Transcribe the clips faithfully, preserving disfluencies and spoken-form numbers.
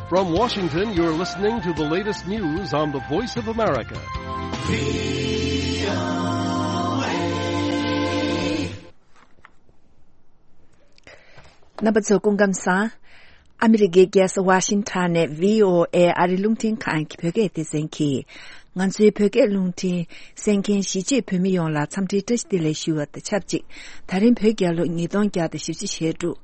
From Washington, you're listening to the latest news on the Voice of America. རྣམ་པ་ཚོ་སྐུ་ཁམས་བཟང་། ཨ་མི་རི་ཀའི་རྒྱལ་ས་ཝ་ཤིང་ཊོན་ནས་བྷི་ཨོ་ཨེ་ཨ་རི་རླུང་འཕྲིན་ཁང་གི་བོད་སྐད་སྡེ་ཚན་གྱིས། ང་ཚོའི་བོད་སྐད་རླུང་འཕྲིན་གསན་མཁན་གཞིས་བྱེས་བོད་མི་ཡོངས་ལ་འཚམས་འདྲིའི་བཀྲ་ཤིས་བདེ་ལེགས་ཞུ་བ་དང་ཆབས་ཅིག་ད་རིང་བོད་རྒྱལ་ལོ་ཉིས་སྟོང་བརྒྱ་དང་བཞི་བཅུ་ཞེ་དྲུག་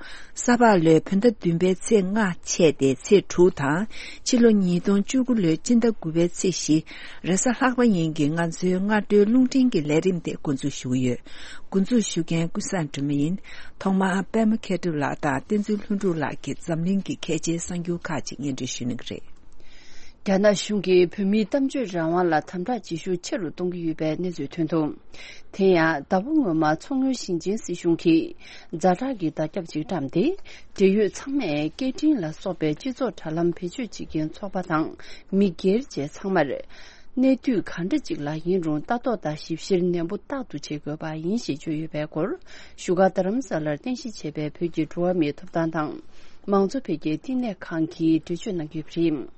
ས་ཕག་ལོའི་བོད་ཟླ་བདུན་པའི་ཚེས་ལྔ་ཆད་དེ་ཚེས་དྲུག་དང་། ཕྱི་ལོ་ཉིས་སྟོང་བཅུ་དགུ་ལོའི་སྤྱི་ཟླ་དགུ་པའི་ཚེས་བཞི། རེས་གཟའ་ལྷག་པ་ཉིན་གྱི་ང་ཚོའི་སྔ་དྲོའི་རླུང་འཕྲིན་གྱི་ལས་རིམ་དེ་འགོ་འཛུགས་ཞུ་གི་ཡོད། འགོ་འཛུགས་ཞུ་མཁན་ཀུན་བཟང་སྒྲོལ་མ་ཡིན། ཐོག་མར་པད་མ་མཁས་གྲུབ་ལགས་དང་བསྟན་འཛིན་ལྷུན་གྲུབ་ལགས་ཀྱིས་འཛམ་གླིང་གི་གལ་ཆེའི་གསར་འགྱུར་ཁག་ཅིག་སྙན་སྒྲོན་ཞུ་གནང་གི་རེད། རྒྱ་ནག་གཞུང་གིས་བོད་མིའི་གཏམ་བརྗོད་རང་དབང་ལ་དམ་དྲག་བྱེད་ཤུགས་ཆེ་རུ་གཏོང་གི་ཡོད་པའི་གནས་ཚུལ་ཐོན་འདུག་དེ་ཡང་ཟླ་བ་སྔོན་མ་མཚོ་སྔོན་ཞིང་ཆེན་སྲིད་གཞུང་གིས་ཛ་དྲག་གི་བརྡ་ཁྱབ་ཅིག་བཀྲམ་སྟེ། འབྲེལ་ཡོད་ཚང་མས་སྐད་འཕྲིན་ལ་སོགས་པའི་སྤྱི་ཚོགས་དྲ་ལམ་བེད་སྤྱོད་བྱེད་མཁན་ཚོགས་པ་དང་མི་སྒེར་བཅས་ཚང་མར། གནས་དུས་གང་འདྲ་ཅིག་ལ་ཡིན་རུང་ལྟ་རྟོག་དང་ཞིབ་བཤེར་ནན་པོ་རྟག་ཏུ་བྱེད་དགོས་པ་ཡིན་ཞེས་བརྗོད་ཡོད་པའི་སྐོར། བཞུགས་སྒར་རྡ་རམ་ས་ལར་རྟེན་གཞི་བྱས་པའི་བོད་ཀྱི་འགྲོ་བ་མིའི་ཐོབ་ཐང་དང་མང་གཙོ་འཕེལ་རྒྱས་བསྟི་གནས་ཁང་གིས་འགྲེལ་བརྗོད་གནང་ཡོད་པ་རེད།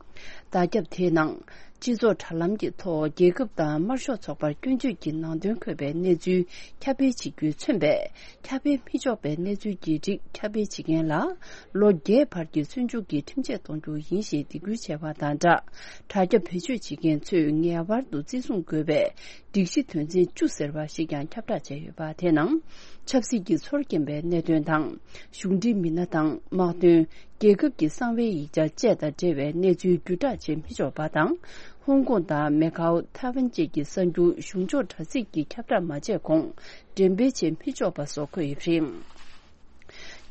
བརྡ་ཁྱབ་དེའི་ནང་། སྤྱི་ཚོགས་དྲ་ལམ་གྱི་ཐོག་རྒྱལ་ཁབ་དང་དམར་ཤོག་ཚོགས་པར་སྐྱོན་བརྗོད་ཀྱི་ནང་དོན་འཁོད་པའི་གནས་ཚུལ་ཁྱབ་སྤེལ་བྱེད་རྒྱུས་མཚོན་པའི། ཁྱབ་སྤེལ་མི་ཆོག་པའི་གནས་ཚུལ་གྱི་རིགས་ཁྱབ་སྤེལ་བྱེད་མཁན་ལ། ལོ་བརྒྱད་བར་གྱི་བཙོན་འཇུག་གི་ཁྲིམས་ཆད་གཏོང་རྒྱུ་ཡིན་ཞེས་སྡིགས་སྐུལ་བྱས་པ་དང་སྦྲགས། དྲ་རྒྱ་བེད་སྤྱོད་བྱེད་མཁན་ཚོས་ངེས་པར་དུ་བརྩི་སྲུང་དགོས་པའི། སྒྲིག་གཞི་དོན་ཚན་བཅུ་ཟེར་བ་ཞིག་ཀྱང་ཁྱབ་བསྒྲགས་བྱས་ཡོད་པ་དེ་ནང་། ཆབ་སྲིད་ཀྱི་ཚོར་སྐྱེན་པའི་གནད་དོན་དང་། གཞུང་འབྲེལ་མི་སྣ་དང་དམག་དོན། རྒྱལ་ཁབ་ཀྱི་གསང་བའི་ཡིག་ཆ་བཅས་དང་འབྲེལ་བའི་གནས་ཚུལ་བརྒྱུད་བསྒྲགས་བྱེད་མི་ཆོག་པ་དང་། ཧོང་ཀོང་དང་མེ་ཁའོ། ཐའེ་ཝན་བཅས་ཀྱི་གསར་འགྱུར་གཞུང་ཕྱོགས་དྲ་ཚིགས་ཀྱིས་ཁྱབ་བསྒྲགས་མ་བྱས་གོང་འགྲེམས་སྤེལ་བྱེད་མི་ཆོག་པ་སོགས་འཁོད་ཡོད་པ་རེད།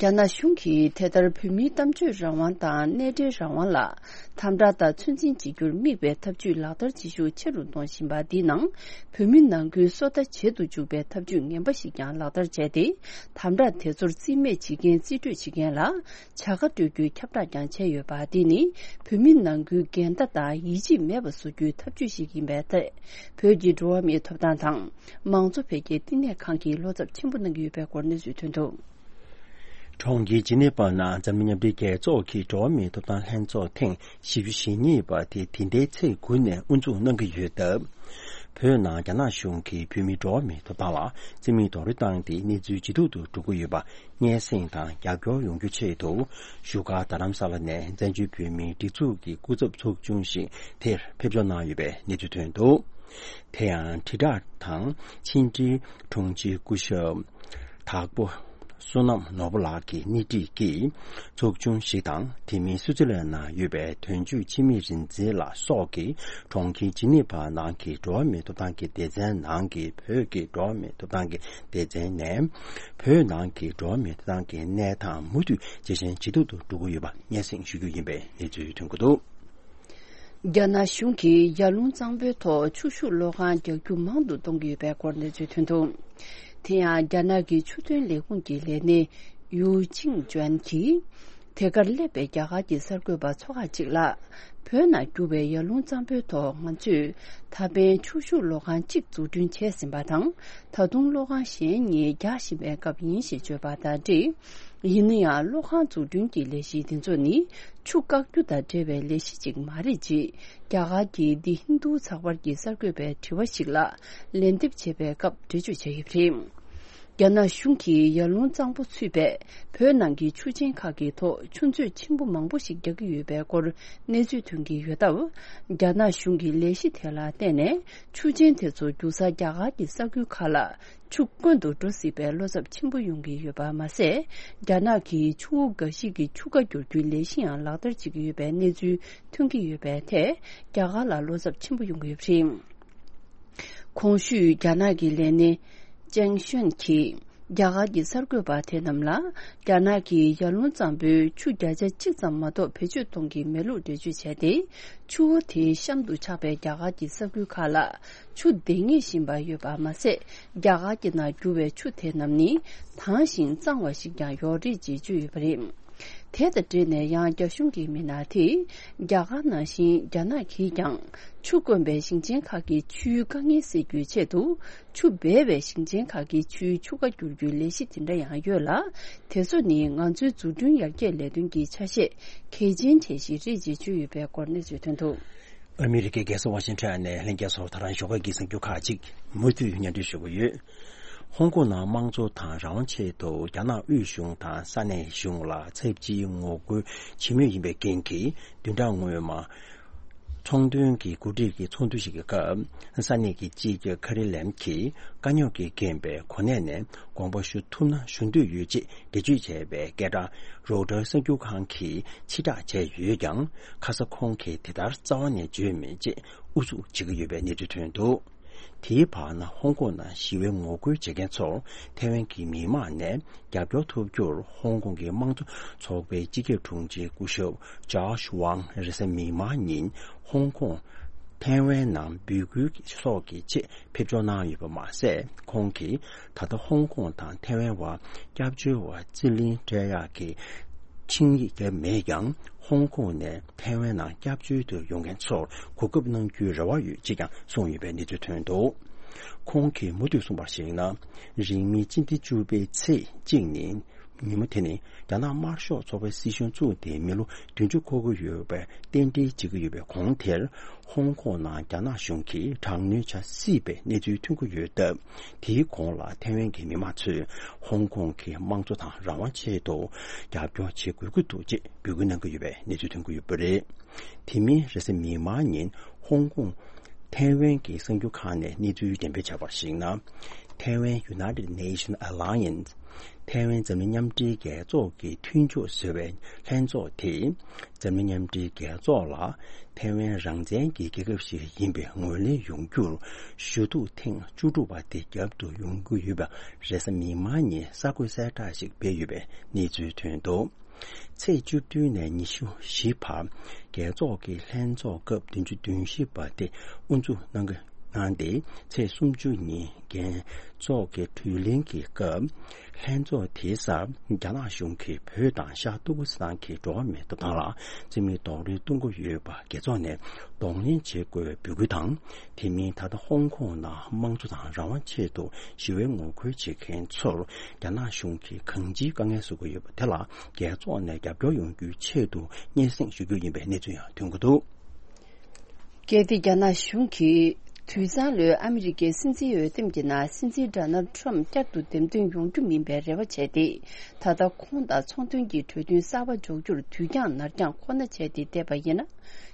རྒྱ་ནག་གཞུང་གིས་དེ་ལྟར་བོད་མིའི་གཏམ་བརྗོད་རང་དབང་དང་གནས་འབྲེལ་རང་དབང་ལ་དམ་དྲག་དང་ཚོད་འཛིན་བྱེད་རྒྱུར་དམིགས་པའི་ཐབས་ཇུས་ལག་བསྟར་བྱེད་ཤུགས་ཆེ་རུ་གཏོང་བཞིན་པ་འདིའི་ནང་། བོད་མི་ནང་ཁུལ་སོ་ལྟ་བྱེད་དུ་འཇུག་པའི་ཐབས་ཇུས་ངན་པ་ཞིག་ཀྱང་ལག་བསྟར་བྱས་ཏེ། དམ་དྲག་དེ་ཚོར་རྩིས་མེད་བྱེད་མཁན་རྩིས་སྤྲོད་བྱེད་མཁན་ལ་བྱ་དགའ་སྤྲོད་རྒྱུའི་ཁྱབ་བསྒྲགས་ཀྱང་བྱས་ཡོད་པ་འདི་ནི། བོད་མི་ནང་ཁུལ་འགལ་ཟླ་དང་ཡིད་ཆེས་མེད་པ་བཟོ་རྒྱུའི་ཐབས་ཇུས་ཤིག་ཡིན་པའི་ཐད། བོད་ཀྱི་འགྲོ་བ་མིའི་ཐོབ་ཐང་དང་མང་གཙོ་འཕེལ་རྒྱས་བསྟི་གནས་ཁང་གིས་བློ་འཚབ་ཆེན་པོ་གནང་གི་ཡོད་པའི་སྐོར་གནས་ཚུལ་ཐོན་འདུག་གྲོང་ཁྱེར་ཇི་ནི་ཝ་ནང་འཛམ་གླིང་མཉམ་འབྲེལ་རྒྱལ་ཚོགས་ཀྱི་འགྲོ་བ་མིའི་ཐོབ་ཐང་ལྷན་ཚོགས་ཐེངས་བཞི་བཅུ་ཞེ་གཉིས་པ་དེ་འདི་ཟླའི་ཚེས་དགུ་ནས་དབུ་འཛུགས་གནང་གི་ཡོད་སྟབས། བོད་ནང་རྒྱ་ནག་གཞུང་གིས་བོད་མིའི་འགྲོ་བ་མིའི་ཐོབ་ཐང་ལ་བརྩི་མེད་རྡོག་རོལ་བཏང་སྟེ་གནས་ཚུལ་ཇེ་སྡུག་ཏུ་འགྲོ་གི་ཡོད་པ་སྙན་སེང་དང་རྒྱབ་སྐྱོར་ཡོང་རྒྱུ་ཆེད་དུ། བཞུགས་སྒར་རྡ་རམ་ས་ལ་ནས་བཙན་བྱོལ་བོད་མིའི་སྒྲིག་འཛུགས་ཀྱི་སྐུ་ཚབ་ཚོགས་ཆུང་ཞིག་དེར་ཕེབས་འབྱོར་གནང་ཡོད་པའི་གནས་ཚུལ་ཐོན་འདུག་དེ་ཡང་དྲིལ་བསྒྲགས་དང་ཕྱི་འབྲེལ་དྲུང་ཆེ་སྐུ་ཞབས་དྭགས་པོ་བསོད་ནམས་ནོར་བུ་ལགས་ཀྱི་སྣེ་ཁྲིད་ཀྱིས་ཚོགས་ཆུང་ཞིག་དང་། དེ་མིན་སུའུ་ཙི་ལན་ནང་ཡོད་པའི་དོན་གཅོད་འཆི་མེད་རིག་འཛིན་ལགས་སོགས་ཀྱིས་གྲོང་ཁྱེར་ཇི་ནི་ཝ་ནང་གི་འགྲོ་བ་མིའི་ཐོབ་ཐང་གི་སྡེ་ཚན་ནང་གི་བོད་ཀྱི་འགྲོ་བ་མིའི་ཐོབ་ཐང་གི་སྡེ་ཚན་ནས། བོད་ནང་གི་འགྲོ་བ་མིའི་ཐོབ་ཐང་གི་གནས་སྟངས་མུ་མཐུད་ཇེ་ཞན་ཇེ་སྡུག་ཏུ་འགྲོ་གི་ཡོད་པ་སྙན་སེང་ཞུ་རྒྱུ་ཡིན་པའི་གནས་ཚུལ་ཐོན་གྱི་འདུག་རྒྱ་ནག་གཞུང་གིས་ཡར་ཀླུང་གཙང་པོའི་ཐོག་ཆུ་ཤུགས་གློག་ཁང་རྒྱག་རྒྱུ་མང་དུ་གཏོང་གི་ཡོད་པའི་སྐོར་གནས་ཚུལ་ཐོན་འདུག་དེ་ཡང་རྒྱ་ནག་གི་ཆུ་དོན་ལས་ཁུངས་ཀྱི་ལས་སྣེ་ཡུའུ་ཅིང་ཅོན་གྱིས། དེ་གར་སླེབས་པའི་རྒྱ་གར་གྱི་གསར་འགོད་པ་ཚོ་ཁག་ཅིག་ལ། བོད་ནང་རྒྱུ་བའི་ཡར་ཀླུང་གཙང་པོའི་ཐོག་ང་ཚོས་ད་ཕན་ཆུ་ཤུགས་གློག་ཁང་གཅིག་འཛུགས་སྐྲུན་བྱས་ཟིན་པ་དང་། ད་དུང་གློག་ཁང་གཞན་གཉིས་རྒྱག་བཞིན་པའི་སྐབས་ཡིན་ཞེས་བརྗོད་པ་དང་འབྲེལ། ཡིན་ན་ཡང་གློག་ཁང་འཛུགས་སྐྲུན་གྱི་ལས་གཞི་འདི་ཚོ་ནི་ཆུ་བཀག་རྒྱུ་དང་འབྲེལ་བའི་ལས་གཞི་ཅིག་མ་རེད་ཅེས་རྒྱ་གར་གྱི་The Hindu་ཚགས་པར་གྱི་གསར་འགོད་པའི་དྲི་བ་ཞིག་ལ་ལན་འདེབས་བྱས་པའི་སྐབས་འགྲེལ་བརྗོད་བྱས་ཡོད་པ་རེད། རྒྱ་ནག་གཞུང་གིས་ཡར་ཀླུང་གཙང་པོ་ཚུད་པའི་བོད་ནང་གི་ཆུ་ཆེན་ཁག་གི་ཐོག་ཆུ་མཛོད་ཆེན་པོ་མང་པོ་ཞིག་རྒྱག་གི་ཡོད་པའི་སྐོར་གནས་ཚུལ་ཐོན་གྱི་ཡོད་སྟབས། རྒྱ་ནག་གཞུང་གི་ལས་གཞི་དེ་ལ་བརྟེན་ནས་ཆུ་ཆེན་དེ་ཚོ་རྒྱུག་སར་རྒྱ་གར་གྱི་ས་ཁུལ་ཁག་ལ་ཆུ་དཀོན་དུ་འགྲོ་སྲིད་པའི་བློ་འཚབ་ཆེན་པོ་ཡོང་གི་ཡོད་པ་མ་ཟད། རྒྱ་ནག་གིས་ཆུ་བོ་འགའ་ཞིག་གི་ཆུ་ཁ་བསྒྱུར་རྒྱུའི་ལས་གཞི་ཡང་ལག་བསྟར་བྱེད་ཀྱི་ཡོད་པའི་གནས་ཚུལ་ཐོན་གྱི་ཡོད་པའི་ཐད། རྒྱ་གར་ལ་བློ་འཚབ་ཆེན་པོ་ཡོང་གི་ཡོད་པ་རེད། གོང་ཞུས་རྒྱ་ནག་གི་ལས་སྣེ་ཅེང་ཤོན་གྱིས་རྒྱ་གར་གྱི་གསར་འགོད་པ་དེ་རྣམས་ལ། རྒྱ་ནག་གིས་ཡར་ཀླུང་གཙང་པོའི་ཆུ་བརྒྱ་ཆ་གཅིག་ཙམ་མ་གཏོགས་བེད་སྤྱོད་གཏོང་གི་མེད་ལུགས་འགྲེལ་བརྗོད་བྱས་ཏེ། ཆུ་བོ་དེའི་གཤམ་དུ་ཆགས་པའི་རྒྱ་གར་གྱི་ས་ཁུལ་ཁག་ལ་ཆུ་འདང་ངེས་བཞིན་པ་ཡོད་པ་མ་ཟད། རྒྱ་གར་གྱི་ནང་རྒྱུ་བའི་ཆུ་དེ་རྣམས་ནི་དྭངས་ཤིང་གཙང་བ་ཞིག་ཀྱང་ཡོད་རེད་ཅེས་བརྗོད་ཡོད་པ་རེད། དེ་དང་འབྲེལ་ནས་ཡང་རྒྱ་གཞུང་གི་མི་སྣ་དེས་རྒྱ་གར་ནང་བཞིན་རྒྱ་ནག་གིས་ཀྱང་ཆུ་དཀོན་པའི་ཞིང་ཆེན་ཁག་གི་ཆུའི་དཀའ་ངལ་སེལ་རྒྱུའི་ཆེད་དུ། ཆུ་སྦས་པའི་ཞིང་ཆེན་ཁག་གི་ཆུའི་ཆུ་ཁ་བསྒྱུར་རྒྱུའི་ལས་གཞི་དེ་འདྲ་ཡང་ཡོད་ལ། དེ་ཚོ་ནི་ང་ཚོའི་འཛུགས་སྐྲུན་ཡར་རྒྱས་ལས་དོན་གྱི་ཆ་ཤས་གལ་ཆེན་གྲས་ཤིག་རེད་ཅེས་བརྗོད་ཡོད་པའི་སྐོར་གནས་ཚུལ་ཐོན་འདུག་ཨ་མི་རི་ཀའི་རྒྱལ་ས་ཝ་ཤིང་ཊོན་ནས་ལྷན་རྒྱས་ཚོར་ད་རང་ཞོགས་ཀ་གི་གསར་འགྱུར་ཁག་ཅིག་མུ་མཐུད་སྙན་སྒྲོན་ཞུ་གི་ཡོད། ཧོང་ཀོང་ནང་དམངས་གཙོ་དང་རང་དབང་ཆེད་དུ་རྒྱ་ནག་དབུས་གཞུང་དང་ས་གནས་གཞུང་ལ་ཚབས་ཆེའི་ངོ་རྒོལ་བྱེད་མུས་ཡིན་པའི་རྐྱེན་གྱིས། བདུན་ཕྲག་སྔོན་མ། ཚོང་དོན་གྱི་འགོ་ཁྲིད་ཀྱི་ཚོགས་འདུ་ཞིག་གི་སྐབས། ས་གནས་ཀྱི་སྤྱི་ཁྱབ་ཁ་རི་ལེམ་གྱིས་དཀའ་རྙོག་གིས་རྐྱེན་པས་གོ་གནས་ནས་དགོངས་པ་ཞུ་ཐུབ་ན་ཞུ་འདོད་ཡོད་ཅེས་འགྲེལ་བརྗོད་བྱས་པའི་སྐད་གྲགས་རོའི་ཊར་གསར་འགྱུར་ཁང་གིས་ཕྱིར་བསྒྲགས་བྱས་ཡོད་ཀྱང་། ཁ་ས་ཁོང་གིས་དེ་ལྟར་རྩ་བ་ནས་བརྗོད་མེད་ཅེས་ཨུ་ཚུགས་བྱེད་ཀྱི་ཡོད་པའི་གནས་ཚུལ་ཐོན་འདུག་དེའི་བར་ན། ཧོང་ཀོང་ནང་ཞི་བའི་ངོ་རྒོལ་བྱེད་མཁན་ཚོར་ཐའེ་ཝན་གྱི་མི་མང་ནས་རྒྱབ་སྐྱོར་ཐོབ་རྒྱུར། ཧོང་ཀོང་གི་དམངས་གཙོ་ཚོགས་པའི་སྤྱི་ཁྱབ་དྲུང་ཆེ་སྐུ་ཞབས་ཇོརྗ་ཝང་རེས་གཟའ་མིག་དམར་ཉིན་ཧོང་ཀོང་། ཐའེ་ཝན་ནང་འབོད་སྐུལ་སོགས་ཀྱི་ཆེད་ཕེབས་འབྱོར་གནང་ཡོད་པ་མ་ཟད། ཁོང་གིས་ད་ལྟ་ཧོང་ཀོང་དང་ཐའེ་ཝན་བར་སྐྱབས་བཅོལ་བ་རྩིས་ལེན་སྤྲད་ཡག་གི་ཆིངས་ཡིག་བརྒྱབ་མེད་ཀྱང་། ཧོང་ཀོང་ནས་ཐའེ་ཝན་ནང་སྐྱབས་བཅོལ་དུ་ཡོང་མཁན་ཚོར་གོ་སྐབས་གནང་རྒྱུའི་རེ་བ་ཡོད་ཅེས་ཀྱང་གསུངས་ཡོད་པའི་གནས་ཚུལ་ཐོན་འདུག་ཁོང་གིས་མུ་མཐུད་གསུངས་པར་གཞིགས་ན། རིང་མིན་སྤྱི་ཟླ་བཅུ་པའི་ཚེས་གཅིག་ཉིན། ཉིན་མོ་དེ་ནི་རྒྱ་ནག་དམར་ཤོག་ཚོགས་པའི་སྲིད་གཞུང་བཙུགས་ཏེ་མི་ལོ་བདུན་ཅུ་འཁོར་གྱི་ཡོད་པའི་རྟེན་འབྲེལ་བྱེད་ཀྱི་ཡོད་པའི་གོང་དེར། ཧོང་ཀོང་ནང་རྒྱ་ནག་གཞུང་གིས་དྲག་གནོན་བྱ་སྲིད་པའི་གནས་ཚུལ་ཐོན་གྱི་ཡོད་སྟབས། དེའི་གོང་ལ་ཐའེ་ཝན་གྱི་མི་མང་ཚོས་ཧོང་ཀོང་གི་དམངས་གཙོ་དང་རང་དབང་ཆེད་དུ་རྒྱབ་སྐྱོར་བྱེད་དགོས་ཀྱི་འདུག་ཅེས་འབོད་སྐུལ་གནང་གི་ཡོད་པའི་གནས་ཚུལ་ཐོན་གྱི་ཡོད་པ་རེད། དེ་མིན་རེས་གཟའ་མིག་དམར་ཉིན་ཧོང་ཀོང་ཐའེ་ཝན་གྱི་གསར་འགྱུར་ཁང་ནས་གནས་ཚུལ་འགྲེམས་སྤེལ་བྱས་པར་གཞིགས་ན། ཐའེ་ཝན་United Nation Alliance། ཐའེ་ཝན་འཛམ་གླིང་མཉམ་འབྲེལ་རྒྱལ་ཚོགས་ཀྱི་མཐུན་ཕྱོགས་ཟེར་བའི་ལྷན་ཚོགས་དེས། འཛམ་གླིང་མཉམ་འབྲེལ་རྒྱལ་ཚོགས་ལ་ཐའེ་ཝན་རང་བཙན་གྱི་རྒྱལ་ཁབ་ཞིག་ཡིན་པའི་ངོས་ལེན་ཡོང་རྒྱུར། ཞུ་གཏུག་ཐེངས་བཅུ་དྲུག་པ་དེ་རྒྱབ་ཏུ་ཡོང་གི་ཡོད་པ། རེས་གཟའ་མིག་དམར་ཉིན་གསར་འགོད་གསལ་བསྒྲགས་ཤིག་སྤེལ་ཡོད་པའི་གནས་ཚུལ་ཐོན་འདུག་ཚེས་བཅུ་བདུན་ནས་ཉི་ཤུ་བཞི་བར། རྒྱལ་ཚོགས་ཀྱི་ལྷན་ཚོགས་སྐབས་བདུན་ཅུ་དོན་བཞི་པ་དེ་དབུ་འཛུགས་གནང་གི་གནང་སྟེ། ཚེས་སུམ་ཅུ་ཉིན་རྒྱལ་ཚོགས་ཀྱི་གྲོས་གླེང་གི་སྐབས། ལྷན་ཚོགས་དེའི་སར་རྒྱ་ནག་གཞུང་གིས་བོད་དང་ཤར་ཏུར་ཀི་སི་ཐན་གྱི་འགྲོ་བ་མིའི་ཐོབ་ཐང་ལ་རྩིས་མེད་རྡོག་རོལ་གཏོང་གི་ཡོད་པ། རྒྱལ་ཚོགས་ནས་གདོང་ལེན་བྱེད་དགོས་པའི་འབོད་སྐུལ་དང་། དེ་མིན་ད་ལྟ་ཧོང་ཀོང་ནང་དམངས་གཙོ་དང་རང་དབང་ཆེད་དུ་ཞི་བའི་ངོ་རྒོལ་བྱེད་མཁན་ཚོར་རྒྱ་ནག་གཞུང་གིས་གང་ཅིའི་དཀའ་ངལ་བཟོ་གི་ཡོད་པ་དེ་ལ། རྒྱལ་ཚོགས་ནས་རྒྱབ་སྐྱོར་ཡོང་རྒྱུའི་ཆེད་དུ་སྙན་སེང་ཞུ་རྒྱུ་ཡིན་པའི་གནས་ཚུལ་ཡང་ཐོན་གྱི་འདུག་གལ་ཏེ་རྒྱ་ནག་གཞུང་གིས་དུས་བཟང་ལོའི་ཨ་མི་རི་ཀའི་སྲིད་འཛིན་འོས་འདེམས་ཀྱི་ནང་སྲིད་འཛིན་ཌོ་ནལ་ཊམ་བསྐྱར་དུ་འདེམས་ཐོན་ཡོང་རྒྱུ་མིན་པའི་རེ་བ་བྱས་ཏེ། ད་ལྟ་ཁོང་དང་ཚོང་དོན་གྱི་གྲོས་མཐུན་གསར་པ་འཇོག་རྒྱུར་དུས་འགྱངས་ནར་འགྱངས་ཁོ་ན་བྱས་ཏེ་བསྡད་པ་ཡིན་ན།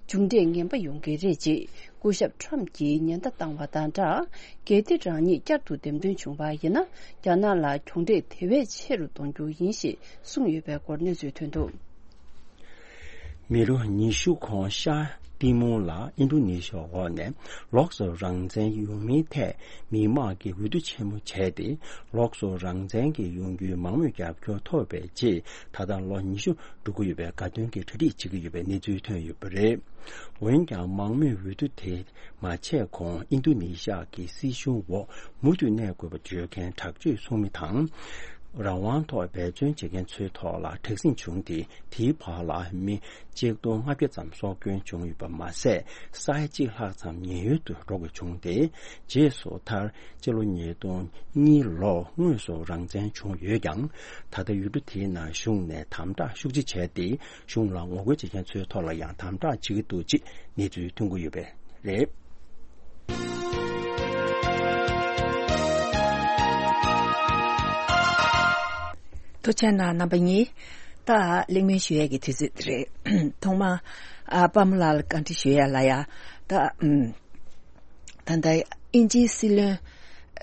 མཇུག་འབྲས་ངན་པ་ཡོང་གི་རེད་ཅེས་སྐུ་ཞབས་ཊམ་གྱིས་ཉེན་བརྡ་བཏང་བ་དང་སྦྲགས། གལ་ཏེ་རང་ཉིད་བསྐྱར་དུ་འདེམས་ཐོན་བྱུང་བ་ཡིན་ན། རྒྱ་ནག་ལ་གྱོང་འབྲས་དེ་བས་ཆེ་རུ་གཏོང་རྒྱུ་ཡིན་ཞེས་གསུངས་ཡོད་པའི་སྐོར་གནས་ཚུལ་ཐོན་འདུག་མི་ལོ་ཉི་ཤུ་གོང་ཤར་ཏི་མོར་ལ་ཨིན་ཌོ་ནེ་ཤི་ཡའི་འོག་ནས་ལོགས་སུ་རང་བཙན་ཡོང་མིན་ཐད་མི་མང་གིས་འོས་བསྡུ་ཆེན་མོ་བྱས་ཏེ། ལོགས་སུ་རང་བཙན་གྱི་ཡོང་རྒྱུའི་མང་མོས་རྒྱབ་སྐྱོར་ཐོབ་པའི་རྗེས། ད་ལྟ་ལོ་ཉི་ཤུ་འགྲོ་གི་ཡོད་པའི་དགའ་སྟོན་གྱི་གྲ་སྒྲིག་བྱེད་ཀྱི་ཡོད་པའི་གནས་ཚུལ་ཐོན་ཡོད་པ་རེད། འོན་ཀྱང་མང་མོས་འོས་བསྡུ་དེ་མ་བྱས་གོང་ཨིན་རྡུ་ནེ་ཤི་ཡ་གི་སྲིད་གཞུང་འོག་མུ་མཐུད་གནས་དགོས་པ་བརྗོད་མཁན་དྲག་སྤྱོད་སྲུང་མི་དང་། རང་དབང་ཐོག་འབད་བརྩོན་བྱེད་མཁན་ཚོའི་ཐོག་ལ་དྲག་ཟིང་བྱུང་སྟེ། དེའི་བར་ལ་མི་ཆིག་སྟོང་ལྔ་བརྒྱ་ཙམ་སྲོག་སྐྱོན་བྱུང་ཡོད་པ་མ་ཟད། ས་ཡ་གཅིག་ལྷག་ཙམ་ཉེན་གཡོལ་དུ་འགྲོ་དགོས་བྱུང་སྟེ། རྗེས་སུ་མཐར་སྤྱི་ལོ་ཉིས་སྟོང་གཉིས་ལོར་དངོས་སུ་རང་བཙན་བྱུང་ཡོད་ཀྱང་། ད་ལྟ་ཡུལ་གྲུ་དེའི་ནང་གཞུང་ནས་དམ་དྲག་ཤུགས་ཆེ་བྱས་ཏེ། གཞུང་ལ་ངོ་རྒོལ་བྱེད་མཁན་ཚོའི་ཐོག་ལ་ཡང་དམ་དྲག་བྱེད་ཀྱི་འདུག་ཅེས་གནས་ཚུལ་ཐོན་གྱི་ཡོད་པ་རེད། ཐུགས་རྗེ་གནང་རྣམ་པ་གཉིས། ད་གླེང་མོལ་ཞུ་ཡས་ཀྱི་དུས་ཚོད་དེ་རེད། ཐོག་མར་ཨ་པདྨ་ལགས་ལ་བཀའ་འདྲི་ཞུ་ཡས་ལ་ཡ། ད་ཨམ། ད་ལྟ་དབྱིན་ཇིའི་སྲིད་བློན་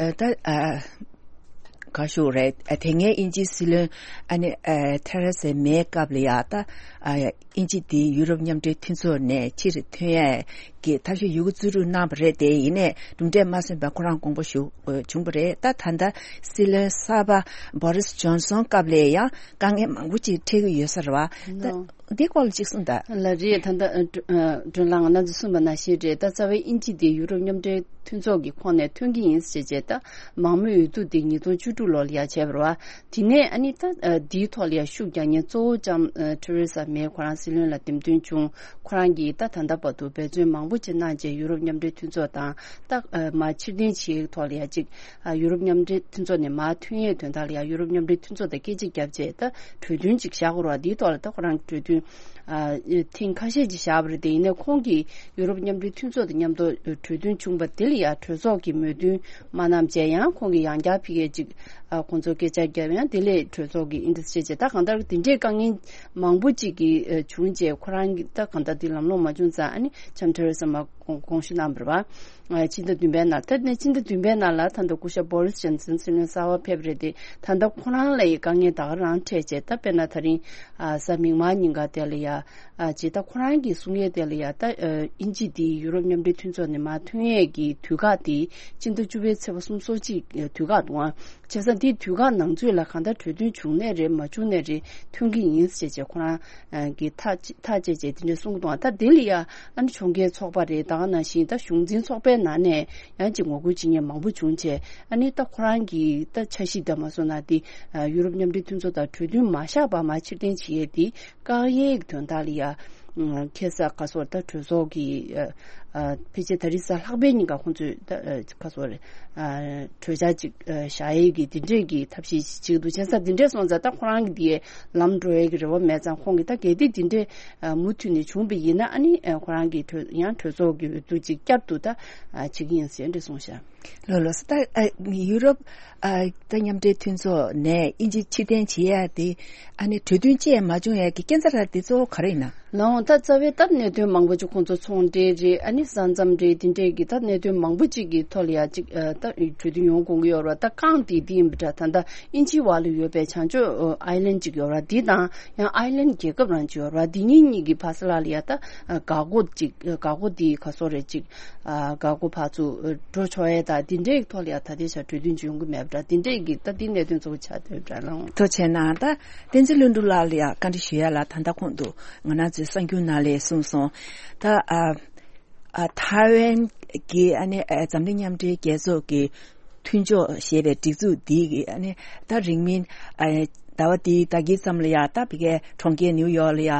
ཨ་ད་ཨ་ག་ཞུ་རེད། ཨ་དེ་སྔའི་དབྱིན་ཇིའི་སྲིད་བློན་ཨ་ནི་ཨ་ཐེ་རེ་སེ་མེའི་སྐབས་ལ་ཡ། ད་ཨ་དབྱིན་ཇི་འདི་ཡུ་རོབ་མཉམ་འབྲེལ་མཐུན་ཚོགས་ནས་ཕྱིར་ཐོན་ཡས་ གི་ཐབས་ཤེས་ཡོད་རྒུ་བརྩི་རུ་གནང་བ་རེད་དེ། ཡིན་ནའི་གྲུབ་འབྲས་མ་སོན་པར་ཁོ་རང་དགོངས་པ་ཞུ་བྱུང་བ་རེད། ད་ད་ལྟ་སྲིད་བློན་གསར་པ་བོ་རིས་ཇོན་སོན་སྐབས་ལ་ཡང་དཀའ་ངལ་མང་པོ་ཅིག་འཕྲད་ཀྱི་ཡོད་ས་རེད་བ། ད་ལོ། འདི་སྐོར་ལ་ཅིག་གསུངས་དང་། ལ་རེད། ད་ལྟ་ཨ་སྒྲོ་ཨ་སྒྲོན་ལགས་ང་རང་ཚོ་གསུངས་པ་ནང་བཞིན་རེད། ད་རྩ་བའི་དབྱིན་ཇི་དེ་ཡུ་རོབ་མཉམ་འབྲེལ་མཐུན་ཚོགས་ཀྱི་ཁོངས་ནས་ཐོན་གྱི་ཡིན་ཟེར་བྱས་ད་མང་མོས་འོས་བསྡུ་དེ་ཉིས་སྟོང་བཅུ་དྲུག་ལོ་ལ་ཡ་བྱས་པ་རེད་བ། དེ་ནས་ཨ་ནི་ད་ཨ་འདིའི་ཐོག་ལ་ཡ་ཤུགས་རྒྱག་མཁན་གཙོ་བོ་ལྕམ་ཨ་ཐེ་རེ་ས་མེ་ཁོ་རང་སྲིད་བློན་ལ་འདེམས་ཐོན་བྱུང་། ཁོ་རང་གིས་ད་ད་ལྟ་བར་དུ་འབད་བརྩོན་མང་པོ་ཅིག་གནང་རྗེས་ཡུ་རོབ་མཉམ་འབྲེལ་མཐུན་ཚོགས་དང་ད་ཨ་མར་ཕྱིར་འཐེན་བྱེད་ཡག་ཐོག་ལ་ཡ་ཅིག་ཨ་ཡུ་རོབ་མཉམ་འབྲེལ་མཐུན་ཚོགས་ནས་མར་ཐོན་ཡས་དོན་དག་ལ་ཡ་ཡུ་རོབ་མཉམ་འབྲེལ་མཐུན་ཚོགས་དང་སྐད་ཆ་བརྒྱབ་རྗེས་ད་གྲོས་མཐུན་ཅིག་བཞག་དགོས་རེད་བ། དེའི་ཐོག་ལ་ད་ཁོ་རང་གྲོས་མཐུན་ཨ་ཐེངས་ཁ་ཤས་ཅིག་བཞག་པ་རེད་དེ། ཡིན་ནའི་ཁོང་གིས་ཡུ་རོབ་མཉམ་འབྲེལ་མཐུན་ཚོགས་དང་མཉམ་དུ་གྲོས་མཐུན་བྱུང་བ་དེ་ལ་ཡ་གྲོས་ཚོགས་ཀྱིས་མོས་མཐུན་མ་གནང་བྱས་ཡང་ཁོང་གིས་ཡང་བསྐྱར་ཕ་གིར་ཅིག་ཨ་ཁོང་ཚོ་སྐད་ཆ་བརྒྱབ་ཡང་དེ་ལས་གྲོས་ཚོགས་ཀྱིས་ཨིན་དེ་བྱས་བྱས་ད་གང་ལྟར་དེ་འདྲའི་དཀའ་ངལ་མང་པོ་ཅིག་གིས་ཨ་བྱུང་རྗེས་ཁོ་རང་གིས་ད་གང་ལྟར་དེ་ལམ་ལྷོང་མ་བྱུང་ཙང་ཨ་ནི་ལྕམ་ཐེ་རེ་ས་མེ་དགོངས་དགོངས་ཞུ་གནང་བ་རེད་བ། ཨ་ཕྱི་ཟླ་བདུན་པའི་ནང་ད་ནས་ཕྱི་ཟླ་བདུན་པའི་ནང་ལ་ད་ལྟ་སྐུ་ཞབས་བོ་རིས་ཇོན་སན་སྲིད་བློན་གསར་པ་ཕེབས་རེད་དེ། ད་ལྟ་ཁོ་རང་ལ་ཡི་དཀའ་ངལ་ད་ག་རང་འཕྲད་བྱས་ད་དཔེར་ན་ད་རིང་ཨ་གཟའ་མིག་དམར་ཉིན་ཀ་དེ་ལ་ཡ་ཨ་ཅེ་ད་ཁོ་རང་གིས་གསུང་ཡས་དེ་ལ་ཡ་ད་ཨ་དབྱིན་ཇི་དེ་ཡུ་རོབ་མཉམ་འབྲེལ་མཐུན་ཚོགས་ནས་མར་ཐོན་ཡས་ཀྱི་དུས་བཀག་དེ་ཕྱི་ཟླ་བཅུ་པའི་ཚེས་པ་གསུམ་སོ་གཅིག་དུས་བཀག་འདུག་ཨང་། བྱས་ཙང་དེའི་དུས་བཀག་ནང་ཚུད་ལ་གང་ལྟར་གྲོས་མཐུན་བྱུང་ནའི་རེད་མ་བྱུང་ནའི་རེད་ཐོན་གྱི་ཡིན་ཟེར་བྱས་ཁོ་རང་གིས་ཐག་ཐག་བཅད་བྱས་དེ་འདྲ་གསུང་གི་འདུག་ད་དེ་ལ་ཡ་ཨ་ནི་ཕྱོགས་འགལ་ཚོགས་པ་རེད་ད་ག་ནང་བཞིན་ད་གཞུང་འཛིན་ཚོགས་པའི་ནང་ནས་ཡང་ཅིག་ངོ་རྒོལ་བྱེད་མཁན་མང་པོ་བྱུང་བྱས་ཨ་ནི་ད་ཁོ་རང་གིས་ད་འཆར་གཞི་ད་མ་སོང་ན་དེ་ཡུ་རོབ་མཉམ་འབྲེལ་མཐུན་ཚོགས་དང་གྲོས་མཐུན་མ་བཞག་པར་མར་ཕྱིར་འཐེན་བྱེད་ཡས་དེ་བཀག་ཡས་ཀྱི་དོན་དག་ལ་ཡ། ཁ་སང་ཁ་སང་ད་གྲོས་ཚོགས་ཀྱི་ཨ་ཨ་ཕལ་ཆེར་ད་རེས་གཟའ་ལྷག་པའི་ཉིན་ཀ་ཁོང་ཚོས་ད་ཨ་ཁ་སང་རེད་ཨ་གྲོས་འཆར་ཅིག་ཨ་བཞག་ཡས་ཀྱི་དེ་འདྲས་ཀྱི་ཐབས་ཤེས་ཤིག་བྱེད་ཀྱི་འདུག་བྱས་ཙང་དེ་འདྲས་སོང་ཙང་ད་ཁོ་རང་གི་དེའི་ལམ་འགྲོ་ཡས་ཀྱི་རེ་བ་མེད་ཙང་ཁོང་གིས་ད་གལ་ཏེ་དེ་འདྲས་ཨ་མུ་མཐུད་ནས་བྱུང་བ་ཡིན་ན་ཨ་ནི་ཨ་ཁོ་རང་གི་གྲོས་ཡང་གྲོས་ཚོགས་ཀྱི་འོས་བསྡུ་ཅིག་བསྐྱར་དུ་ད་ཨ་བྱེད་ཀྱི་ཡིན་ཟེར་འདྲས་གསུངས་ཤག་ལོ་ལོ་ས་ད་ཨ་ཡུ་རོབ་ཨ་ད་མཉམ་འབྲེལ་མཐུན་ཚོགས་ནས་དབྱིན་ཇི་ཕྱིར་འཐེན་བྱེད་ཡ་དེ་ཨ་ནི་གྲོས་མཐུན་བཅས་མ་བྱུང་ཡ་གི་རྐྱེན་རྩ་ར་དེ་གཙོ་བོ་ག་རེ་ཡིན་ན། ལོང་ད་རྩ་བའི་ད་གནད་དོན་མང་པོ་ཅིག་ཁོང་ཚོ་ཚོང་འབྲེལ་རེད་ཨ་ནི་ས་མཚམས་རེད་དེ་འདྲས་ཀྱི་ད་གནད་དོན་མང་པོ་ཅིག་གི་ཐོག་ལ་ཡ་ཅིག་ཨ་ད་གྲོས་མཐུན་ཡོང་དགོས་ཀྱི་ཡོད་རེད་བ། ད་རྐང་དེ་དེ་ཡིན་པ་འདྲ་ད་ད་དབྱིན་ཇིའི་བར་ལ་ཡོད་པའི་བྱང་ཕྱོགས་ཨ་ཨའི་ལན་ཅིག་ཡོད་རེད་བ། དེ་དང་ཡང་ཨའི་ལན་རྒྱལ་ཁབ་རང་ཅིག་ཡོད་རེད་བ། དེ་གཉིས་གཉིས་ཀྱི་བར་ས་ལ་ལ་ཡ་ད་འགག་སྒོ་ཅིག་འགག་སྒོ་དེ་ག་སོ་རེད་ཅིག་ཨ་འགག་སྒོ་ཕར་ཚུར་འགྲོ་ཆོག་ཡས་དང་དེ་འདྲའི་ཐོག་ལ་ཡ་ད་ལྟའི་ཆར་གྲོས་མཐུན་ཅིག་ཡོང་གི་མེད་པ་འདྲ། དེ་འདྲའི་གི་ད་དེ་གནད་དོན་གཙོ་བོ་ཆགས་བསྡད་པ་འདྲ་ལགས། ཐུགས་རྗེ་གནང་། ད་བསྟན་འཛིན་ལྷུན་གྲུབ་ལགས་ལ་ཡང་བཀའ་འདྲི་ཞུ་ཡ་ལ། ད་ལྟ་གོང་དུ་ང་རང་ཚོའི་གསར་འགྱུར་ནང་ལ་གསུངས་སོང་། ད་ཨ་ཨ་ཐའེ་ཝན་གྱི་ཨ་ནི་ཨ་འཛམ་གླིང་མཉམ་འབྲེལ་རྒྱལ་ཚོགས་ཀྱི་མཐུན་ཕྱོགས་ཞེས་པའི་སྒྲིག་འཛུགས་འདི་གི་ཨ་ནི་ད་རིང་མིན་ཨ་ཟླ་བ་འདིའི་ཟླ་དཀྱིལ་ཙམ་ལ་ཡ་ད་ཕ་གིའི་གྲོང་ཁྱེར་ནིའུ་ཡོག་ལ་ཡ་ཨ་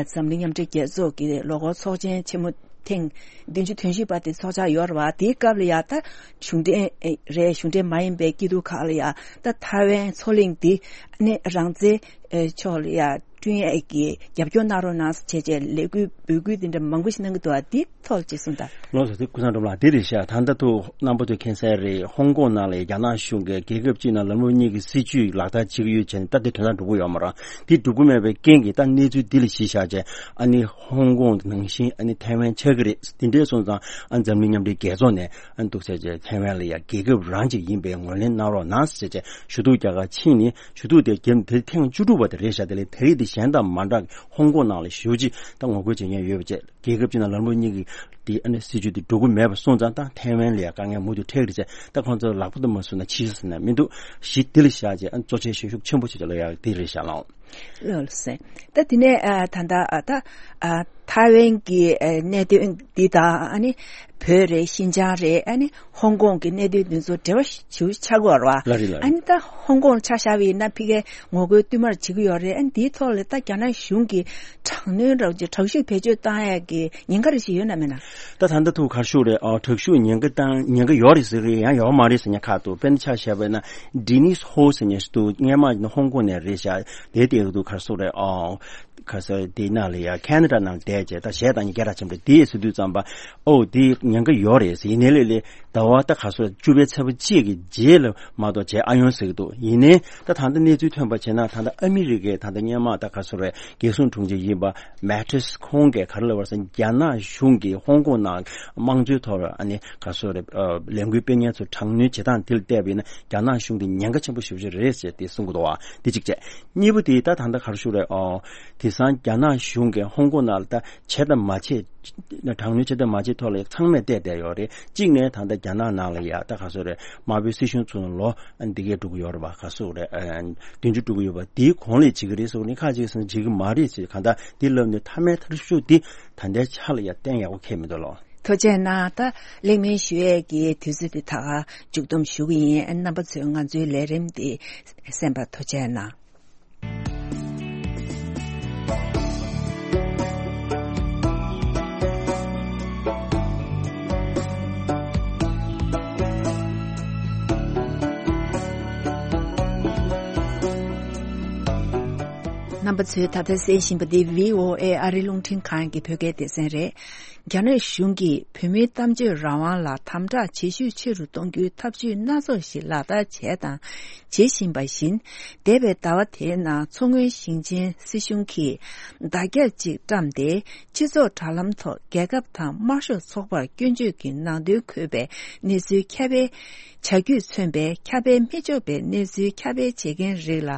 འཛམ་གླིང་མཉམ་འབྲེལ་རྒྱལ་ཚོགས་ཀྱི་ལོ་འཁོར་ཚོགས་ཆེན་ཆེན་མོ་ཐེངས་བདུན་ཅུ་དོན་བཞི་པ་དེ་ཚོགས་འཆར་ཡོད་རེད་བ། དེའི་སྐབས་ལ་ཡ་ད་གཞུང་འབྲེལ་རེད་གཞུང་འབྲེལ་མ་ཡིན་པའི་སྐྱིད་སྡུག་ཁག་ལ་ཡ་ད་ཐའེ་ཝན་མཚོ་གླིང་འདི་ནས་རང་བཙན་ཕྱོགས་ལ་ཡ་བསྐྲུན་ཡས་ཀྱི་རྒྱབ་སྐྱོར་གནང་རོགས་གནང་ཟེར་བྱས་བྱས་ལས་འགུལ་འབོད་སྐུལ་འདི་འདྲ་མང་པོ་ཞིག་གནང་གི་འདུག་བ། འདི་ཐོག་ཅིག་གསུངས་དང་། ལགས་སོ། དེ་ཀུན་བཟང་སྒྲོལ་མ་ལགས་འདི་རེད་ཤག་ད་ལྟ་ཐུག་རྣམ་པ་ཚོས་མཁྱེན་གསལ་རེད། ཧོང་ཀོང་ནང་ལ་རྒྱ་ནག་གཞུང་གིས་རྒྱལ་ཁབ་གཅིག་ནང་ལམ་ལུགས་གཉིས་ཀྱི་སྲིད་བྱུས་ལག་བསྟར་བྱེད་ཀྱི་ཡོད་བྱས་ནས་ད་དེ་དོན་དག་འགྲོ་གི་ཡོད་མ་རེད། དེ་འགྲོ་གི་མེད་པའི་རྐྱེན་གྱིས་ད་གནས་ཚུལ་འདི་ལ་གཞི་བཞག་བྱས་ཨ་ནི་ཧོང་ཀོང་ནང་བཞིན་ཨ་ནི་ཐའེ་ཝན་ཆགས་ཀྱི་རེད། དེ་འདྲའི་སོང་ཙང་ཨ་འཛམ་གླིང་མཉམ་འབྲེལ་རྒྱལ་ཚོགས་ནས་ཨ་འདུག་ཟེར་བྱས་ཐའེ་ཝན་ལ་ཡ་རྒྱལ་ཁབ་རང་ཅིག་ཡིན་པའི་ངོས་ལེན་གནང་རོགས་གནང་ཟེར་བྱས་ཞུ་གཏུག་རྒྱག་གར་ཕྱིན་ནས་ཞུ་གཏུག་དེ་བརྒྱབ་དེ་ཐེངས་བཅུ་དྲུག་པ་དེ་རེད་ཤག་དེ་ལས་དེ་རིང་དེ་གཞན་དང་མ་འདྲ་ཧོང་ཀོང་ནང་ལ་ཞེ་པོ་ཅིག་ད་ངོ་རྒོལ་བྱེད་མཁན་ཡོད་པ་བཅས། རྒྱལ་ཁབ་ཅིག་ནང་ལམ་ལུགས་གཉིས་ཀྱི་དེ་ཨ་ནི་སྲིད་བྱུས་དེ་འགྲོ་གི་མེད་པ་སོང་ཙང་ད་ཐའེ་ཝན་ལ་ཡང་དཀའ་ངལ་མུ་མཐུད་འཕྲད་ཀྱི་རེད། ད་ཁོང་ཚོ་ལག་པ་དུ་མ་བཟུང་ན་ཕྱིས་ཟེར་ན་མི་འདུག་གཞི་དེ་ལ་བཞག་བྱས་ཨ་ནི་གཙོ་ཆེ་ཤོས་ཤུགས་ཆེན་པོ་བྱེད་ཆོག་ལ་ཡག་དེ་རེད་བཞག་ལགས། ལགས་སོ། ད་དེ་ནས་ཨ་ད་ལྟ་ཨ་ད་ཨ་ཐའེ་ཝན་གྱི་ཨ་གནད་དོན་འདི་དང་ཨ་ནི་བོད་རེད་ཤིན་ཅང་རེད་ཨ་ནི་ཧོང་ཀོང་གི་གནད་དོན་འདི་ཚོ་འབྲེལ་བ་ཞེ་པོ་ཆགས་ཀྱི་ཡོད་རེད་བ། ལགས་རེད་ལགས་རེད། ཨ་ནི་ད་ཧོང་ཀོང་ཆ་བཞག་པ་ཡིན་ན་ཕ་གིའི་ངོ་རྒོལ་བསྟུད་མར་བྱེད་ཀྱི་ཡོད་རེད། ཨ་ནི་འདིའི་ཐོག་ལ་ད་རྒྱ་ནག་གཞུང་གིས་དྲག་གནོན་རོགས་ཀྱི་དྲག་ཤུགས་བེད་སྤྱོད་བཏང་ཡག་གི་ཉེན་ཁ་རེ་ཞིག་ཡོད་ན་མེད་ན། ད་ད་ལྟ་ཐུག་ག་རེ་ཞུ་རེད། ཨ་དྲག་ཤུགས་ཉེན་ཁ་བཏང་ཉེན་ཁ་ཡོད་རེད་ཟེར་གི་ཡང་ཡོད་མ་རེད་ཟེར་མཁན་ཁག་འདུག་དཔེར་ན་ཆ་བཞག་པ་ཡིན་ན་ཌི་ནིས་ཧོ་ཟེར་མཁན་ཞིག་འདུག་སྔོན་མ་ཡིན་ན་ཧོང་ཀོང་ནས་རེད་ཤག་དེ་དེ་འདུག་ག་རེ་ཟེར་རེད། ཨ་ག་ས་དེ་ནང་ལ་ཡ་ཁེ་ན་ཌ་ནང་བསྡད་བྱས་ད་གཞས་བཏང་ཉིན་སྐད་གྲགས་ཆེན་པོ་རེད། དེ་ཟེར་དུས་ཙམ་པ་ཨོ་དེ་ཉེན་ཁ་ཡོད་རེད་ཟེར། ཡིན་ནའི་ལས་ལས་ཟླ་བ་ད་ག་ཚོད་བཅུ་པའི་ཚེས་པ་གཅིག་གི་རྗེས་ལ་མ་གཏོགས་བྱས་ཨ་ཡོང་ཟེར་གི་འདུག་ཡིན་ནའི་ད་ད་ལྟ་གནས་ཚུལ་ཐོན་པ་བྱས་ན་ད་ལྟ་ཨ་མི་རི་ཀས་ད་ལྟ་སྔོན་མ་ད་ག་ཚོད་རེད་རྒྱལ་སྲུང་དྲུང་ཆེ་ཡིན་པ་མེ་ཊིས་ཁོང་གིས་ག་རེ་ལབ་པ་རེད་ཟེར་ན་རྒྱ་ནག་གཞུང་གིས་ཧོང་ཀོང་ནང་དམངས་གཙོའི་ཐོག་ལ་ཨ་ནི་ག་ཚོད་རེད་ལས་འགུལ་སྤེལ་མཁན་ཚོ་དྲག་གནོན་བྱེད་སྟངས་དེ་ལ་བལྟས་པ་ཡིན་ན་རྒྱ་ནག་གཞུང་གི་ཉེན་ཁ་ཆེན་པོ་ཞེ་པོ་ཅིག་རེད་ཟེར་དེ་གསུང་གི་འདུག་བ། དེ་གཅིག་བྱས། གཉིས་པ་དེ་ད་ད་ལྟ་ག་རེ་ཞུ་རེད། ཨོ་དེང་སང་རྒྱ་ནག་གཞུང་གིས་ཧོང་ཀོང་ནང་ལ་ད་བྱས་དང་མ་བྱས་ དྲག་གནོན་བྱེད་དང་མ་བྱེད་ཐོག་ལ་ཡང་ཚང་མས་བལྟས་བསྡད་ཡོད་རེད། གཅིག་ནས་ད་ལྟ་རྒྱ་ནག་ནང་ལ་ཡ་ད་ག་སོ་རེད། དམར་པོའི་སྲིད་གཞུང་ཚུར་ལོ་འདི་གས་འགྲོ་གི་ཡོད་རེད་པ། ག་སོ་རེད། ཨ། བདུན་ཅུ་འགྲོ་གི་ཡོད་པ། དེའི་གོང་ལས་བྱེད་ཀྱི་རེད་ཟེར་བ་ནི་ཁ་ཅིག་སོང་བྱེད་ཀྱི་མ་རེད་ཟེར། གང་ལྟར་འདི་ལབ་ནས་མཐའ་མའི་མཐའ་གཞུག་འདི་ད་ལྟའི་ཆ་ལ་ཡ་གཏན་ཡག་པོ་འཁེལ་མི་འདུག་ལོ། ཐུགས་རྗེ་གནང་། ད་གླེང་མོལ་ཞུ་ཡས་ཀྱི་དུས་ཚོད་འདི་ད་ག་མཇུག་བསྡོམས་ཞུ་གི་ཡིན། རྣམ་པ་ཚོས་ང་ཚོའི་ལས་རིམ་འདི་གསན་པར་ཐུགས་རྗེ་གནང་། རྣམ་པ་ཚོས་ད་ལྟ་གསན་བཞིན་པ་འདི་བྷི་ཨོ་ཨེ་ཨ་རིའི་རླུང་འཕྲིན་ཁང་གི་བོད་སྐད་སྡེ་ཚན་རེད། རྒྱ་ནག་གཞུང་གིས་བོད་མིའི་གཏམ་བརྗོད་རང་དབང་ལ་དམ་དྲག་བྱེད་ཤུགས་ཆེ་རུ་གཏོང་རྒྱུའི་ཐབས་ཇུས་སྣ་ཚོགས་ཤིག་ལག་བསྟར་བྱས་དང་བྱེད་བཞིན་པ་བཞིན། འདས་པའི་ཟླ་བ་དེའི་ནང་མཚོ་སྔོན་ཞིང་ཆེན་སྲིད་གཞུང་གིས་བརྡ་ཁྱབ་ཅིག་བཀྲམ་སྟེ། སྤྱི་ཚོགས་དྲ་ལམ་ཐོག་རྒྱལ་ཁབ་དང་དམར་ཤོག་ཚོགས་པར་སྐྱོན་བརྗོད་ཀྱི་ནང་དོན་འཁོད་པའི་གནས་ཚུལ་ཁྱབ་སྤེལ་བྱ་རྒྱུས་མཚོན་པའི་ཁྱབ་སྤེལ་མི་ཆོག་པའི་གནས་ཚུལ་ཁྱབ་སྤེལ་བྱེད་མཁན་རིགས་ལ་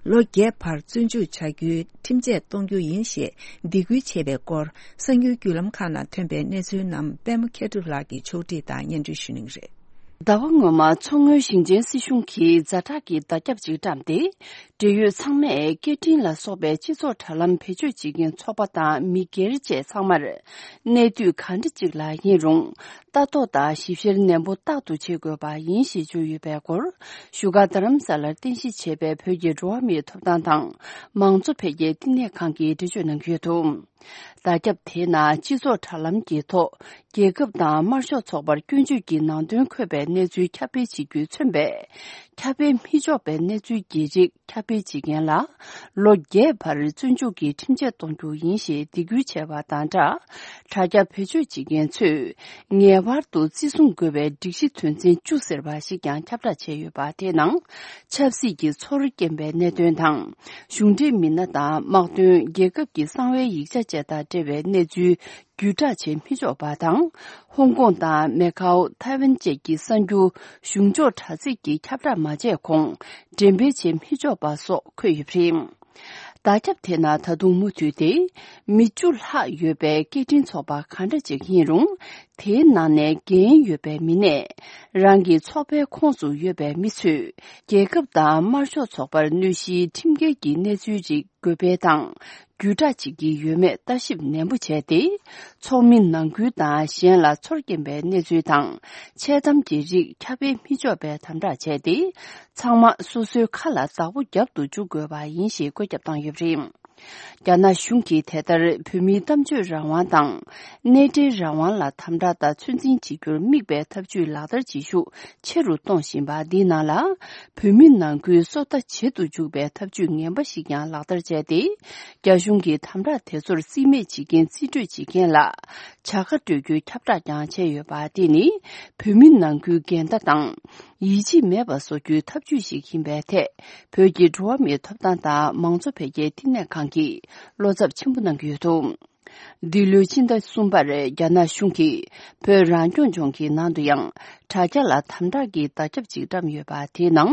ལོ་བརྒྱད་བར་བཙོན་འཇུག་བྱ་རྒྱུའི་ཁྲིམས་ཆད་གཏོང་རྒྱུ་ཡིན་ཞེས་སྡིགས་སྐུལ་བྱས་པའི་སྐོར། གསར་འགྱུར་བརྒྱུད་ལམ་ཁག་ནང་ཐོན་པའི་གནས་ཚུལ་རྣམས་པད་མ་མཁས་གྲུབ་ལགས་ཀྱིས་ཕྱོགས་སྒྲིག་དང་སྙན་སྒྲོན་ཞུ་གནང་གི་རེད། ཟླ་བ་སྔོན་མ་མཚོ་སྔོན་ཞིང་ཆེན་སྲིད་གཞུང་གིས་ཛ་དྲག་གི་བརྡ་ཁྱབ་ཅིག་བཀྲམ་སྟེ། འབྲེལ་ཡོད་ཚང་མས་སྐད་འཕྲིན་ལ་སོགས་པའི་སྤྱི་ཚོགས་དྲ་ལམ་བེད་སྤྱོད་བྱེད་མཁན་ཚོགས་པ་དང་མི་སྒེར་བཅས་ཚང་མར་གནས་དུས་གང་འདྲ་ཅིག་ལ་ཡིན་རུང་ལྟ་རྟོག་དང་ཞིབ་བཤེར་ནན་པོ་རྟག་ཏུ་བྱེད་དགོས་པ་ཡིན་ཞེས་བརྗོད་ཡོད་པའི་སྐོར། བཞུགས་སྒར་རྡ་རམ་ས་ལར་རྟེན་གཞི་བྱས་པའི་བོད་ཀྱི་འགྲོ་བ་མིའི་ཐོབ་ཐང་དང་མང་གཙོ་འཕེལ་རྒྱས་བསྟི་གནས་ཁང་གིས་འགྲེལ་བརྗོད་གནང་གི་ཡོད་འདུག་བརྡ་ཁྱབ་དེའི་ནང་སྤྱི་ཚོགས་དྲ་ལམ་གྱི་ཐོག་རྒྱལ་ཁབ་དང་དམར་ཤོག་ཚོགས་པར་སྐྱོན་བརྗོད་ཀྱི་ནང་དོན་འཁོད་པའི་གནས་ཚུལ་ཁྱབ་སྤེལ་བྱེད་རྒྱུས་མཚོན་པའི་ཁྱབ་སྤེལ་མི་ཆོག་པའི་གནས་ཚུལ་གྱི་རིགས་ཁྱབ་སྤེལ་བྱེད་མཁན་ལ་ལོ་བརྒྱད་བར་བཙོན་འཇུག་གི་ཁྲིམས་ཆད་གཏོང་རྒྱུ་ཡིན་ཞེས་སྡིགས་སྐུལ་བྱས་པ་དང་སྦྲགས། དྲ་རྒྱ་བེད་སྤྱོད་བྱེད་མཁན་ཚོས་ངེས་པར་དུ་བརྩི་སྲུང་དགོས་པའི་སྒྲིག་གཞི་དོན་ཚན་བཅུ་ཟེར་བ་ཞིག་ཀྱང་ཁྱབ་བསྒྲགས་བྱས་ཡོད་པ། དེའི་ནང་ཆབ་སྲིད་ཀྱི་ཚོར་སྐྱེན་པའི་གནད་དོན་དང་། གཞུང་འབྲེལ་མི་སྣ་དང་དམག་དོན། རྒྱལ་ཁབ་ཀྱི་གསང་བའི་ཡིག་ཆ་བཅས་དང་འབྲེལ་བའི་གནས་ཚུལ་བརྒྱུད་བསྒྲགས་བྱེད་མི་ཆོག་པ་དང་། ཧོང་ཀོང་དང་མེ་ཁའོ། ཐའེ་ཝན་བཅས་ཀྱི་གསར་འགྱུར། གཞུང་ཕྱོགས་དྲ་ཚིགས་ཀྱི་ཁྱབ་བསྒྲགས་མ་བྱས་གོང་འགྲེམས་སྤེལ་བྱེད་མི་ཆོག་པ་སོགས་འཁོད་ཡོད་པ་རེད། བརྡ་ཁྱབ་དེ་ནང་ད་དུང་མུ་མཐུད་དེ། མི་བཅུ་ལྷག་ཡོད་པའི་སྐད་འཕྲིན་ཚོགས་པ་གང་འདྲ་ཅིག་ཡིན་རུང་། དེའི་ནང་ནས་འགན་ཡོད་པའི་མི་སྣས། རང་གི་ཚོགས་པའི་ཁོངས་སུ་ཡོད་པའི་མི་ཚོས། རྒྱལ་ཁབ་དང་དམར་ཤོག་ཚོགས་པར་གནོད་གཞིའི་ཁྲིམས་འགལ་གྱི་གནས་ཚུལ་རིགས་འགོད་སྤེལ་དང་། བརྒྱུད་བསྒྲགས་བྱེད་ཀྱི་ཡོད་མེད་ལྟ་ཞིབ་ནན་པོ་བྱས་ཏེ། ཚོགས་མི་ནང་ཁུལ་དང་གཞན་ལ་ཚོར་སྐྱེན་པའི་གནས་ཚུལ་དང་། འཆལ་གཏམ་གྱི་རིགས་ཁྱབ་སྤེལ་མི་ཆོག་པའི་དམ་བསྒྲགས་བྱས་ཏེ། ཚང་མ་སོ་སོའི་ཁ་ལ་བདག་པོ་རྒྱབ་ཏུ་འཇུག་དགོས་པ་ཡིན་ཞེས་བཀོད་ཁྱབ་བཏང་ཡོད་པ་རེད། རྒྱ་ནག་གཞུང་གིས་དེ་ལྟར་བོད་མིའི་གཏམ་བརྗོད་རང་དབང་དང་། གནས་འབྲེལ་རང་དབང་ལ་དམ་དྲག་དང་ཚོད་འཛིན་བྱེད་རྒྱུར་དམིགས་པའི་ཐབས་ཇུས་ལག་བསྟར་བྱེད་ཤུགས་ཆེ་རུ་གཏོང་བཞིན་པ་འདིའི་ནང་ལ། བོད་མི་ནང་ཁུལ་སོ་ལྟ་བྱེད་དུ་འཇུག་པའི་ཐབས་ཇུས་ངན་པ་ཞིག་ཀྱང་ལག་བསྟར་བྱས་ཏེ། རྒྱ་གཞུང་གི་དམ་དྲག་དེ་ཚོར་རྩིས་མེད་བྱེད་ཀྱིན་རྩིས་སྤྲོད་བྱེད་མཁན་ལ་བྱ་དགའ་སྤྲོད་རྒྱུའི་ཁྱབ་བསྒྲགས་ཀྱང་བྱས་ཡོད་པ། དེ་ནི་བོད་མི་ནང་ཁུལ་འགལ་ཟླ་དང་། ཡིད་ཆེས་མེད་པ་བཟོ་རྒྱུའི་ཐབས་ཇུས་ཤིག་ཡིན་པའི་ཐད། བོད་ཀྱི་འགྲོ་བ་མིའི་ཐོབ་ཐང་དང་མང་གཙོ་འཕེལ་རྒྱས་བསྟི་གནས་ཁང་གིས་བློ་འཚབ་ཆེན་པོ་གནང་གི་ཡོད་འདུག་འདི་ལོའི་ཕྱི་ཟླ་གསུམ་པར་རྒྱ་ནག་གཞུང་གིས་བོད་རང་སྐྱོང་ལྗོངས་ཀྱི་ནང་དུ་ཡང་དྲ་རྒྱ་ལ་དམ་དྲག་གི་བརྡ་ཁྱབ་ཅིག་བཀྲམ་ཡོད་པ། དེའི་ནང་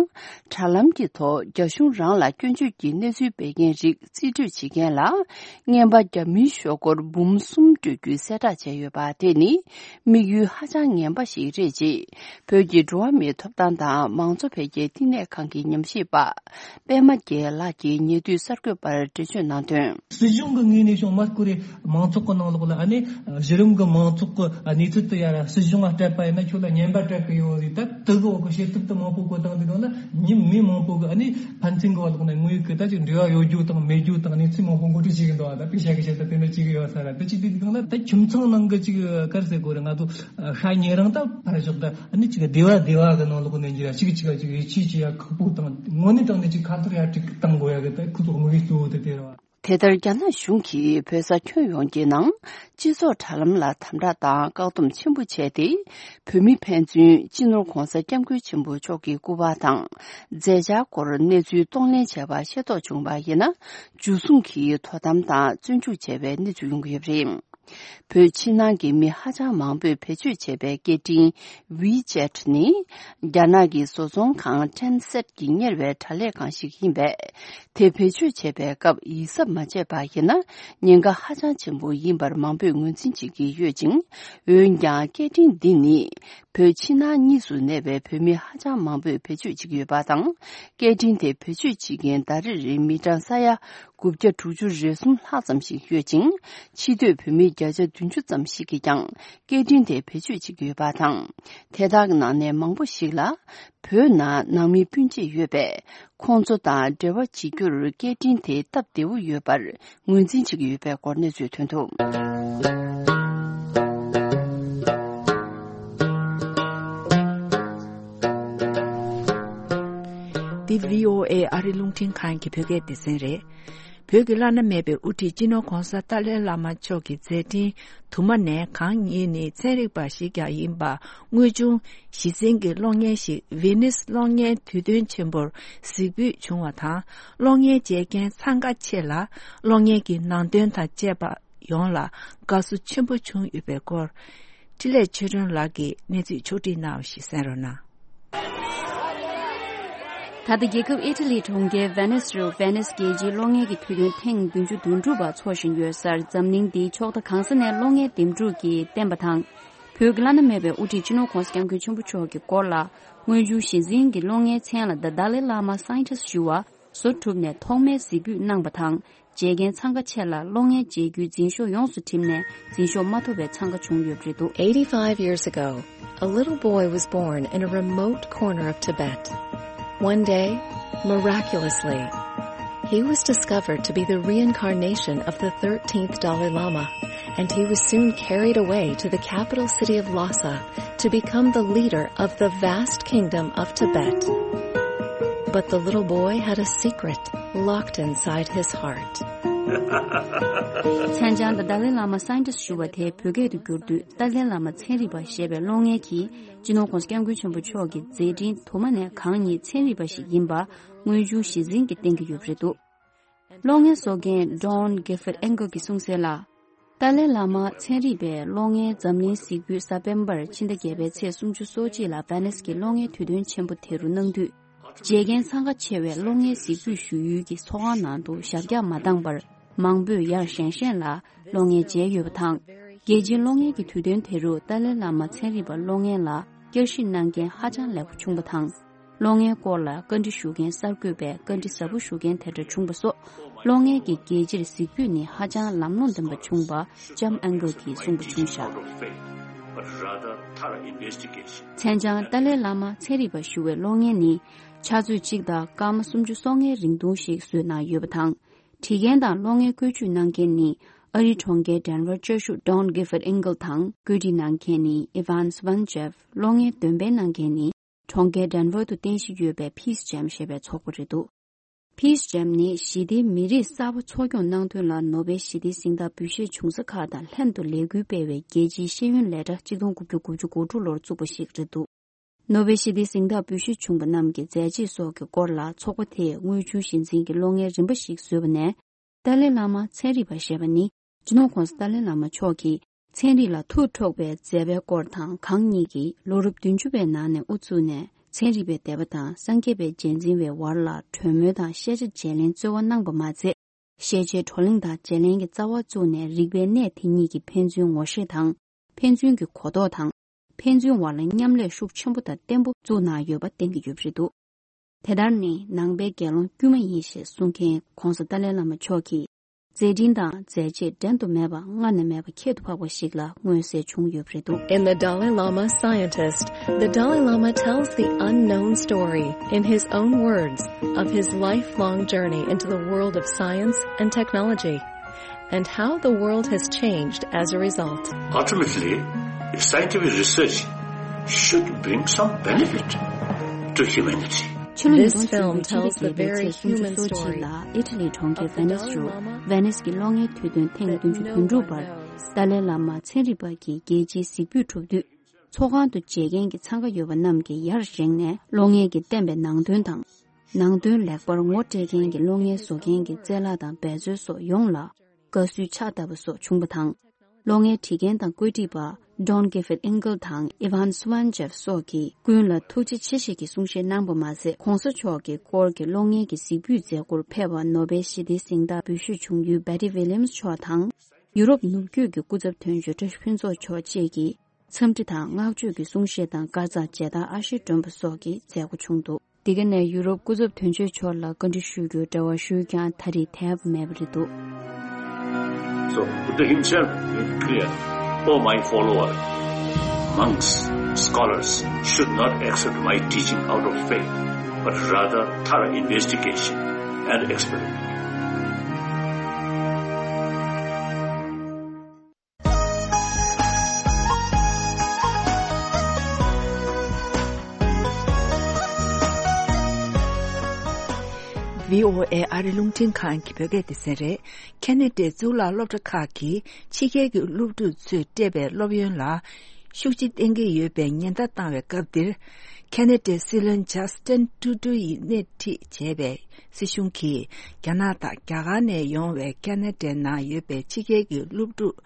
དྲ་ལམ་གྱི་ཐོག་རྒྱ་གཞུང་རང་ལ་སྐྱོན་བརྗོད་ཀྱི་གནས་ཚུལ་སྤེལ་མཁན་རིགས་རྩིས་སྤྲོད་བྱེད་མཁན་ལ་རྔན་པ་རྒྱ་མིའི་ཤོག་སྒོར་འབུམ་གསུམ་སྤྲོད་རྒྱུའི་གསལ་བསྒྲགས་བྱས་ཡོད་པ། དེ་ནི་དམིགས་ཡུལ་ཧ་ཅང་ངན་པ་ཞིག་རེད་ཅེས་བོད་ཀྱི་འགྲོ་བ་མིའི་ཐོབ་ཐང་དང་མང་གཙོ་འཕེལ་རྒྱས་བསྟི་གནས་ཁང་གི་ཉམས་ཞིབ་པ་པད་མ་རྒྱལ་ལགས་ཀྱིས་ཉེ་དུས་གསར་འགོད་པར་འགྲེལ་བརྗོད་གནང་དོན། སྲིད་གཞུང་གི་ངོས་ནས་བྱུང་མ་སྐོར་རེ་མང་ཚོགས་ཀྱི་ནང་ལོགས་ལ་ཨ་ནི་གཞི་རིམ་གྱི་མང་ཚོགས་ཀྱི་གནས་ཚུལ་དེ་ཡར་སྲིད་གཞུང་ལ་སྤྲད་པ་ཡིན་ན་ཁྱོད་ལ་རྔན་པ་སྤྲད་གི་ཡོད་ཟེར། ད་དེ་གི་འོག་གི་བྱེད་ཐབས་དེ་མང་པོ་བཀོད་བཏང་དུས་སྒང་ལ་མི་མང་པོ་གི་ཨ་ནི་ཕན་ཚུན་གི་བར་ལོགས་ནས་དངོས་ཡོད་གི་ད་ཅིག་འབྲེལ་བ་ཡོད་རྒྱུ་དང་མེད་རྒྱུ་དང་གནས་ཚུལ་མང་པོ་མགོ་ཁྲིད་བྱེད་གི་འདུག་ཨ་ད་པེ་ཤ་གི་བྱེད་ཐབས་དེ་འདྲ་བྱེད་གི་ཡོད་ས་ར། དེ་བྱེད་དུས་སྒང་ལ་ད་ཁྱིམ་ཚང་ནང་གི་ཅིག་ག་རེ་ཟེར་དགོས་རེད། ང་ཚོ་ཤ་ཉེ་རིང་ད་ཕར་ཞོག་ད་ཨ་ནི་ཅིག་སྡེ་བ་སྡེ་བ་གི་ནང་ལོགས་ནས་འགྱུར་ཡ་ཅིག་ཅིག་ལ་ཅིག་ཡིད་ཆེས་བྱེད་ཡ་ཁག་པོ་དང་དངོས་གནས་དྲང་གནས་ཅིག་ཁ་ཐོར་ཡ་ཅིག་བཏང་དགོས་ཡ་གི་ད་ཁོ་ཚོ་དམིགས་ཡུལ་གཙོ་བོ་དེ་དེ་རེད་བ། དེ་ལྟར་རྒྱ་ནག་གཞུང་གིས་བོད་ས་ཁྱོན་ཡོངས་ཀྱི་ནང་སྤྱི་ཚོགས་དྲ་ལམ་ལ་དམ་དྲག་དང་བཀག་སྡོམ་ཆེན་པོ་བྱས་ཏེ། བོད་མི་ཕན་ཚུན་སྤྱི་ནོར་༧གོང་ས་༧སྐྱབས་མགོན་ཆེན་པོ་མཆོག་གི་སྐུ་པར་དང་མཛད་འཆར་སྐོར་གནས་ཚུལ་གཏོང་ལེན་བྱས་པ་ཤེས་རྟོགས་བྱུང་བ་ཡིན་ན། འཇུ་བཟུང་གིས་དོ་དམ་དང་བཙོན་འཇུག་བྱས་པའི་གནས་ཚུལ་ཡོང་གི་ཡོད་པ་རེད། བོད་ཕྱི་ནང་གི་མི་ཧ་ཅང་མང་པོས་བེད་སྤྱོད་བྱས་པའི་སྐད་འཕྲིན་WeChat་ནི། རྒྱ་ནག་གི་བཟོ་ཚོང་ཁང་Tencent་གྱིས་གཉེར་བའི་དྲ་ལས་ཁང་ཞིག་ཡིན་པས། དེ་བེད་སྤྱོད་བྱས་པའི་སྐབས་ཡིད་གཟབ་མ་བྱས་པ་ཡིན་ན། ཉེན་ཁ་ཧ་ཅང་ཆེན་པོ་ཡིན་པར་མང་པོས་ངོས་འཛིན་བྱེད་ཀྱི་ཡོད་ཅིང་། འོན་ཀྱང་སྐད་འཕྲིན་འདི་ནི། བོད་ཕྱི་ནང་གཉིས་སུ་གནས་པའི་བོད་མི་ཧ་ཅང་མང་པོས་བེད་སྤྱོད་བྱེད་ཀྱི་ཡོད་པ་དང་། སྐད་འཕྲིན་དེ་བེད་སྤྱོད་བྱེད་མཁན་ཟླ་རེར་མི་གྲངས་ས་ཡ་དགུ་བརྒྱ་དྲུག་ཅུ་རེ་གསུམ་ལྷག་ཙམ་ཞིག་ཡོད་ཅིང་། ཕྱི་སྡོད་བོད་མི་བརྒྱ་ཆ་བདུན་ཅུ་ཙམ་ཞིག་གིས་ཀྱང་སྐད་འཕྲིན་དེ་བེད་སྤྱོད་བྱེད་ཀྱི་ཡོད་པ་དང་། དེ་དག་གི་ནང་ནས་མང་པོ་ཞིག་ལ་བོད་ནང་ནང་མི་སྤུན་མཆེད་ཡོད་པས། ཁོང་ཚོ་དང་འབྲེལ་བ་བྱེད་རྒྱུར་སྐད་འཕྲིན་དེ་སྟབས་བདེ་བོ་ཡོད་པར་ངོས་འཛིན་བྱེད་ཀྱི་ཡོད་པའི་སྐོར་གནས་ཚུལ་ཐོན་འདུག། འདི་བྷི་ཨོ་ཨེ་ཨ་རི་རླུང་འཕྲིན་ཁང་གི་བོད་སྐད་སྡེ་ཚན་རེད། བོད་ཀྱི་བླ་ན་མེད་པའི་དབུ་ཁྲིད་སྤྱི་ནོར་༧གོང་ས་ཏཱ་ལའི་བླ་མ་མཆོག་གི་མཛད་འཕྲིན་དུ་མ་ནས་གང་ཉིད་ནི་ཚན་རིག་པ་ཞིག་ཀྱང་ཡིན་པ། དངོས་བྱུང་གཞི་འཛིན་གྱི་གློག་བརྙན་ཞིག་ཝེ་ནིས་གློག་བརྙན་དུས་སྟོན་ཆེན་པོར་གཟིགས་འབུལ་བྱུང་བ་དང་། གློག་བརྙན་མཇལ་མཁན་འཚང་ཁ་ཆེ་ལ་གློག་བརྙན་གྱི་ནང་དོན་དང་བཅས་པ་ཡོངས་ལ་དགའ་བསུ་ཆེན་པོ་བྱུང་ཡོད་པའི་སྐོར། འཕྲིན་ལས་ཆོས་སྒྲོན་ལགས་ཀྱིས་གནས་ཚུལ་ཕྱོགས་སྒྲིག་གནང་བ་ཞིག་གསན་རོགས་གནང་། ད་ལྟ་རྒྱལ་ཁབ་ཨི་ཊ་ལིའི་གྲོང་ཁྱེར་ཝེ་ནིས་རུ་ཝེ་ནིས་རྒྱལ་སྤྱིའི་གློག་བརྙན་གྱི་དུས་སྟོན་ཐེངས་བདུན་ཅུ་དོན་དྲུག་པ་འཚོགས་བཞིན་ཡོད་སར། འཛམ་གླིང་འདིའི་ཕྱོགས་མཐའ་གང་ས་ནས་གློག་བརྙན་འདེམས་སྒྲུག་གིས་བསྟན་པ་དང་། བོད་ཀྱི་བླ་ན་མེད་པའི་དབུ་ཁྲིད་སྤྱི་ནོར་༧གོང་ས་༧སྐྱབས་མགོན་ཆེན་པོ་མཆོག་གི་སྐོར་ལ། དངོས་བྱུང་གཞི་འཛིན་གྱི་གློག་བརྙན་མཚན་ལ་The Dalai Lama Scientist ཞུ་བ་བཟོ་གྲུབ་ནས་ཐོག་མའི་གཟིགས་འབུལ་གནང་བ་དང་། མཇལ་མཁན་འཚང་ཁ་ཆེ་ལ་གློག་བརྙན་མཇལ་རྒྱུའི་འཛིན་ཤོག་ཡོངས་སུ་བྲིས་ནས་འཛིན་ཤོག་མ་ཐོབ་པའི་འཚང་ཁ་བྱུང་ཡོད་པ་རེད་འདུག། Eighty-five years ago, a little boy was born in a remote corner of Tibet. One day, miraculously, he was discovered to be the reincarnation of the thirteenth Dalai Lama, and he was soon carried away to the capital city of Lhasa to become the leader of the vast kingdom of Tibet. But the little boy had a secret locked inside his heart. མཚན་བྱང་དང་ཏཱ་ལའི་བླ་མ་སའིན་ཊིསི་ཞུ་བ་དེ་བོད་སྐད་དུ་བསྒྱུར་དུས་ཏཱ་ལའི་བླ་མ་ཚན་རིག་པ་ཞེས་པའི་གློག་བརྙན་གྱིས་སྤྱི་ནོར་༧གོང་ས་༧སྐྱབས་མགོན་ཆེན་པོ་མཆོག་གི་མཛད་འཕྲིན་དུ་མ་ནས་གང་ཉིད་ཚན་རིག་པ་ཞིག་ཡིན་པ་དངོས་བྱུང་གཞི་འཛིན་གྱིས་བསྟན་གྱི་ཡོད་པ་རེད་འདུག། གློག་བརྙན་བཟོ་མཁན་Don Gifford Engle གྱིས་གསུངས་གསལ་ལ། ཏཱ་ལའི་བླ་མ་ཚན་རིག་པའི་གློག་བརྙན་འཛམ་གླིང་གཟིགས་འབུལ་གཟའ་སྤེན་པར་ཕྱི་ཟླ་བརྒྱད་པའི་ཚེས་སུམ་ཅུ་སོ་གཅིག་ལ་ཝེ་ནིས་ཀྱི་གློག་བརྙན་དུས་སྟོན་ཆེན་པོ་དེ་རུ་གནང་དུས། མཇལ་མཁན་འཚང་ཁ་ཆེ་བས་གློག་བརྙན་གཟིགས་འབུལ་ཞུ་ཡུལ་གྱི་ཚོགས་ཁང་ནང་དུ་ཞབས་བཀྱག་མ་བཏང་པར་མང་པོས་ཡར་བཞེངས་བཞེངས་ལ་གློག་བརྙན་མཇལ་ཡོད་པ་དང་། རྒྱལ་སྤྱིའི་གློག་བརྙན་གྱི་དུས་སྟོན་དེ་རུ་ཏཱ་ལའི་བླ་མ་ཚན་རིག་པ་གློག་བརྙན་ལ་བསྐྱར་ཞིབ་གནང་མཁན་ཧ་ཅང་ལེགས་པོ་བྱུང་བ་དང་། གློག་བརྙན་སྐོར་ལ་བཀའ་འདྲི་ཞུ་མཁན་གསར་འགོད་པས་བཀའ་འདྲི་ཟབ་པོ་ཞུ་མཁན་དེ་འདྲ་བྱུང་བ་སོགས་གློག་བརྙན་གྱི་རྒྱལ་སྤྱིར་གཟིགས་འབུལ་ནི་ཧ་ཅང་ལམ་ལྷོང་ལྡན་པ་བྱུང་བ་ལྕམ་ཨན་གལ་གྱིས་གསུངས་པ་བྱུང་བཞག། མཚན་བྱང་ཏཱ་ལའི་བླ་མ་ཚན་རིག་པ་ཞུ་བའི་གློག་བརྙན་ནི་ཆུ་ཚོད་གཅིག་དང་སྐར་མ་སུམ་ཅུ་སོ་ལྔའི་རིང་ཐུང་ཞིག་བཟོས་གནང་ཡོད་པ་དང་། བྲིས་མཁན་དང་གློག་བརྙན་བཀོལ་སྤྱོད་གནང་མཁན་ནི་ཨ་རིའི་གྲོང་ཁྱེར་ཌེན་ཝར་བཅའ་བཞུགས་Don Gifford Engle དང་། བཀོད་སྒྲིག་གནང་མཁན་ནི་Ivan Svanchev། གློག་བརྙན་འདོན་སྤེལ་གནང་མཁན་ནི་གྲོང་ཁྱེར་ཌེན་ཝར་དུ་རྟེན་གཞི་ཡོད་པའི་Peace Jam ཞེས་པའི་ཚོགས་པ་རེད་འདུག། Peace Jam ནི་ཞི་བདེའི་མི་རིགས་གསར་པ་འཚོ་སྐྱོང་གནང་དོན་ལ་ནོ་བེལ་ཞི་བདེའི་གཟེངས་རྟགས་འབུལ་བཞེས་བྱུང་ས་ཁག་དང་ལྷན་དུ་ལས་འགུལ་སྤེལ་བའི་རྒྱལ་སྤྱིའི་ཤེས་ཡོན་ལས་གྲྭ་གཅིག་སྟོང་དགུ་བརྒྱ་དགུ་བཅུ་གོ་དྲུག་ལོར་བཙུགས་པ་ཞིག་རེད་འདུག། ནོ་བེལ་ཞི་བདེའི་གཟེངས་རྟགས་འབུལ་བཞེས་བྱུང་པ་རྣམས་ཀྱི་མཛད་རྗེས་སོགས་ཀྱི་སྐོར་ལ་ཚོགས་པ་དེས་དངོས་བྱུང་གཞི་འཛིན་གྱི་གློག་བརྙན་རིམ་པ་ཞིག་བཟོས་པ་ནས། ཏཱ་ལའི་བླ་མ་ཚན་རིག་པ་ཞེས་པ་ནི། སྤྱི་ནོར་༧གོང་ས་ཏཱ་ལའི་བླ་མ་མཆོག་གིས་ཚན་རིག་ལ་ཐུགས་འཕྲོག་པའི་མཛད་པའི་སྐོར་དང་། གང་ཉིད་ཀྱིས་ལོ་རབས་བདུན་ཅུ་པའི་ནང་ནས་དབུ་བཙུགས་ནས། ཚན་རིག་པའི་སྡེ་པ་དང་སངས་རྒྱས་པའི་རྗེས་འཛིན་པའི་བར་ལ་གྲོས་མོལ་དང་ཤེས་བྱ་བརྗེ་ལེན་རྩོལ་བ་གནང་པ་མ་ཚད། ཤེས་བྱའི་བགྲོ་གླེང་དང་བརྗེ་ལེན་གྱི་རྩ་བ་བཙུགས་ནས། རིག་པའི་གནས་དེ་ཉིད་ཀྱི་ཕན་ཚུན་ངོ་ཤེས་དང་། ཕན་ཚུན་གྱི་གོ་རྟོགས་དང་། ཕན་ཚུན་བར་ལ་མཉམ་ལས་ཤུགས་ཆེན་པོ་དང་བརྟན་པོ་བཙུགས་གནང་ཡོད་པ་བསྟན་གྱི་ཡོད་པ་རེད་འདུག། དེ་ལྟར་ནི་ནང་པའི་དགེ་སློང་དཀྱུས་མ་ཡིན་ཞེས་གསུང་མཁན་༧གོང་ས་ཏཱ་ལའི་བླ་མ་མཆོག་གིས། མཛད་འཕྲིན་དང་མཛད་རྗེས་འགྲན་དུ་མེད་པ། སྔ་ནས་མེད་པ་ཁྱད་དུ་འཕགས་པ་ཞིག་ལ་མངོན་གསལ་བྱུང་ཡོད་པ་རེད་འདུག། In The Dalai Lama Scientist, the Dalai Lama tells the unknown story, in his own words, of his lifelong journey into the world of science and technology, and how the world has changed as a result. Ultimately, scientific research should bring some benefit to humanity. ཕྱི་ལོ་ཉིས་སྟོང་བཅུ་པའི་ཕྱི་ཟླ་བརྒྱད་པའི་ཚེས་སུམ་ཅུ་སོ་གཅིག་ལ་ཨི་ཊ་ལིའི་གྲོང་ཁྱེར་ཝེ་ནིས་རུ་ཝེ་ནིས་ཀྱི་གློག་བརྙན་དུས་སྟོན་ཐེངས་བདུན་ཅུ་དོན་དྲུག་པར་ཏཱ་ལའི་བླ་མ་ཚན་རིག་པ་གི་རྒྱལ་སྤྱིའི་གཟིགས་འབུལ་གྲུབ་དུས། ཚོགས་ཁང་དུ་མཇལ་མཁན་གྱི་འཚང་ཁ་ཡོད་པ་རྣམས་ཀྱིས་ཡར་བཞེངས་ནས་གློག་བརྙན་གྱིས་བསྟན་པའི་ནང་དོན་དང་། ནང་དོན་ལེགས་པར་ངོ་སྤྲད་མཁན་གྱི་གློག་བརྙན་བཟོ་མཁན་གྱི་རྩལ་ལག་དང་འབད་རྩོལ་སོགས་ཡོངས་ལ་དགའ་བསུའི་ཕྱག་བཏབ་པ་སོགས་བྱུང་བ་དང་། གློག་བརྙན་བྲིས་མཁན་དང་བཀོད་སྒྲིག་པ་Don Gilbert Engel དང་Ivan Swanchev སོགས་ཀྱིས་ཀུན་ལ་ཐུགས་རྗེ་ཆེ་ཞེས་ཀྱི་གསུང་བཤད་གནང་པ་མ་ཟད། ྋགོང་ས་མཆོག་གི་སྐོར་གྱི་གློག་བརྙན་གྱི་གཟིགས་འབུལ་མཛད་སྒོར་ཕེབས་པ་ནོ་བེལ་ཞི་བདེའི་གཟེངས་རྟགས་འབུལ་ཞུས་བྱུང་ཡུལ་Betty Williams མཆོག་དང་། ཡུ་རོབ་ནུབ་རྒྱུད་ཀྱི་སྐུ་ཚབ་དོན་གཅོད་བཀྲ་ཤིས་ཕུན་ཚོགས་མཆོག་བཅས་ཀྱིས་འཚམས་འདྲི་དང་བསྔགས་བརྗོད་ཀྱི་གསུང་བཤད་དང་། བཀའ་སྩལ་མཇལ་དར་ཨ་ཤེ་སྒྲོན་པ་སོགས་ཀྱི་མཛད་སྒོ་བྱུང་འདུག་འདི་ག་ནས་ཡུ་རོབ་སྐུ་ཚབ་དོན་གཅོད་མཆོག་ལ་བཀའ་འདྲི་ཞུ་རྒྱུའི་འབྲེལ་བ་ཞུས་ཀྱང་ད་རེས་ཐེབས་མེད་པ་རེད་འདུག So, Buddha himself made clear, "O my followers, monks, scholars should not accept my teaching out of faith, but rather thorough investigation and experiment." བྷི་ཨོ་ཨེ་ཨ་རི་རླུང་འཕྲིན་ཁང་གི་བོད་སྐད་སྡེ་ཚན་རེད། ཁེ་ན་ཌའི་གཙུག་ལག་སློབ་གྲྭ་ཁག་གིས་ཕྱི་རྒྱལ་གྱི་སློབ་ཕྲུག་ཚོས་སྤྲད་པའི་སློབ་ཡོན་ལ་ཤུགས་རྐྱེན་བསྟེན་གྱི་ཡོད་པའི་ཉེན་བརྡ་བཏང་བའི་སྐབས་འདིར། ཁེ་ན་ཌའི་སྲིད་བློན་ཇཱ་སི་ཏན་ཀྲུ་ཀྲུ་ཡིས་སྣེ་ཁྲིད་བྱས་པའི་སྲིད་གཞུང་གིས་རྒྱ་ནག་དང་རྒྱ་གར་ནས་ཡོང་བའི་ཁེ་ན་ཌའི་ནང་ཡོད་པའི་ཕྱི་རྒྱལ་གྱི་སློབ་ཕྲུག་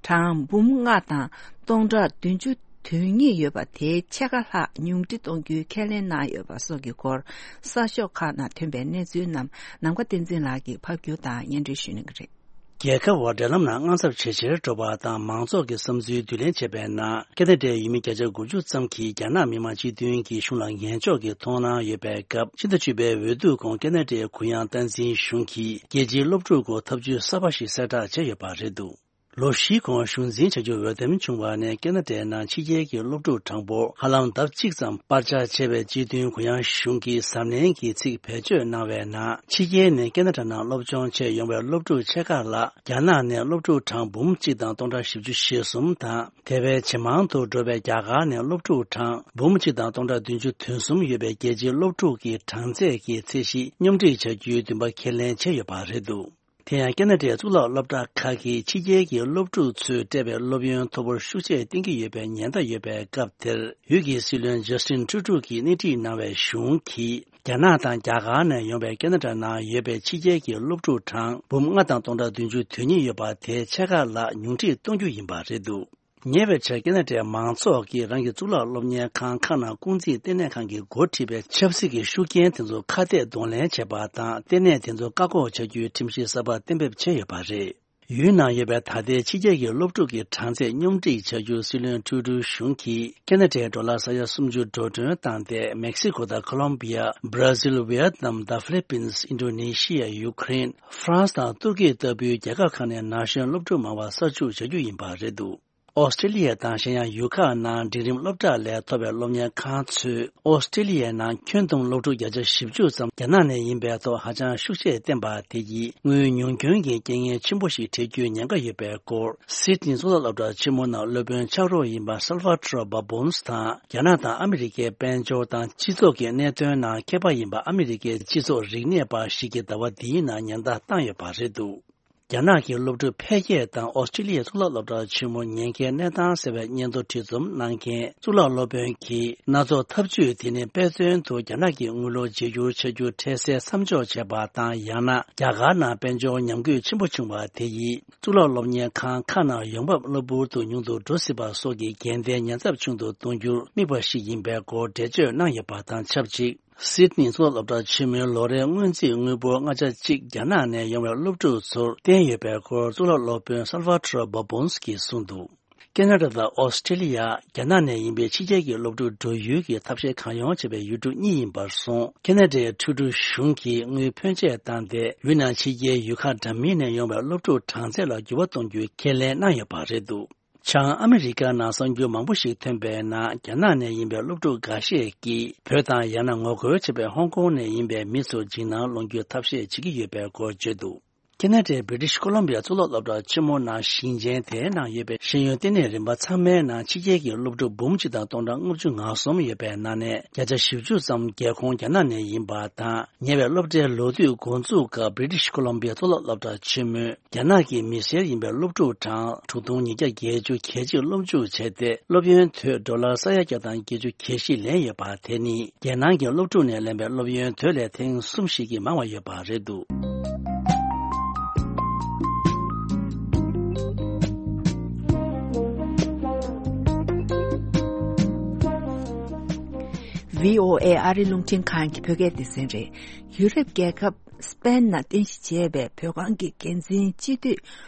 གྲངས་འབུམ་ལྔ་དང་སྟོང་ཕྲག་བདུན་ཅུ་དོན་གཉིས་ཡོད་པ་དེའི་ཕྱེད་ཀ་ལྷག་ཉུང་འཕྲི་གཏོང་རྒྱུའི་ཁས་ལེན་གནང་ཡོད་པ་སོགས་ཀྱི་སྐོར་གསར་ཤོག་ཁག་ནང་ཐོན་པའི་གནས་ཚུལ་རྣམས་ནམ་མཁའ་བསྟན་འཛིན་ལགས་ཀྱིས་ཕབ་སྒྱུར་དང་སྙན་སྒྲོན་ཞུ་གནང་གི་རེད། རྒྱལ་ཁབ་བར་འབྲེལ་ལམ་ནང་དངངས་འཚབ་ཇེ་ཆེར་འགྲོ་བ་དང་མང་ཚོགས་ཀྱི་བསམ་ཚུལ་བསྡུ་ལེན་བྱས་པའི་ནང་། ཁེ་ན་ཌའི་ཡུལ་མི་བརྒྱ་ཆ་དགུ་བཅུ་ཙམ་གྱིས་རྒྱ་ནག་མི་དམངས་སྤྱི་མཐུན་གྱི་གཞུང་ལ་ངན་ཕྱོགས་ཀྱི་མཐོང་སྣང་ཡོད་པའི་སྐབས། ཕྱི་ཟླ་བཅུ་པའི་འོས་བསྡུ་གོང་ཁེ་ན་ཌའི་གུ་ཡངས་སྟངས་འཛིན་གཞུང་གིས་རྒྱལ་སྤྱིའི་སློབ་ཕྲུག་སྐོར་ཐབས་ཇུས་གསར་པ་ཞིག་གསལ་བསྒྲགས་བྱས་ཡོད་པ་རེད་འདུག་ལོ་བཞིའི་གོང་གཞུང་འཛིན་བྱ་རྒྱུར་འོས་འདེམས་བྱུང་བ་ནས་ཁེ་ན་ཌའི་ནང་ཕྱི་རྒྱལ་གྱི་སློབ་ཕྲུག་གྲངས་འབོར་ཧ་ལམ་ལྡབ་གཅིག་ཙམ་སྤར་ཆ་བྱས་པའི་སྤྱི་མཐུན་གུ་ཡངས་གཞུང་གིས་གཟབ་ནན་གྱི་ཚིག་བེད་སྤྱོད་གནང་བའི་ནང་། ཕྱི་རྒྱལ་ནས་ཁེ་ན་ཌ་ནང་སློབ་སྦྱོང་ཆེད་ཡོང་བའི་སློབ་ཕྲུག་ཕྱེད་ཀ་ལ་རྒྱ་ནག་ནས་སློབ་ཕྲུག་གྲངས་འབུམ་གཅིག་དང་སྟོང་ཕྲག་བཞི་བཅུ་ཞེ་གསུམ་དང་། དེ་བས་ཇེ་མང་དུ་འགྲོ་བའི་རྒྱ་གར་ནས་སློབ་ཕྲུག་གྲངས་འབུམ་གཅིག་དང་སྟོང་ཕྲག་བདུན་ཅུ་དོན་གསུམ་ཡོད་པའི་རྒྱལ་སྤྱིའི་སློབ་ཕྲུག་གི་གྲངས་ཚད་ཀྱི་ཚད་གཞི་སྙོམས་སྒྲིག་བྱ་རྒྱུའི་འདུན་པ་ཁས་ལེན་བྱས་ཡོད་པ་རེད་འདུག་དེ་ཡང་ཁེ་ན་ཌའི་གཙུག་ལག་སློབ་གྲྭ་ཁག་གིས་ཕྱི་རྒྱལ་གྱི་སློབ་ཕྲུག་ཚོས་སྤྲད་པའི་སློབ་ཡོན་མཐོ་པོར་ཤུགས་ཆེར་བསྟེན་གྱི་ཡོད་པའི་ཉེན་བརྡ་ཡོད་པའི་སྐབས་དེར། ཡུལ་གྱི་སྲིད་བློན་ཇཱ་སི་ཏིན་ཀྲུ་ཀྲུ་གིས་སྣེ་ཁྲིད་གནང་བའི་གཞུང་གིས། རྒྱ་ནག་དང་རྒྱ་གར་ནས་ཡོང་བའི་ཁེ་ན་ཌ་ནང་ཡོད་པའི་ཕྱི་རྒྱལ་གྱི་སློབ་ཕྲུག་གྲངས་འབུམ་ལྔ་དང་སྟོང་ཕྲག་བདུན་ཅུ་དོན་གཉིས་ཡོད་པ་དེའི་ཕྱེད་ཀ་ལྷག་ཉུང་འཕྲི་གཏོང་རྒྱུ་ཡིན་པ་རེད་འདུག་ཉེ་བའི་ཆར་ཁེ་ན་ཌའི་མང་ཚོགས་ཀྱིས་རང་གི་གཙུག་ལག་སློབ་གཉེར་ཁང་ཁག་ནང་ཀུང་ཟིའི་ལྟེ་གནས་ཁང་གིས་འགོ་ཁྲིད་པའི་ཆབ་སྲིད་ཀྱི་ཤུགས་རྐྱེན་དེ་ཚོ་ཁ་གཏད་གདོང་ལེན་བྱས་པ་དང་། ལྟེ་གནས་དེ་ཚོ་བཀག་འགོག་བྱ་རྒྱུའི་ཁྲིམས་གཞི་གསར་པ་གཏན་འབེབས་བྱས་ཡོད་པ་རེད། ཡུལ་ནང་ཡོད་པའི་ད་ལྟའི་ཕྱི་རྒྱལ་གྱི་སློབ་ཕྲུག་གི་གྲངས་ཚད་སྙོམས་སྒྲིག་བྱ་རྒྱུར་སྲིད་བློན་ཀྲུ་ཀྲུ་གཞུང་གིས་ཁེ་ན་ཌའི་ཌོ་ལར་ས་ཡ་སུམ་ཅུ་འགྲོ་གྲོན་བཏང་སྟེ། མེག་སི་ཀོ་དང་ཁོ་ལོམ་བི་ཡ། བྷ་ར་ཟིལ། ཝི་ཡེད་ནམ་དང་ཧྥི་ལི་པིན། ཨིན་ཌོ་ནེ་ཤི་ཡ། ཡུ་ཁུ་རེན། ཧྥ་རན་སི་དང་ཏུར་ཀི་ལྟ་བུའི་རྒྱལ་ཁབ་ཁག་ནས་ན་གཞོན་སློབ་ཕྲུག་མང་བ་གསར་ཞུགས་བྱ་རྒྱུ་ཡིན་པ་རེད་འདུག་ཨོ་སི་ཀྲི་ལི་ཡ་དང་གཞན་ཡང་ཡུལ་ཁག་ནང་འབྲིང་རིམ་སློབ་གྲྭ་ལས་ཐོབ་པའི་སློབ་གཉེར་ཁང་ཚོས་ཨོ་སི་ཀྲི་ལི་ཡའི་ནང་ཁྱོན་བསྡོམས་སློབ་ཕྲུག་བརྒྱ་ཆ་བཞི་བཅུ་ཙམ་རྒྱ་ནག་ནས་ཡིན་པའི་ཐོག་ཧ་ཅང་ཤུགས་ཆེར་བསྟན་པ་དེ་ཡིས་དངུལ་ཉུང་སྐྱོན་གྱི་རྐྱེན་ངན་ཆེན་པོ་ཞིག་འཕྲད་རྒྱུའི་ཉེན་ཁ་ཡོད་པའི་སྐོར། སིད་ནི་གཙུག་ལག་སློབ་གྲྭ་ཆེན་མོ་ནང་སློབ་དཔོན་ཕྱག་རོགས་ཡིན་པ་སལ་ཝ་ཊོ་ར་བྷ་བོན་སི་དང་། རྒྱ་ནག་དང་ཨ་མི་རི་ཀའི་དཔལ་འབྱོར་དང་སྤྱི་ཚོགས་ཀྱི་གནད་དོན་ནང་མཁས་པ་ཡིན་པ་ཨ་མི་རི་ཀའི་སྤྱི་ཚོགས་རིག་གནས་པ་ཞིག་གིས་ཟླ་བ་འདིའི་ནང་ཉེན་བརྡ་བཏང་ཡོད་པ་རེད་འདུག་རྒྱ་ནག་གི་སློབ་ཕྲུག་འཕེལ་རྒྱས་དང་ཨོ་སི་ཀྲི་ལི་ཡའི་གཙུག་ལག་སློབ་གྲྭ་ཆེན་མོ་ཉེན་ཁའི་གནས་སྟངས་ཟེར་བའི་སྙན་ཐོ་བྲིས་རྩོམ་གནང་མཁན་གཙུག་ལག་སློབ་དཔོན་གྱིས། སྣ་ཚོགས་ཐབས་ཇུས་དེ་ནི་དཔེ་མཚོན་དུ་རྒྱ་ནག་གི་དངུལ་ལོར་བརྗེ་སྒྱུར་བྱ་རྒྱུ་འཕྲལ་སེལ་མཚམས་འཇོག་བྱས་པ་དང་། ཡང་ན་རྒྱ་གར་ནང་དཔལ་འབྱོར་ཉམས་རྒུད་ཆེན་པོ་བྱུང་བ་དེ་ཡིས་གཙུག་ལག་སློབ་གཉེར་ཁང་ཁག་ནང་ཡོང་འབབ་གློ་བུར་དུ་ཉུང་དུ་འགྲོ་སྲིད་པ་སོགས་ཀྱི་འགལ་ཟླའི་ཉེན་ཚབས་ཆུང་དུ་གཏོང་རྒྱུར་དམིགས་པ་ཞིག་ཡིན་པའི་སྐོར་འགྲེལ་བརྗོད་གནང་ཡོད་པ་དང་ཆབས་ཅིག་སིད་ནི་གཙུག་ལག་སློབ་གྲྭ་ཆེན་མོའི་ལོ་རེའི་སྔོན་རྩིས་དངུལ་འབོར་ལྔ་ཆ་གཅིག་རྒྱ་ནག་ནས་ཡོང་བའི་སློབ་ཕྲུག་ཚོར་བསྟན་ཡོད་པའི་སྐོར་གཙུག་ལག་སློབ་དཔོན་སལ་ཝ་ཊོ་ར་བྷ་བོན་སི་གིས་གསུངས་འདུག་ཁེ་ན་ཌ་དང་ཨོ་སི་ཀྲི་ལི་ཡ། རྒྱ་ནག་ནས་ཡིན་པའི་ཕྱི་རྒྱལ་གྱི་སློབ་ཕྲུག་འགྲོ་ཡུལ་གྱི་ཐབས་ཤེས་གང་ཡོང་བྱེད་པའི་ཡུལ་གྲུ་གཉིས་ཡིན་པར་སོང་། ཁེ་ན་ཌའི་ཁྲུ་ཌོ་གཞུང་གིས་དངུལ་ཕོན་ཆེ་བཏང་སྟེ། ཡུལ་ནང་ཕྱི་རྒྱལ་ཡུལ་ཁག་འདྲ་མིན་ནས་ཡོང་བའི་སློབ་ཕྲུག་གྲངས་ཚད་ལ་འགྱུར་བ་གཏོང་རྒྱུའི་ཁས་ལེན་གནང་ཡོད་པ་རེད་འདུག་བྱང་ཨ་མི་རི་ཀ་ནང་གསར་འགྱུར་མང་པོ་ཞིག་ཐོན་པའི་ནང་། རྒྱ་ནག་ནས་ཡིན་པའི་སློབ་ཕྲུག་འགའ་ཤས་ཀྱིས་བོད་དང་ཡང་ན་ངོ་རྒོལ་བྱེད་པའི་ཧོང་ཀོང་ནས་ཡིན་པའི་མི་ཚོར་འཇིགས་སྣང་སློང་རྒྱུའི་ཐབས་ཤེས་བྱེད་ཀྱི་ཡོད་པའི་སྐོར་བརྗོད་འདུག་ཁེ་ན་ཌའི་བྷི་རི་ཊིཤ་ཀོ་ལོམ་བི་ཡ་གཙུག་ལག་སློབ་གྲྭ་ཆེན་མོ་ནང་ཞིང་ཆེན་དེའི་ནང་ཡོད་པའི་ཤེས་ཡོན་ལྟེ་གནས་རིམ་པ་ཚང་མའི་ནང་ཕྱི་རྒྱལ་གྱི་སློབ་ཕྲུག་འབུམ་གཅིག་དང་སྟོང་ཕྲག་ལྔ་བཅུ་ང་གསུམ་ཡོད་པའི་ནང་ནས་བརྒྱ་ཆ་བཞི་བཅུ་ཙམ་རྒྱལ་ཁོངས་རྒྱ་ནག་ནས་ཡིན་པ་དང་། ཉེ་བའི་སློབ་གྲྭའི་ལོ་དུས་འགོ་འཛུགས་སྐབས་བྷི་རི་ཊིཤ་ཀོ་ལོམ་བི་ཡ་གཙུག་ལག་སློབ་གྲྭ་ཆེན་མོས། རྒྱ་ནག་གི་མི་སེར་ཡིན་པའི་སློབ་ཕྲུག་གྲངས་དྲུག་སྟོང་ཉིས་བརྒྱ་བརྒྱད་ཅུ་གྱ་གཅིག་སློབ་འཇུག་བྱས་ཏེ། སློབ་ཡོན་དོད་ཌོ་ལར་ས་ཡ་བརྒྱ་དང་བརྒྱད་ཅུ་གྱ་བཞི་ལེན་ཡོད་པ་དེ་ནི་རྒྱལ་ནང་གི་སློབ་ཕྲུག་ནས་ལེན་པའི་སློབ་ཡོན་དོད་ལས་ཐེངས་གསུམ་ཞིག་གིས་མང་བ་ཡོད་པ་རེད་འདུག་ཝི་ཨོ་ཨེ་ཨ་རི་རླུང་འཕྲིན་ཁང་གི་བོད་སྐད་སྡེ་ཚན་རེད། ཡུ་རོབ་རྒྱལ་ཁབ་སི་པེན་ནང་རྟེན་གཞི་བྱས་པའི་བོད་ཁང་གི་འགན་འཛིན་སྤྱི་འཐུས་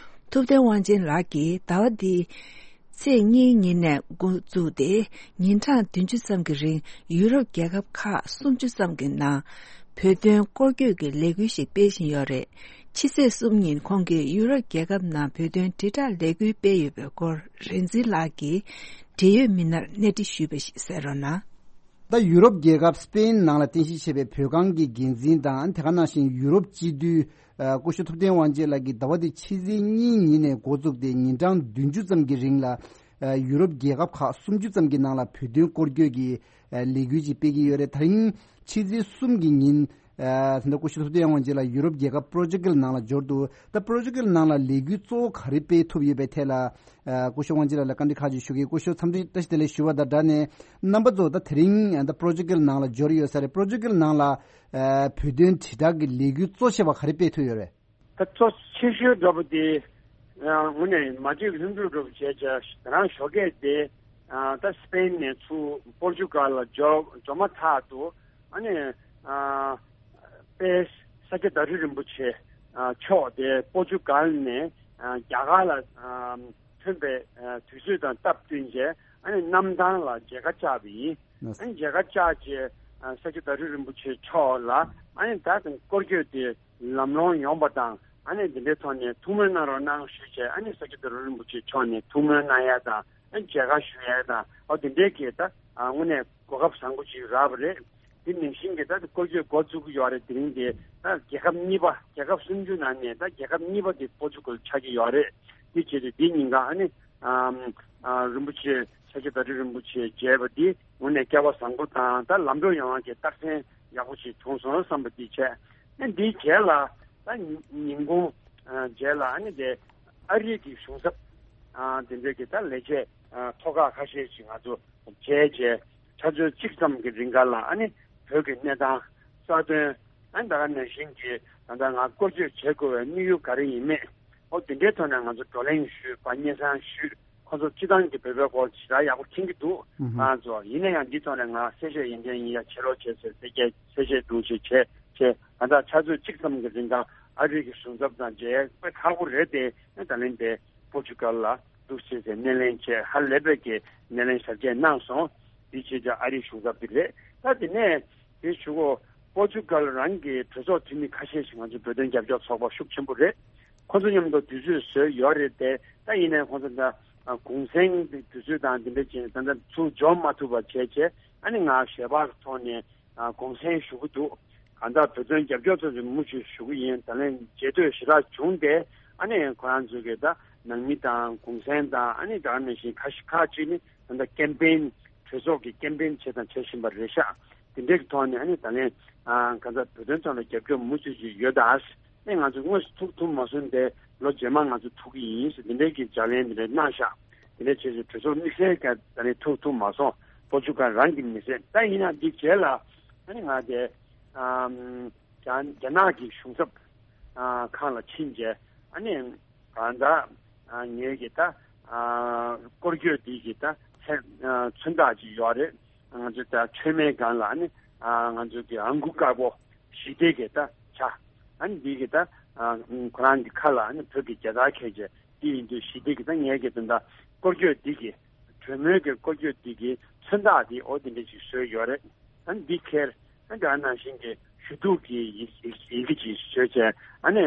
ཐུབ་བསྟན་དབང་ཆེན་ལགས་ཀྱིས་ཟླ་བ་འདིའི་ཚེས་གཉིས་ཉིན་ནས་འགོ་བཙུགས་ཏེ། ཉིན་གྲངས་བདུན་ཅུ་ཙམ་གྱི་རིང་ཡུ་རོབ་རྒྱལ་ཁབ་ཁག་སུམ་ཅུ་ཙམ་གྱི་ནང་བོད་དོན་སྐོར་སྐྱོད་ཀྱི་ལས་འགུལ་ཞིག་སྤེལ་བཞིན་ཡོད་རེད། ཕྱི་ཚེས་གསུམ་ཉིན་ཁོང་གིས་ཡུ་རོབ་རྒྱལ་ཁབ་ནང་བོད་དོན་དྲིལ་བསྒྲགས་ལས་འགུལ་སྤེལ་ཡོད་པའི་སྐོར་རིག་འཛིན་ལགས་ཀྱིས་འབྲེལ་ཡོད་མི་སྣར་གནས་འདྲི་ཞུས་པ་ཞིག་གསན་རོགས་གནང་། ད་ཡུ་རོབ་རྒྱལ་ཁབ་སི་པེན་ནང་ལ་རྟེན་གཞི་བྱས་པའི་བོད་ཁང་གི་འགན་འཛིན་དང་། དེ་ག་ནང་བཞིན་ཡུ་རོབ་སྤྱི་འཐུས་ཨ་སྐུ་ཞབས་ཐུབ་བསྟན་དབང་ཆེན་ལགས་ཀྱིས་ཟླ་བ་འདི་ཕྱི་ཚེས་གཉིས་ཉིན་ནས་འགོ་བཙུགས་ཏེ། ཉིན་གྲངས་བདུན་ཅུ་ཙམ་གྱི་རིང་ལ་ཨ་ཡུ་རོབ་རྒྱལ་ཁབ་ཁག་སུམ་ཅུ་ཙམ་གྱི་ནང་ལ་བོད་དོན་སྐོར་སྐྱོད་ཀྱི་ཨ་ལས་འགུལ་ཅིག་སྤེལ་གྱི་ཡོད་རེད། ད་རིང་ཕྱི་ཚེས་གསུམ་གྱི་ཉིན་ཨ་ད་ལྟ་སྐུ་ཞབས་ཐུབ་བསྟན་དབང་ཆེན་ལགས་ཡུ་རོབ་རྒྱལ་ཁབ་པོར་ཅུ་གལ་ནང་ལ་འབྱོར་འདུག་ད་པོར་ཅུ་གལ་ནང་ལ་ལས་འགུལ་གཙོ་བོ་ག་རེ་སྤེལ་ཐུབ་ཡོད་པའི་ཐད་ལ། ཨ་སྐུ་ཞབས་དབང་ཆེན་ལགས་ལ་བཀའ་འདྲི་ཁག་ཅིག་ཞུ་གི། སྐུ་ཞབས་འཚམས་འདྲི་བཀྲ་ཤིས་བདེ་ལེགས་ཞུ་བ་དང་སྦྲགས་ནས། རྣམ་པ་ཚོ་ད་དེ་རིང་ཨ་ད་པོར་ཅུ་གལ་ནང་ལ་འབྱོར་ཡོད་ས་རེད། པོར་ཅུ་གལ་ནང་ལ་ཨ་བོད་དོན་དྲིལ་བསྒྲགས་ཀྱི་ལས་འགུལ་གཙོ་ཆེ་བ་ག་རེ་སྤེལ་ཐུབ་ཡོད་རེད། ད་གཙོ་ཆེ་ཤོས་འདྲ་པོ་དེ་ཨ་དངོས་གནས་མ་བརྗེད་ལྷུན་གྲུབ་འདྲ་པོ་བྱས་བྱས། ད་རང་ཞོགས་ཀས་དེ་ཨ་ད་སི་པེན་ནས་ཚུར་པོར་ཅུ་གལ་ལ་འབྱོར་འབྱོར་མ་ཐག་ཏུ། ཨ་ནི་ཨ་དཔལ་ས་སྐྱ་བདག་ཁྲི་རིན་པོ་ཆེ་ཨ་མཆོག་དེ་པོར་ཅུ་གལ་ནས་ཨ་རྒྱ་གར་ལ་ཨ་ཐོན་པའི་ཨ་དུས་ཚོད་དང་སྟབས་བསྟུན་བྱས། ཨ་ནི་གནམ་ཐང་ལ་མཇལ་ཁ་བཅར་བ་ཡིན། ཨ་ནི་མཇལ་ཁ་བཅར་བྱས་ཨ་ས་སྐྱ་བདག་ཁྲི་རིན་པོ་ཆེ་མཆོག་ལ་ཨ་ནི་ད་དུང་སྐོར་སྐྱོད་དེ་ལམ་ལྷོང་ཡོང་པ་དང་། ཨ་ནི་འདི་འདྲའི་ཐོག་ནས་ཐུགས་སྨོན་གནང་རོགས་གནང་ཞུས་བྱས། ཨ་ནི་ས་སྐྱ་བདག་ཁྲི་རིན་པོ་ཆེ་མཆོག་ནས་ཐུགས་སྨོན་གནང་ཡ་དང་། ཨ་ནི་མཇལ་ཁ་ཞུ་ཡ་དང་། ཨ་དེ་འདྲའི་གི་ད་ཨ་དངོས་གནས་གོ་སྐབས་བཟང་པོ་ཅིག་རག་པ་རེད། དེ་ནང་བཞིན་གྱི་ད་སྐོར་སྐྱོད་འགོ་བཙུགས་ཀྱི་ཡོད་རེད། དེ་རིང་དེ་ད་རྒྱལ་ཁབ་གཉིས་པ། རྒྱལ་ཁབ་སུམ་ཅུ་ནང་ནས་ད་རྒྱལ་ཁབ་གཉིས་པ་དེ་པོར་ཅུ་གལ་ཆགས་ཀྱི་ཡོད་རེད། དེ་བྱས་ཏེ་དེ་ཉིན་གང་ཨ་ནི་ཨམ་ཨ་རིན་པོ་ཆེ་ས་སྐྱ་བདག་ཁྲི་རིན་པོ་ཆེ་མཇལ་བ་དེ་དངོས་གནས་སྐལ་བ་བཟང་པོ་དང་། ད་ལམ་འགྲོ་ཡོང་བ་གི་རྟགས་མཚན་ཡག་པོ་ཞིག་བྱུང་སོང་བསམ་པ་དེ་བྱས། ཨ་འདིའི་རྗེས་ལ་ད་ཉིན་གུང་ཨ་རྗེས་ལ་ཨ་ནི་དེ་ཨ་རི་གི་གཞུང་ཚབ་ཨ་དེ་འདྲའི་གི་ད་ལས་བྱེད་ཨ་ཐོག་ཁག་ཁ་ཤས་ཤིག་ང་ཚོ་མཇལ་བྱས། ཆུ་ཚོད་གཅིག་ཙམ་གྱི་རིང་ག་ལ་ཨ་ནི་བོད་ཀྱི་གནས་སྟངས་གསར་གཏོད། ཨ་ནི་ད་ག་ནང་བཞིན་གྱི་ད་ལྟ་ང་སྐོར་སྐྱོད་བྱེད་དགོས་པའི་དམིགས་ཡུལ་ག་རེ་ཡིན་མིན། ཨོ་དེ་འདྲའི་ཐོག་ནས་ང་ཚོ་བགྲོ་གླེང་ཞུས་པ། སྙན་སེང་ཞུས། ཁོ་ཚོ་སྤྱི་བཏང་གི་བོད་པའི་སྐོར་ཇི་ལྟར་ཡག་པོ་མཁྱེན་གྱི་འདུག་ཨུ་ཧུ། ང་ཚོ་ཡིན་ན་ཡང་འདི་ཐོག་ནས་ང་གསལ་བཤད་ཡིན་མཁན་ཡིན་ཡ་བྱེད་རོགས་བྱེད་ཟེར། གསལ་བཤད་གསལ་བཤད་འདུག་ཅེས་བྱས་བྱས། ད་ལྟ་ཆུ་ཚོད་གཅིག་ཙམ་གྱི་རིང་ག་ཨ་རི་གི་གཞུང་ཚབ་དང་མཇལ་ཡ་དཔེ་ཁག་པོ་རེད་དེ། ཨ་ད་ལན་དེ་པོར་ཅུ་གལ་ལ་འདུག་ཅེས་ཟེར་སྣེ་ལེན་བྱས། ཧ་ལས་པའི་གི་སྣེ་ལེན་ཞབས་རྗེས་གནང་སོང་། འདི་བྱས་ཙང་ཨ་རིའི་གཞུང་ཚབ་འདི་རེད། ད་དེ་ནས་དེ་ཞུ་གོ། པོར་ཅུ་གལ་རང་གི་གྲོས་ཚོགས་འཐུས་མི་ཁ་ཤས་ཤིག་ང་ཚོ་བོད་དོན་རྒྱབ་སྐྱོར་ཚོགས་པ་ཤུགས་ཆེན་པོ་རེད། ཁོ་ཚོ་མཉམ་དུ་དུས་ཚོད་བཟོས་ཡོད་རེད་དེ། ད་ཡིན་ནའི་ཁོ་ཚོ་ད་གུང་སེང་དུས་ཚོད་དང་འདི་འདྲ་བྱས་ནས་ད་ལྟ་ཚུར་འབྱོར་མ་ཐུབ་པ་བྱས་བྱས། ཨ་ནི་ང་ཞལ་པར་ཐོག་ནས་ཨ་གུང་སེང་ཞུ་གི་འདུག་གང་ལྟར་བོད་དོན་རྒྱབ་སྐྱོར་ཚོ་ཞིག་མུ་མཐུད་ཞུ་གི་ཡིན། ད་ལན་རྗེས་ཟློས་ཞེ་དྲག་བྱུང་སྟེ། ཨ་ནི་ཁོ་རང་ཚོ་གི་ད་ནང་མི་དང་གུང་སེང་དང་། ཨ་ནི་ད་ག་ནང་བཞིན་ཁ་ཤས་ཁག་ཅིག་ནི་ད་ལྟ་ཀེམ་པེན་གྲོས་ཚོགས་ཀྱི་ཀེམ་པེན་བྱས་དང་བྱེད་བཞིན་པ་རེད་ཤག་དེ་འདྲའི་གི་ཐོག་ནས་ཨ་ནི་ད་ལན་ཨ་གང་ལྟར་བོད་དོན་ཐོག་ལ་རྒྱབ་སྐྱོར་མུ་མཐུད་ཅིག་ཡོད་ད། ཨ་ནི་ང་ཚོ་དངོས་སུ་ཐུག་ཐུབ་མ་སོང་སྟེ། ལོ་རྗེས་མ་ང་ཚོ་ཐུག་གི་ཡིན་ཟེར་དེ་འདྲའི་གི་ལྗགས་ལན་དེ་འདྲ་གནང་ཤག་དེ་འདྲ་བྱས་ཚེ་གྲོས་ཚོགས་དམིགས་བསལ་ག་ད་ནི་ཐུག་ཐུབ་མ་སོང་། པོར་ཅུ་གལ་རང་གི་མི་སེར། ད་ཡིན་ན་འདི་རྗེས་ལ་ཨ་ནི་ང་དེ་ཨམ་རྒྱ་རྒྱ་ནག་གི་གཞུང་ཚབ་ཨ་ཁང་ལ་ཕྱིན་རྗེས། ཨ་ནི་གང་ལྟར་ཨ་ངེད་ཀྱི་ད་ཨ་སྐོར་སྐྱོད་འདི་གི་ད་མཚན་ཨ་མཚོན་རྟགས་ཅིག་ཡོད་རེད། ང་ཚོ་ད་མཆོད་མེའི་སྒང་ལ་ཨ་ནི་ཨ་ང་ཚོ་གི་ཨང་ཀུ་དཀར་པོ་ཞི་བདེ་གི་ད་བྱ། ཨ་ནི་འདི་གི་ད་ཨ་ཁོ་རང་གི་ཁ་ལ་ཨ་ནི་བོད་ཀྱི་རྒྱལ་དར་འཁྱེར་བྱས། དེ་ཡིན་དུས་ཞི་བདེ་གི་ད་ངེད་ཀྱི་དོན་དག་སྐོར་སྐྱོད་འདི་གི་གྲོས་མོལ་གྱི་སྐོར་སྐྱོད་འདི་གི་མཚོན་རྟགས་འདི་འོ་དེ་འདྲ་ཞིག་བཟོས་ཡོད་རེད། ཨ་ནི་འདི་ཁྱེར་ཨ་ནི་ད་ནང་བཞིན་གྱི་ཞུ་གཏུག་གི་ཡི་ཡི་ཡི་གེ་ཅིག་བཟོས་བྱས། ཨ་ནི་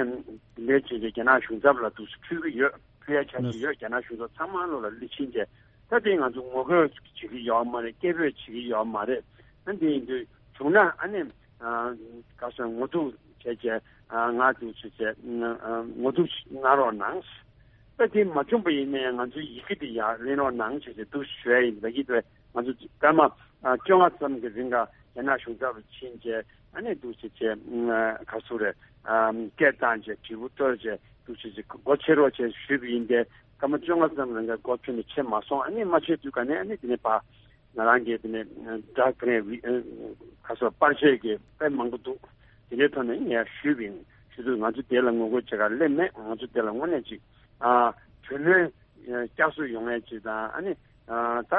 འདི་འདྲའི་བྱས་བྱས་རྒྱ་ནག་གཞུང་ཚབ་ལ་འདུག་སེ་ཕུལ་གྱི་ཡོད། ཕུལ་ཡ་ཆ་ཞིག་ཡོད། རྒྱ་ནག་གཞུང་ཚབ་ཚང་མ་ལོ་ལ་སླེབས་ཕྱིན་བྱས། ད་དེ་ང་ཚོ་ངོ་རྒོལ་བྱེད་ཀྱི་ཡོད་མ་རེད། སྐད་འབོད་བྱེད་ཀྱི་ཡོད་མ་རེད། ཨ་ནི་དེ་ཡིན་དུས་བྱུང་ན་ཨ་ནི་ཨ་ག་སོང་ངོ་ཐུག་བྱས་བྱས་ཨ་ང་འདུག་བྱས་བྱས་ཨ་ངོ་ཐུག་གནང་རོགས་གནང་། ད་དེ་མ་བྱུང་པ་ཡིན་ན་ཡང་ང་ཚོའི་ཡི་གེ་དེ་ཡར་ལེན་རོགས་གནང་བྱས་བྱས་འདུག་ཞུ་ཡ་ཡིན། ད་གི་དེ་ང་ཚོ་སྐར་མ་ཨ་བཅོ་ལྔ་ཙམ་གྱི་རིང་ག་རྒྱ་ནག་གཞུང་ཚབ་ལ་ཕྱིན་བྱས་ཨ་ནི་འདུག་བྱས་བྱས་ཨ་ག་སུ་རེད། ཨ་སྐད་བཏང་བྱས་དྲིལ་བུ་བརྡོལ་བྱས་འདུག་བྱས་བྱས་སྒོ་ཕྱེ་རོགས་བྱས་ཞུས་པ་ཡིན་ཏེ། སྐར་མ་བཅོ་ལྔ་ཙམ་རིང་ག་སྒོ་ཕྱེ་ནས་ཕྱེ་མ་སོང་། ཨ་ནི་མ་ཕྱེ་དུས་ག་ནས་ཨ་ནི་དེ་ནས་ཕར་ང་རང་གིས་དེ་ནས་སྒྲ་ག་ནས་བི་ཨ་ག་སོ་པར་ཆས་ཀྱི་དཔེ་མང་པོ་འདུག་དེ་འདྲའི་ཐོག་ནས་ངས་ཞུས་པ་ཡིན། ཞུ་དུས་ང་ཚོ་དེ་ལ་ངོ་རྒོལ་བྱེད་ག་སླེབས་མེད། ང་ཚོ་དེ་ལ་དངོས་གནས་ཅིག་ཨ་གྲོས་མོལ་བསྐྱར་གསོ་ཡོང་ཡས་ཅིག་དང་། ཨ་ནི་ཨ་ད་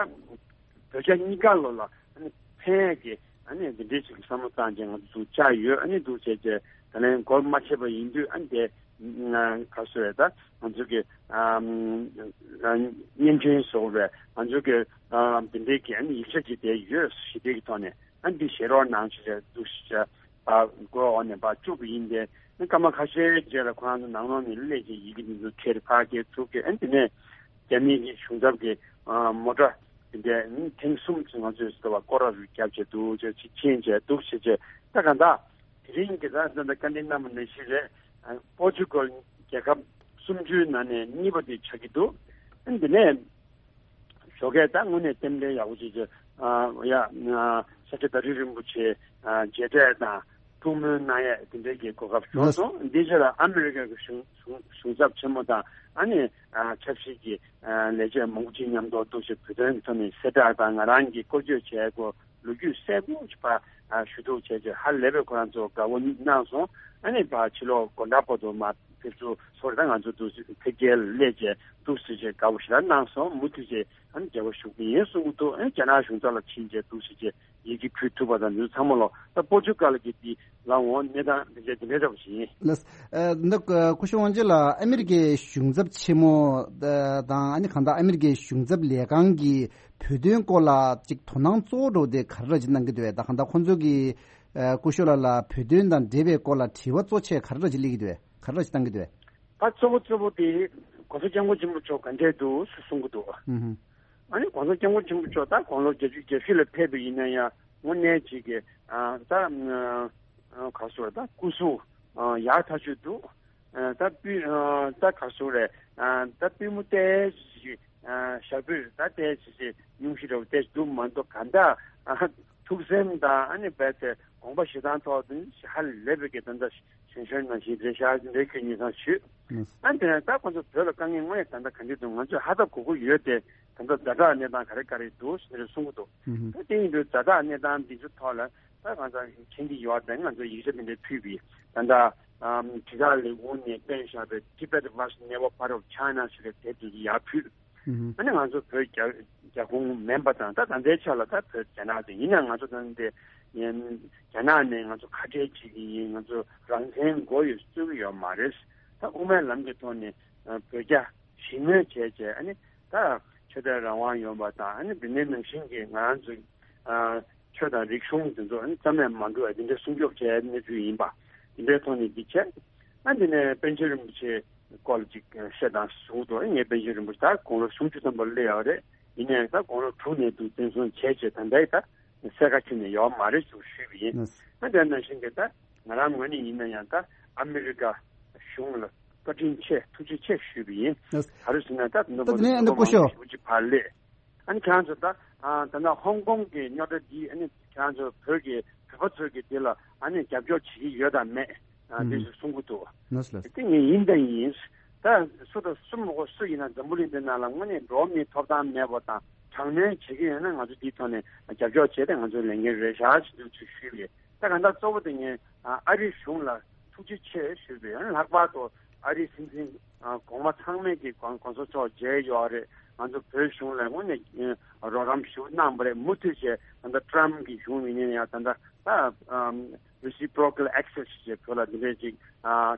བོད་རྒྱ་གཉིས་ཀ་ལོ་ལ་ཨ་ནི་ཕན་ཡས་ཀྱི་ ཨ་ནི་འདི་འདྲའི་ཞིག་གི་བསམ་བློ་བཏང་བྱས་ང་ཚོ་ཚུར་བཅར་ཡོད། ཨ་ནི་འདུག་བྱས་བྱས་ད་ལན་སྒོ་མ་ཕྱེ་བ་ཡིན་དུས་ཨ་ནི་དེ་ག་རེ་ཟེར་ད་ང་ཚོ་གི་ཨམ་བརྙན་འཕྲིན་བཟོ་བའི་ང་ཚོ་གི་ཨམ་འདི་འདྲའི་གི་ཨ་ནི་ཡིག་ཆ་ཅིག་དེ་ཡོད། ཞི་བདེ་གི་ཐོག་ནས་ཨ་ནི་འདི་བཞེས་རོགས་གནང་བྱས་བྱས་འདུག་བྱས་བྱས་ཨ་སྒོ་འོག་ནས་ཕར་བཅུག་པ་ཡིན་ཏེ། ཨ་ནི་སྐར་མ་ཁ་ཤས་རྗེས་ལ་ཁོ་རང་ཚོ་ནང་ལོགས་ནས་སླེབས་བྱས་ཡི་གེ་འདི་ཚོ་ཁྱེར་ཕར་སྐྱེལ་ཚུར་སྐྱེལ། ཨ་ནི་དེ་ནས་རྒྱ་མིའི་གི་གཞུང་ཚབ་ཀྱི་ཨ་མོ་ཊ་དེ་འདྲས་ཨ་ནི་ཐེངས་གསུམ་ཙམ་ང་ཚོས་ཟེར་བ་སྐོར་ར་རུ་བརྒྱབ་བྱས་འདུག་བྱས་ཅིག་ཕྱིན་བྱས་འདུག་བྱས་བྱས་ད་ག་འདྲ་དེ་རིང་གི་ད་ད་ལྟ་བཀའ་འདྲི་གནང་བ་ནང་བཞིན་རེད། ཨ་པོར་ཅུ་གལ་རྒྱལ་ཁབ་སུམ་ཅུའི་ནང་ནས་གཉིས་པ་དེ་ཆགས་ཀྱི་འདུག་ཨ་ནི་དེ་ནས་ཞོགས་ཀས་ད་དངོས་གནས་རྟེན་འབྲེལ་ཡག་པོ་བྱས་བྱས་ཨ་ཡ་ཨ་ས་སྐྱ་བདག་ཁྲི་རིན་པོ་ཆེ་ཨ་མཇལ་འཕྲད་དང་ཐུགས་སྨོན་གནང་ཡས་དེ་འདྲའི་གི་གོ་སྐབས་བྱུང་སོང་། འདི་རྗེས་ལ་ཨ་མི་རི་ཀ་གི་གཞུང་གཞུང་གཞུང་ཚབ་ཆེན་མོ་དང་ཨ་ནི་ཨ་ཆབ་སྲིད་ཀྱི་ཨ་ལས་བྱེད་མང་པོ་ཅིག་མཉམ་དུ་འདུག་བྱས་བོད་དོན་ཐོག་ནས་གསལ་བསྒྲགས་དང་ང་རང་གི་སྐོར་སྐྱོད་བྱས་སྐོར་ལོ་རྒྱུས་གསལ་པོ་ཞིག་ཕར་ཨ་ཞུ་གཏུག་བྱས་བྱས་ཧ་ལས་པའི་ཁོ་རང་ཚོ་དགའ་བོ་གནང་སོང་། ཨ་ནི་ཕར་ཕྱི་ལོགས་དགོང་དག་བར་དུ་མར་ཕེབས་བསུ་ཚོར་ད་ང་ཚོ་འདུག་སེ་ཕེབས་སྐྱེལ་སླེབས་བྱས་འདུག་སེ་བྱས་དགའ་བོ་ཞེ་དྲག་གནང་སོང་། མུ་མཐུད་བྱས་ཨ་ནི་འབྲེལ་བ་ཞུ་གི་ཡིན་གསུང་གི་འདུག་ཨ་ནི་རྒྱ་ནག་གཞུང་ཚབ་ལ་ཕྱིན་བྱས་འདུག་སེ་བྱས་ཡི་གེ་ཕུལ་ཐུབ་པ་དང་འདི་ཚོ་ཚང་མ་ལོ་ད་པོར་ཅུ་གལ་གྱི་འདི་ལ་འོང་གནས་སྟངས་འདི་འདྲ་འདི་འདྲ་འདྲ་པོ་ཞིག་ཡིན། ལགས། ཨ་འདི་སྐུ་ཞབས་དབང་ཕྱུག་ལགས་ཨ་མི་རི་ཀའི་གཞུང་ཚབ་ཆེན་མོ་དང་ཨ་ནི་གང་ལྟར་ཨ་མི་རི་ཀའི་གཞུང་ཚབ་ལས་ཁང་གིས་བོད་དོན་སྐོར་ལ་ཅིག་དོ་སྣང་གཙོ་བོ་འདྲ་པོ་དེ་ག་རེ་འདྲ་ཅིག་གནང་གི་འདུག་པས། ད་གང་ལྟར་ཁོང་ཚོ་གིས་ཨ་སྐུ་ཞབས་ལགས་ལ་བོད་དོན་དང་འབྲེལ་བའི་སྐོར་ལ་དྲི་བ་གཙོ་ཆེ་ག་རེ་འདྲ་ཅིག་སླེབས་ཀྱི་འདུག་པས། ག་རེ་འདྲ་ཅིག་བཏང་གི་འདུག་པས། ད་གཙོ་བོ་གཙོ་བོ་དེ་༸གོང་ས་༸སྐྱབས་མགོན་ཆེན་པོ་མཆོག་ག་འདྲས་འདུག་ཟེར་གསུང་གི་འདུག་ཨུ་ཧུ། ཨ་ནི་༸གོང་ས་༸སྐྱབས་མགོན་ཆེན་པོ་མཆོག་ད་དགུང་ལོ་བརྒྱད་ཅུ་གྱ་བཞི་ལ་ཕེབས་པ་ཡིན་ན་ཡང་དངོས་གནས་ཅིག་གི་ཨ་ད་ཨ་ག་རེ་ཟེར་ད་སྐུ་གཟུགས་ཨ་ཡག་ཐག་ཆོད་འདུག་ཨ་ད་པུས་ཨ་ད་ག་རེ་ཟེར་རེད། ཨ་ད་པུས་མོ་ཏོག་ཙམ་ཞིག་ཨ་ཞག་པོས་ད་ཏོག་ཙམ་ཞིག་སྙུང་གཞི་འདྲ་པོ་ཏོག་ཙམ་འདུག་མ་གཏོགས་ག་འདྲ་ཨ་ཐུགས་སེམས་དང་ཨ་ནི་རྦད་དེ་དགོངས་པ་བཞེས་སྟངས་ཐོག་ཏུ་ཧ་ལས་པའི་གི་ད་ལྟ་གཞོན་གཞོན་ནང་བཞིན་རེད་ཤག་འདྲ་ཁྱོད་ཉིན་སང་ཞུས། ཨ་དེ་ནས་ད་ཁོང་ཚོ་བོད་ལ་དཀའ་ངལ་དངོས་ཡོད་ད་ལྟ་ག་འདྲ་འདུག་ང་ཚོས་ཧ་ད་གོ་གི་ཡོད་དེ། ད་ལྟ་ཛ་དྲག་གནས་སྟངས་ག་རེ་ག་རེ་འདུག་ཟེར་གསུང་གི་འདུག་ད་དེ་ཡིན་དུས་ཛ་དྲག་གནས་སྟངས་འདི་ཚོ་ཐོག་ལ་ད་ང་ཚོ་མཁྱེན་གྱི་ཡོད་དེ་ང་ཚོ་ཡིག་ཆ་དེ་འདྲ་ཕུལ་བས། ད་ལྟ་ཨམ་དྲིལ་བསྒྲགས་ལས་ཁུངས་ནས་སྤེལ་བཞག་པའི་Tibet Watch Never Part of China ཞེས་པའི་དེབ་དེ་ཚོ་ཡར་ཕུལ། ཨ་ནི་ང་ཚོ་བོད་རྒྱ་རྒྱ་ཁོངས་མིན་པ་དང་ད་ད་ལྟའི་ཆ་ལ་ད་བོད་རྒྱ་ནག་དེ་ཡིན་ན་ང་ཚོ་ད་ལྟ་རྒྱ་ནག་ནས་ང་ཚོ་ཁ་བྲལ་བྱེད་ཀྱི་ཡིན། ང་ཚོ་རང་བཙན་དགོས་ཡོད་རྩོད་ཀྱི་ཡོད་མ་རེད། ད་དབུ་མའི་ལམ་གྱི་ཐོག་ནས་བོད་རྒྱ་ཞི་མོལ་བྱས་བྱས་ཨ་ནི་ད་ཆོས་དད་རང་དབང་ཡོད་པ་དང་ཨ་ནི་དེ་ནས་ནང་བཞིན་གྱི་ང་རང་ཚོ་ཆོས་དང་རིག་གཞུང་དེ་ཚོ་ཨ་ནི་རྩ་མེད་མ་འགྲོ་བ་དེ་འདྲ་སྲུང་སྐྱོབ་བྱས་གནས་ཚུལ་ཡིན་པ་དེ་འདྲའི་ཐོག་ནས་འདི་བྱས། ཨ་འདི་ནས་པཎ་ཆེན་རིན་པོ་ཆེ་སྐོར་ལ་ཅིག་བཤད་དང་གསུངས་འདུག་ངས་པཎ་ཆེན་རིན་པོ་ཆེ་ད་དགུང་ལོ་སུམ་ཅུ་ཙམ་པ་སླེབས་ཡོད་རེད། ཡིན་ནའང་ད་དགུང་ལོ་དྲུག་ནས་འདུག་བཙན་བཟུང་བྱས་བྱས་ད་ལྟའི་ད་གསལ་ཁ་ཁྱོན་ནས་ཡོད་མ་རེད་ཟེར་ཞུས་པ་ཡིན། ཨ་དེ་ནང་བཞིན་གྱི་ད་ང་རང་ངོས་ནས་ཡིན་ན་ཡང་ད་ཨ་མི་རི་ཀ་གཞུང་ལ་བཀའ་དྲིན་ཆེ་ཐུགས་རྗེ་ཆེ་ཞུས་པ་ཡིན། ག་རེ་ཟེར་ན་ད་ད་དེ་ནས་ཨ་ནི་སྐུ་ཞབས་ཞེ་པོ་ཅིག་ཕར་སླེབས། ཨ་ནི་ཁྱེད་རང་ཚོ་ད་ཨ་ད་ལྟ་ཧོང་ཀོང་གི་རྙོག་དྲ་འདི་ཨ་ནི་ཁྱེད་རང་ཚོ་བོད་ཀྱི་བོད་པ་ཚོས་ཀྱི་འདི་ལ་ཨ་ནི་རྒྱབ་སྐྱོར་བྱེད་ཀྱི་ཡོད་དམ་མེད་ཨ་ཨུམ་འདི་ཚོ་གསུང་གི་འདུག་ལགས་སོ་ལགས་སོ། དེ་ངས་ཡིན་དང་ཡིན། ད་སུ་དང་སུ་མ་གོ་སུ་ཡིན་ན་འཛམ་བུ་གླིང་འདི་ནང་ལ་དངོས་གནས་འགྲོ་བ་མིའི་ཐོབ་ཐང་མེད་པ་དང་དྲག་གནོན་བྱེད་ཀྱི་ཡོད་ན་ང་ཚོ་འདིའི་ཐོག་ནས་རྒྱབ་སྐྱོར་བྱས་ཏེ་ང་ཚོའི་ལས་འགན་རེད་ཤག་ཅེས་འདུག་ཅེས་ཞུས་པས། ད་གང་ལྟར་གཙོ་བོ་དེ་ངས་ཨ་རིའི་གཞུང་ལ་ཐུགས་རྗེ་ཆེ་ཞུས་པས། ལྷག་པར་དུ་ཨ་རིའི་སྲིད་འཛིན་གོང་མ་ཚང་མས་ཀྱི་གོང་གོང་ས་མཆོག་མཇལ་ཡོད་རེད། ང་ཚོ་བོད་གཞུང་ལ་དངོས་གནས་རོགས་རམ་ཞུ་གནང་བ་རེད། མུ་མཐུད་བྱས་ད་ལྟ་ཊམ་གྱི་གཞུང་ཡིན་ན་ཡང་ད་ལྟ་ད་reciprocal access ཞེས་བོད་ལ་འདི་འདྲས་ཅིག་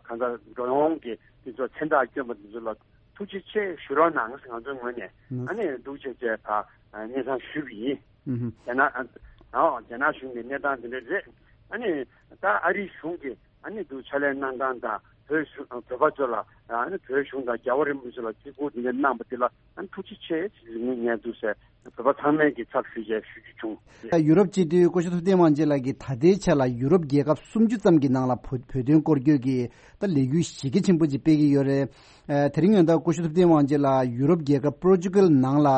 གང་ལྟར་འགྲོ་འོང་གི་དེ་ཚོ་མཚན་རྟགས་བསྐྱོན་པ་དེ་ཚོ་ལ་ཐུགས་རྗེ་ཆེ་ཞུ་རོགས་གནང་ང་ཚོའི་ངོས་ནས་ཨ་ནི་འདུག་བྱས་བྱས་ད་སྙན་སེང་ཞུས་པ་ཡིན། རྒྱ་ནག་ཨ་རྒྱ་ནག་གཞུང་གི་གནས་སྟངས་འདི་འདྲ་རེད། ཨ་ནི་ད་ཨ་རིའི་གཞུང་གིས་ཨ་ནི་འདུག་ཕྱག་ལས་གནང་སྟངས་དང་བོད་གཞུང་བོད་པ་ཚོ་ལ་ཨ་ནི་བོད་གཞུང་དང་རྒྱལ་བ་རིན་པོ་ཆེ་ལ་བརྩི་བཀུར་འདི་འདྲ་གནང་པ་འདི་ལ་ཨ་ནི་ཐུགས་རྗེ་ཆེ་ཞེས་ངས་འདུག་ཟེར་བོད་པ་ཚང་མས་ཀྱི་ཚབ་ཞུས་བྱས་ཞུ་རྒྱུ་བྱུང་། ཡུ་རོབ་སྤྱི་འཐུས་སྐུ་ཞབས་ཐུབ་བསྟན་དབང་རྒྱལ་ལགས་ཀྱིས་ད་ལྟའི་ཆ་ལ་ཡུ་རོབ་རྒྱལ་ཁབ་སུམ་ཅུ་ཙམ་གྱི་ནང་ལ་བོད་བོད་དོན་སྐོར་སྐྱོད་ཀྱི་ད་ལས་འགུལ་གཞི་རྒྱ་ཆེན་པོ་ཅིག་སྤེལ་གྱི་ཡོད་རེད། ཨ་དེ་རིང་ཡང་ད་སྐུ་ཞབས་ཐུབ་བསྟན་དབང་རྒྱལ་ལགས་ཡུ་རོབ་རྒྱལ་ཁབ་པོར་ཅུ་གལ་ནང་ལ་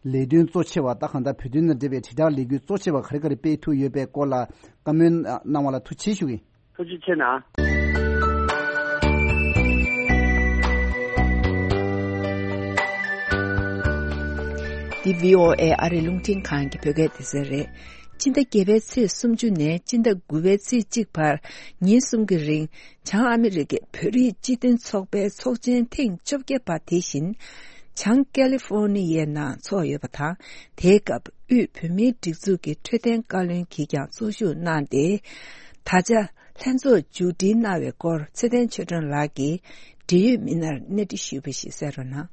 ལས་དོན་གཙོ་ཆེ་བ་ད་གང་ལྟར་བོད་དོན་དང་འབྲེལ་བའི་དྲིལ་བསྒྲགས་ལས་འགུལ་གཙོ་ཆེ་བ་ག་རེ་ག་རེ་སྤེལ་ཐུབ་ཡོད་པའི་སྐོར་ལ་བཀའ་མོལ་གནང་བ་ལ་ཐུགས་རྗེ་ཆེ་ཞུ་གི་ཡིན། ཐུགས་རྗེ་ཆེ་གནང་། འདི་བྷི་ཨོ་ཨེ་ཨ་རིའི་རླུང་འཕྲིན་ཁང་གི་བོད་སྐད་སྡེ་ཚན་རེད། སྤྱི་ཟླ་བརྒྱད་པའི་ཚེས་སུམ་ཅུ་ནས་སྤྱི་ཟླ་དགུ་པའི་ཚེས་གཅིག་བར་ཉིན་གསུམ་གྱི་རིང་བྱང་ཨ་མི་རི་ཀའི་བོད་རིགས་སྤྱི་མཐུན་ཚོགས་པའི་ཚོགས་ཆེན་ཐེངས་བཅོ་བརྒྱད་པ་དེ་བཞིན་བྱང་ཀ་ལི་ཧྥོ་ནི་ཡའི་ནང་འཚོགས་ཡོད་པ་དང་། དེའི་སྐབས་ ཡུལ་བོད་མིའི་སྒྲིག་འཛུགས་ཀྱི་འཕྲོད་བསྟེན་བཀའ་བློན་གྱིས་ཀྱང་གཙོ་བཞུགས་གནང་སྟེ། ད་ཆ་ལྷན་ཚོགས་མཇུག་སྒྲིལ་གནང་བའི་སྐོར་ཚེ་བརྟན་ཆོས་སྒྲོན་ལགས་ཀྱིས་འབྲེལ་ཡོད་མི་སྣར་གནས་འདྲི་ཞུས་པ་ཞིག་གསན་རོགས་གནང་།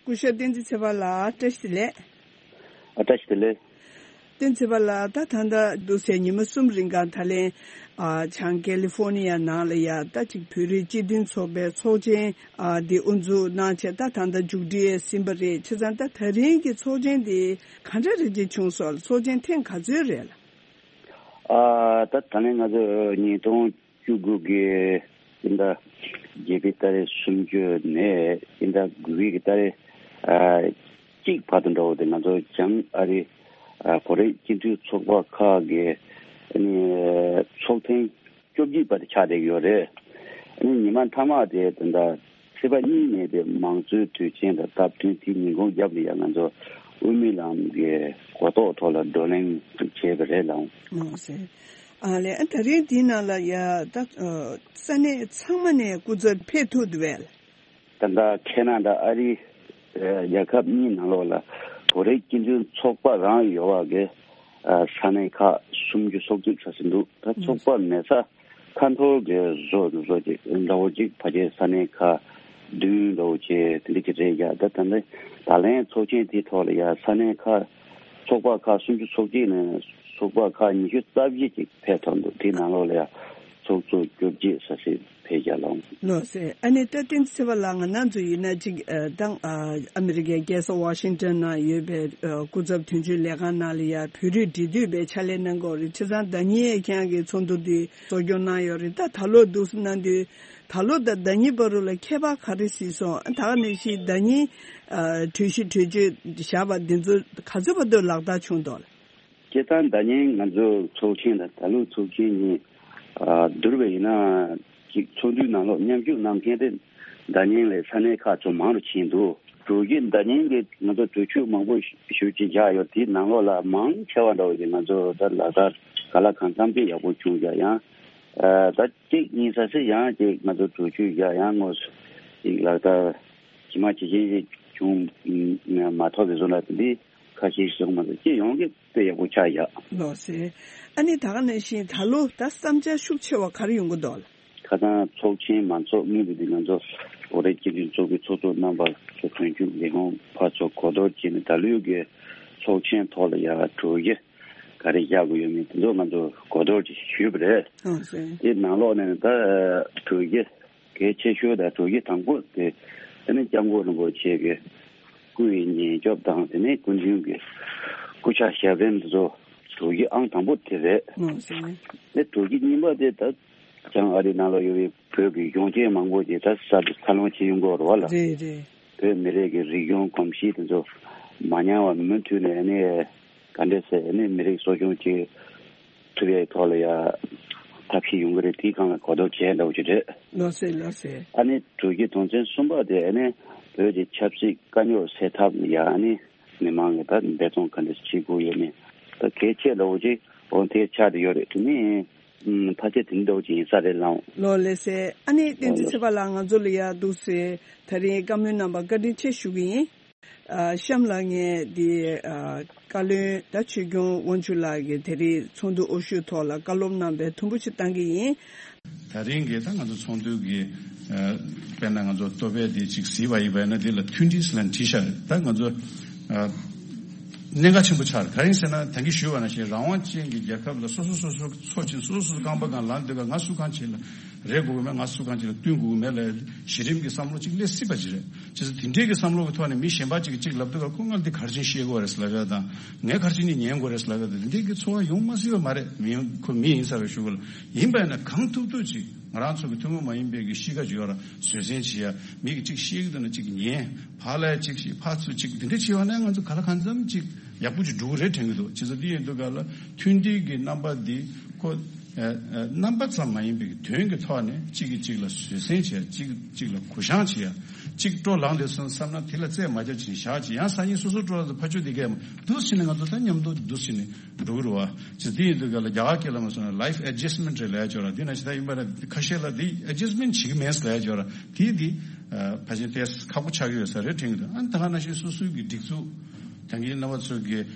སྐུ་ཞབས་བསྟན་འཛིན་ཚེ་དཔལ་ལགས། བཀྲ་ཤིས་བདེ་ལེགས། ཨ། བཀྲ་ཤིས་བདེ་ལེགས། བསྟན་འཛིན་ཚེ་དཔལ་ལགས། ད་ད་ལྟ་འདུག་སེ་ཉི་མ་གསུམ་རིང་གང་ད་ལན། ཨ། བྱང་ཀེ་ལི་ཧྥོ་ནི་ཡ་ནང་ལ་ཡ་ད་ཅིག་བོད་རིགས་སྤྱི་མཐུན་ཚོགས་པའི་ཚོགས་ཆེན། ཨ། འདི་དབུ་འཛུགས་གནང་བྱས་ད་ད་ལྟ་མཇུག་སྒྲིལ་ཟིན་པ་རེད། བྱས་ཙང་ད་ད་རིང་གི་ཚོགས་ཆེན་འདི་ག་འདྲ་རེ་ཅིག་བྱུང་སོང་། ཚོགས་ཆེན་ཐེངས་ག་ཚོད་རེད་ལ། ཨ། ད་ད་ལན་ང་ཚོ་ཉིས་སྟོང་བཅུ་དགུ་གི་སྤྱི་ཟླ་བརྒྱད་པའི་ཏ་རིག་སུམ་ཅུ་ནས་སྤྱི་ཟླ་དགུ་པའི་གི་ཏ་རིག་ཨ་གཅིག་བར་དུ་འགྲོ་བ་དེ་ང་ཚོ་བྱང་ཨ་རི་ཨ་བོད་རིགས་སྤྱི་མཐུན་ཚོགས་པ་ཁག་གི་ཨ་ནི་ཚོགས་ཐེངས་བཅོ་བརྒྱད་པ་དེ་ཆགས་བསྡད་ཡོད་རེད། ཨ་ནི་ཉི་མ་མཐའ་མ་དེ་ད་ལྟ་ཚེས་པ་གཉིས་ནས་དེ་མང་གཙོའི་དུས་ཆེན་དང་སྟབས་བསྟུན་དེ་ཉིན་གུང་རྒྱབ་ལ་ཡང་ང་ཚོ་དབུ་མའི་ལམ་གྱི་གོ་རྟོགས་ཐོག་ལ་བགྲོ་གླེང་བྱས་པ་རེད་ལགས། ཨོ་ཟེར། ཨ་ལས། ཨ། ད་རིང་འདིའི་ནང་ལ་ཡ་ད་ཨ་ས་གནས་ཚང་མ་ནས་སྐུ་ཚབ་ཕེབས་ཐུབ་འདུག་པས། ད་ལྟ་ཁེ་ན་ཌ་ཨ་རི་ཨ་རྒྱལ་ཁབ་གཉིས་ནང་ལོགས་ལ་བོད་རིགས་སྤྱི་མཐུན་ཚོགས་པ་རང་ཡོད་པ་གི་ཨ་ས་གནས་ཁག་སུམ་ཅུ་སོ་གཅིག་ཙམ་ཞིག་འདུག་ད་ཚོགས་པ་མེད་ས་ཁ་འཐོར་གྱི་བཟོ་འདུག་བཟོ་ཅིག་འདྲ་བོ་ཅིག་ཕལ་ཆེར་ས་གནས་ཁག་བདུན་འདྲ་བོ་ཅིག་དེ་འདྲ་ཅིག་རེད་ཡ། ད་ད་ལྟ་ད་ལན་ཚོགས་ཆེན་དེའི་ཐོག་ལ་ཡ་ས་གནས་ཁག་ཚོགས་པ་ཁག་སུམ་ཅུ་སོ་གཅིག་ནས་ཚོགས་པ་ཁག་ཉི་ཤུ་རྩ་བཞི་ཅིག་ཕེབས་ཐུབ་འདུག་དེའི་ནང་ལོགས་ལ་ཡ་ཚོགས་གཙོ་བཅོ་བརྒྱད་ས་སྲིད་ཕེབས་རྒྱ་ལོངས། ལགས་སེ། ཨ་ནི་ད་བསྟན་འཛིན་ཚེ་དཔལ་ལགས། ང་རང་ཚོ་ཡིན་ན་ཅིག་ཨ་ད་ཨ་ཨ་མི་རི་ཀའི་རྒྱལ་ས་ཝ་ཤིང་ཊོན་ནང་ཡོད་པའི་ཨ་སྐུ་ཚབ་དོན་གཅོད་ལས་ཁང་ནང་ལ་ཡ་བོད་རིགས་འབྲེལ་མཐུད་པའི་ཕྱག་ལས་གནང་གི་ཡོད་རེད། བྱས་ཙང་ཟླ་ཉིན་ཁྱེད་རང་གི་ཚོགས་འདུ་འདི་གཙོ་སྐྱོང་གནང་ཡོད་རེད། ད་ད་ལོ་འདུག་སེ་གནང་དུས་ད་ལོ་དང་ཟླ་ཉིན་བར་དུ་ལ་ཁྱད་པར་ག་རེ་གཟིགས་སོང་། ད་ག་ནང་བཞིན་ཟླ་ཉིན་ཨ་གྲོས་གཞི་གྲོས་ཆོད་བཞག་པ་འདི་ཚོ་ག་ཚོད་བར་དུ་ལག་བསྟར་བྱུང་འདུག་ལགས། སྤྱིར་བཏང་ཟླ་ཉིན་ང་ཚོའི་ཚོགས་ཆེན་དང་ད་ལོའི་ཚོགས་ཆེན་གཉིས་ཨ་བསྡུར་བ་ཡིན་ན་ཅིག་ཚོགས་འདུའི་ནང་ལོགས་མཉམ་ཞུགས་གནང་མཁན་དེ་ཟླ་ཉིན་ལས་ས་གནས་ཁག་ཚོ་མང་རུ་ཕྱིན་འདུག་གྲོས་གཞི་ཟླ་ཉིན་གྱི་ང་ཚོ་གྲོས་ཆོད་མང་པོ་ཞེ་པོ་ཅིག་བཞག་ཡོད། དེའི་ནང་ལོགས་ལ་མང་ཆེ་བ་འདྲ་བོ་ཞིག་ང་ཚོ་ད་ལག་བསྟར་ག་ལ་གང་འཚམ་ཅིག་ཡག་པོ་བྱུང་བཞག་ཡང་ཨ་ད་གཅིག་གཉིས་ས་སི་ཡང་ཅིག་ང་ཚོ་གྲོས་ཆོད་བཞག་ཡང་དངོས་སུ་ཅིག་ལག་བསྟར་ཇི་མ་ཇི་བཞིན་ཅིག་བྱུང་མ་ཐུབ་པའི་བཟོ་འདྲ་དེ་འདྲའི་ཁ་ཤས་ཤིག་བྱུང་མ་ཐུབ་ཅིག་ཡོང་གི་དཔེ་ཡག་པོ་ཆགས་ཡ། ལགས་སེ། ཨ་ནི་ད་ག་ནང་བཞིན་ད་ལོ་ད་བསམ་འཆར་ཤུགས་ཆེ་བ་ག་རེ་ཡོང་གི་འདུག་ལགས། ཁ་སང་ཚོགས་ཆེན་མ་འཚོགས་སྔོན་དུ་འདི་ང་ཚོ་བོད་རིགས་སྤྱི་མཐུན་ཚོགས་པའི་ཚོགས་གཙོ་རྣམ་པ་ཚོ་དོན་གཅོད་ལས་ཁུངས་ཕར་ཚུར་གོ་བསྡུར་བྱས་ནས་ད་ལོའི་གི་ཚོགས་ཆེན་ཐོག་ལ་ཡ་གྲོས་གཞི་ག་རེ་བཞག་དགོས་ཡོད་མེད་དེ་ཚོ་ང་ཚོ་གོ་བསྡུར་ཅིག་ཞུས་པ་རེད། ཨང་སེ། དེ་ནང་ལོགས་ནས་ད་གྲོས་གཞི་གལ་ཆེ་ཤོས་དང་གྲོས་གཞི་དང་པོ་དེ་དེ་ནི་སྐྱབས་མགོན་རིན་པོ་ཆེ་གི་སྐུ་ཡི་ཉེན་སྐྱོབ་དང་དེ་ནས་སྐུ་མདུན་གྱི་སྐུ་ཕྱག་ཞབས་བརྟན་དེ་ཚོ་གྲོས་གཞི་ཨང་དང་པོ་དེ་རེད། ཨང་སེ། དེ་གྲོས་གཞི་གཉིས་པ་དེ་ད་བྱང་ཨ་རི་ནང་ལ་ཡོད་པའི་བོད་ཀྱི་གཞོན་སྐྱེས་མང་པོ་ཅིག་ད་ས་འཚར་ལོངས་བྱེད་ཡོང་གི་ཡོད་རེད་བ་ལ། རེད་རེད། བོད་མི་རིགས་ཀྱི་རིག་གཞུང་གོམས་གཤིས་དེ་ཚོ་མ་ཉམས་པ་མུ་མཐུད་ནས་ནི་ག་འདྲས་སེ་ནི་མི་རིགས་གསོ་སྐྱོང་བྱེད་ཐུབ་ཡའི་ཐོག་ལ་ཡ་ཐབས་ཤེས་ཡོང་གི་རེད། དེའི་སྒང་ལ་གོ་བསྡུར་བྱས་འདྲ་བོ་ཅིག་རེད། ལགས་སེ་ལགས་སེ། ཨ་ནི་གྲོས་གཞི་དོན་ཚན་གསུམ་པ་དེ་ཨ་ནི་བོད་ཀྱི་ཆབ་སྲིད་དཀའ་རྙོག་སེལ་ཐབས་ལ་ཡ་ཨ་ནི་མི་མང་གི་ད་འབད་བརྩོན་ག་འདྲས་བྱེད་དགོས་ཡོད་མེད་ད་གལ་ཆེ་འདྲ་བོ་ཅིག་འོ་དེ་ཆགས་བསྡད་ཡོད་རེད། དེ་ནི་ཨུམ་ཕལ་ཆེར་དེ་འདྲ་བོ་ཅིག་ཡིན་ས་རེད་ལགས། ལགས་ལགས་སེ། ཨ་ནི་བསྟན་འཛིན་ཚེ་དཔལ་ལགས་ང་ཚོ་ལ་ཡ་འདུག་སེ་ད་རིང་བཀའ་མོལ་གནང་བར་བཀའ་དྲིན་ཆེ་ཞུ་གི་ཡིན། ཨ་གཤམ་ལ་ངས་འདི་ཨ་བཀའ་བློན་ད་ཆོས་སྐྱོང་དབང་ཕྱུག་ལགས་ཀྱིས་དེ་རིང་ཚོགས་འདུ་དབུ་བཞུགས་ཐོག་ལ་བཀའ་སློབ་གནང་བའི་དུམ་བུ་ཅིག་བཏང་གི་ཡིན། ད་རིང་གི་ད་ང་ཚོ་ཚོགས་འདུ་གི་ཨ་དཔེར་ན་ང་ཚོ་ལྟོ་ཕད་འདི་ཅིག་གཟིགས་པ་ཡིན་པ་ཡིན་ན་འདི་ལ་མཐུན་སྒྲིལ་ཟེར་ལབ་བྲིས་ཤག་རེད། ད་ང་ཚོ་ཨ་གནད་འགག་ཆེན་པོ་ཆགས་རེད། ག་རེ་ཡིན་ཟེར་ན་ད་གིན་ཞུས་པ་ནང་བཞིན་རང་དབང་ཅན་གྱི་རྒྱལ་ཁབ་ལ་སོ་སོ་སོ་སོ་འཚོ་ཞིང་སོ་སོ་སོ་སོ་རྐང་པ་སྒང་ལངས་སྡོད་པ་ང་སུ་གང་བྱེད་ལ་རེ་དགོས་ཀྱི་མེད། ང་སུ་གང་ཅིག་ལ་བསྟུན་དགོས་ཀྱི་མེད་ལབ་ཡ་གཞི་རིམ་གྱི་བསམ་བློ་ཅིག་སླེབས་སྲིད་པ་ཅིག་རེད། བྱས་ཙང་དེ་འདྲའི་གི་བསམ་བློ་གི་ཐོག་ནས་མི་གཞན་པ་ཅིག་གིས་ཅིག་ལབ་དུས་ཁོ་ང་འདི་ག་རེ་བྱས་ནས་ཤེས་དགོས་རེད་ཟེར་ལབ་ཡ་དང་ངས་ག་རེ་བྱས་ནས་ཉན་དགོས་རེད་ཟེར་ལབ་ཡ་དང་དེ་འདྲའི་གི་ཚོར་བ་ཡོང་མ་སྲིད་པ་མ་རེད། མི་ཡོང་ཁོ་མི་ཡིན་ས་རེད་ཞུ་དགོས་ལ། ཡིན་པ་ཡིན་ན་གང་ཐུབ་ཐུབ་ཅིག་ང་རང་ཚོ་གི་ཐུན་མོང་མ་ཡིན་པའི་གི་གཤིས་ཀ་ཅིག་ཡོད་ར་བཟོད་བསྲན་བྱེད་ཡ། མི་གིས་ཅིག་བཤད་ཀྱི་འདུག་ན་ཅིག་ཉན། ཕར་ལ་ཅིག་བཤད་ཕར་ཚུར་ཅིག་འདི་འདྲ་བྱས་པ་ན་ང་ཚོ་ག་ལ་གང་འཚམ་ཅིག་ཡག་པོ་ཅིག་འགྲོ་གི་རེད་དྲན་གྱི་འདུག་བྱས་ཙང་འདི་ཡིན་དུས་ག་ལ་མཐུན་སྒྲིལ་གྱི་རྣམ་པ་འདི་ཁོ་ཨ་ཨ་རྣམ་པ་ཙམ་མ་ཡིན་པའི་དོན་གྱི་ཐོག་ནས་གཅིག་གིས་གཅིག་ལ་བཟོད་བསྲན་བྱེད་ཡ། གཅིག་གཅིག་ལ་གུ་བཤངས་བྱེད་ཡ། གཅིག་སྤྲོ་ལངས་བསྡད་སོང་བསམ་ན་དེ་ལ་རྩད་མ་རྒྱག་བྱས་བཞག་བྱས། ཡང་སང་ཉིན་སོ་སོ་སྤྲོ་ལངས་དུས་ཕར་ཕྱོགས་དེ་གས་མ་འདུག་བྱས་ནས་ང་ཚོ་ད་མཉམ་དུ་འདུག་བྱས་ནས་འགྲོ་གི་རེད་བ། བྱས་ཙང་དེ་ཡིན་དུས་ག་ལ་རྒྱ་གར་སྐད་ལ་མ་སོང་ན་life adjustment་རེད་ལབ་ཡ་ཅིག་ཡོད་ར། དེ་ནང་བཞིན་ད་ཡིན་པ་ན་ཁ་ཤས་ལ་དེ་adjustment་བྱེད་ཀྱི་མེད་ཟེར་ལབ་ཡ་ཅིག་ཡོད་ར། དེ་དེ་ཨ་ཕལ་ཆེར་ཏོག་ཙམ་ཁག་པོ་ཆགས་ཀྱི་ཡོད་ས་རེད་དྲན་གྱི་འདུག་ཨ་ནི་ད་ག་ནང་བཞིན་སོ་སོའི་གི་སྒྲིག་འཛུགས་ད་གིན་རྣམ་པ་ཚོ་གི་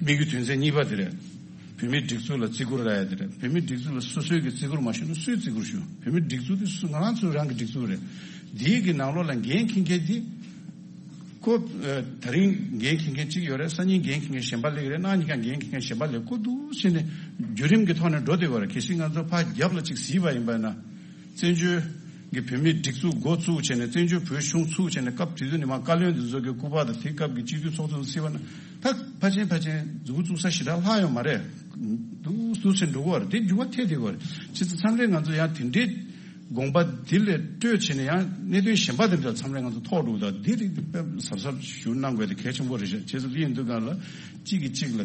དམིགས་ཡུལ་དོན་ཚན་གཉིས་པ་དེ་རེད། བོད་མིའི་སྒྲིག་འཛུགས་ལ་བརྩི་བཀུར་རག་ཡ་དེ་རེད། བོད་མིའི་སྒྲིག་འཛུགས་ལ་སོ་སོས་ཀྱི་བརྩི་བཀུར་མ་ཞུས་ན་སུས་བརྩི་བཀུར་ཞུ། བོད་མིའི་སྒྲིག་འཛུགས་དེ་སུ་ང་རང་ཚོ་རང་གི་སྒྲིག་འཛུགས་རེད། འདིའི་གི་ནང་ལོགས་ལ་འགན་འཁྱེར་མཁན་དེ། ཁོ་ཨ་ད་རིང་འགན་འཁྱེར་མཁན་གཅིག་ཡོད་རེད། སང་ཉིན་འགན་འཁྱེར་མཁན་གཞན་པ་སླེབས་ཀྱི་རེད། གནངས་ཉིན་ཀྱང་འགན་འཁྱེར་མཁན་གཞན་པ་སླེབས། ཁོ་འདུག་བྱས་ནས་བརྒྱུད་རིམ་གྱི་ཐོག་ནས་འགྲོ་བསྡད་ཡོད་རེད། གལ་སྲིད་ང་ཚོ་ཕར་རྒྱབ་ལ་གཅིག་གཟིགས་པ་ཡིན་པ་ན། བཙན་བྱོལ་གྱི་བོད་མིའི་སྒྲིག་འཛུགས་འགོ་བཙུགས་བྱས་ནས་བཙན་བྱོལ་བོད་གཞུང་ཚུགས་བྱས་ནས་སྐབས་དེ་དུས་ནས་མར་བཀའ་བློན་དེ་ཚོ་གི་སྐུ་པར་དང་དེ་སྐབས་ཀྱི་སྤྱི་འཐུས་ཚོགས་གཙོ་ཚོ་གཟིགས་པ་ན། ད་ཕལ་ཆེར་ཕལ་ཆེར་མཛུབ་གུ་བཙུགས་ས་ཞེ་དྲག་ལྷག་ཡོད་མ་རེད། འདུག་འདུག་བྱས་འགྲོ་གི་ཡོད་རེད། དེ་འགྱུར་བ་ཐེབས་བསྡད་ཡོད་རེད། བྱས་ཙང་མཚམས་རེ་ང་ཚོ་ཡང་དེ་འདྲའི་དགོངས་པ་དེ་ལས་སྤྲོས་བྱས་ནས་ཡང་གནད་དོན་གཞན་པ་དེ་འདྲ་མཚམས་རེ་ང་ཚོ་ཐོགས་འགྲོ་གི། ད་འདི་རིགས་དཔེ་གཟབ་གཟབ་ཞུ་གནང་དགོས་དེ་གལ་ཆེན་པོ་རེད་ཤག་བྱས་ཙང་འདི་ཡིན་དུས་སྒང་ལ་གཅིག་གིས་གཅིག་ལ་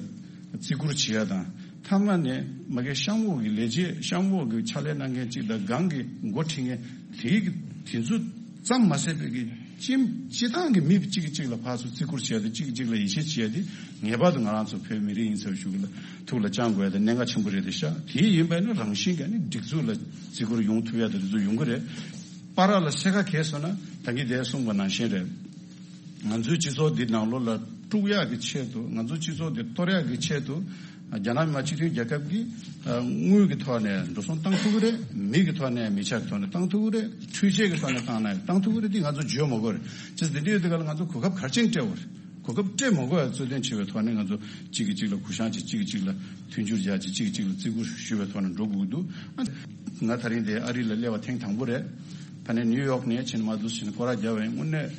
བརྩི་བཀུར་བྱེད་ཡ་དང་། མཐའ་མ་ནས་མ་གི་གཤམ་འོག་གི་ལས་བྱེད་གཤམ་འོག་གི་ཕྱག་ལས་གནང་མཁན་གཅིག་དང་སྒང་གི་འགོ་ཁྲིད་མཁན་དེའི་གི་དེ་ཚོ་ཙམ་མ་ཟད་པའི་གི་སྤྱི་སྤྱི་བཏང་གི་མི་གཅིག་གིས་གཅིག་ལ་ཕར་ཚུར་བརྩི་བཀུར་བྱེད་ཡ་དེ། གཅིག་གིས་གཅིག་ལ་ཡིད་ཆེས་བྱེད་ཡ་དེ་ངེས་པར་དུ་ང་རང་ཚོ་བོད་མི་རིགས་ཡིན་ཚུལ་ཞུ་གི་ལ་ཐུགས་ལ་བཅངས་དགོས་ཡ་དེ་གནད་འགག་ཆེན་པོ་རེད་དེ་ཤག་དེ་ཡིན་པ་ཡིན་ན་རང་བཞིན་གྱིས་ནི་སྒྲིག་འཛུགས་ལ་བརྩི་བཀུར་ཡོང་ཐུབ་ཡ་དེ་རེ་ཚོ་ཡོང་གི་རེད། བར་ལ་སེར་ཁ་གས་སོང་ན་ད་གིན་དེ་གསུངས་པ་ནང་བཞིན་རེད། ང་ཚོའི་སྤྱི་ཚོགས་འདི་ནང་ལོགས་ལ་དཀྲུག་ཡག་གི་ཆེད་དུ། ང་ཚོའི་སྤྱི་ཚོགས་འདི་གཏོར་ཡག་གི་ཆེད་དུ། རྒྱ་ནག་མི་དམངས་སྤྱི་མཐུན་རྒྱལ་ཁབ་ཀྱིས་དངུལ་གྱི་ཐོག་ནས་འགྲོ་སོང་བཏང་ཐུབ་ཀྱི་རེད། མི་གི་ཐོག་ནས་མི་ཆ་གི་ཐོག་ནས་བཏང་ཐུབ་ཀྱི་རེད། འཕྲུལ་ཆས་ཀྱི་ཐོག་ནས་བཏང་ན་ཡང་བཏང་ཐུབ་ཀྱི་རེད། འདི་ང་ཚོ་བརྗོད་མ་དགོས་རེད། བྱས་ཙང་འདི་འདྲ་ཡོད་དུས་ག་ལ་ང་ཚོ་གོ་སྐབས་ག་རེ་བྱས་ནས་སྤྲད་དགོས་རེད། གོ་སྐབས་སྤྲད་མ་དགོས་པའི་རྩོད་ལེན་བྱེད་པའི་ཐོག་ནས་ང་ཚོ་གཅིག་གིས་གཅིག་ལ་གུ་བཤངས་བྱེད། གཅིག་གིས་གཅིག་ལ་མཐུན་འགྱུར་རྒྱག་བྱེད། གཅིག་གིས་གཅིག་ལ་བརྩི་བཀུར་ཞུ་བའི་ཐོག་ནས་འགྲོ་དགོས་ཀྱི་འདུག་ང་ད་རིང་འདིར་ཨ་རི་ལ་སླེབས་པ་ཐེངས་དང་པོ་རེད། ཕ་ནས་ནིའུ་ཡོག་ནས་ཕྱིན་མ་འདུག་ཕྱིན་སྐོར་ར་བརྒྱབ་པ་ཡིན། དངོས་གནས་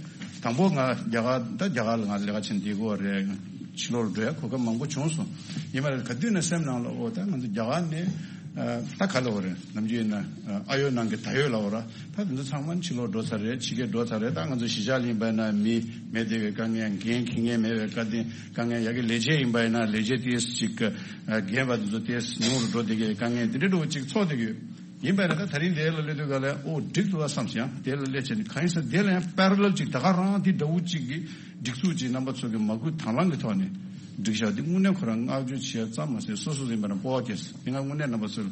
དང་པོ་ང་རྒྱ་གར། ད་རྒྱ་གར་ལ་ང་ལས་ཀ་བྱེད་བསྡད་ཀྱི་ཡོད་རེད། ཕྱི་ལོགས་འགྲོ་ཡ་གོ་སྐབས་མང་པོ་བྱུང་སོང་། ཡིན་པ་རེད། ག་དུས་ནས་སེམས་ནང་ལ་ཨོ་ད་ང་ཚོ་རྒྱ་གར་ནས་ཨ་ད་ག་ལ་འོ་རེད། ནམ་རྒྱུན་ཡིན་ན་ཨ་ཡོད་ནང་གི་ད་ཡོད་ལ་འོ་ར། ད་དེ་ཚོ་ཚང་མ་ཕྱི་ལོགས་འགྲོ་ཚར་རེད། ཕྱི་རྒྱལ་འགྲོ་ཚར་རེད། ད་ང་ཚོ་གཞིས་ཆགས་ལ་ཡིན་པ་ཡིན་ན་མི་མེད་བསྡད་པའི་དཀའ་ངལ། འགན་འཁྱེར་མཁན་མེད་པའི་དཀའ་དེ་དཀའ་ངལ། ཡ་གི་ལས་བྱེད་ཡིན་པ་ཡིན་ན་ལས་བྱེད་ཏོག་ཙམ་ཅིག་ཨ་རྒན་པ་དེ་ཚོ་ཏོག་ཙམ་ཉུང་རུ་འགྲོ་བསྡད་མཁན་དཀའ་ངལ་དེ་འདྲ་འདྲ་བོ་ཅིག་ཚོགས་བསྡད་ཀྱི་ཡོད། ཡིན་པ་ཡིན་ན་ད་ད་རིང་འདིར་ལ་སླེབས་དུས་ག་ལ་ཨོ་འགྲིག་འདུག་ཨ་བསམ་ཞིང་། དེ་ལ་སླེབས་བྱས་ནས་གང་ཡིན་ཟེར་ན་དེ་ལ་ཡང་པེ་རེ་ལལ་ཅིག་ད་ག་རང་དེ་འདྲ་བོ་ཅིག་གི་སྒྲིག་འཛུགས་ཅིག་རྣམ་པ་ཚོ་གི་མ་བསྐུལ་དང་བླངས་ཀྱི་ཐོག་ནས་སྒྲིག་བཞག་འདི་དངོས་གནས་ཁོ་རང་བསྔགས་བརྗོད་བྱེད་ཡ་ཙམ་མ་ཟད་སོ་སོ་ཡིན་པ་ན་སྤོབས་པ་སྐྱེས་སོང་། དེ་ང་དངོས་གནས་རྣམ་པ་ཚོ་ལ་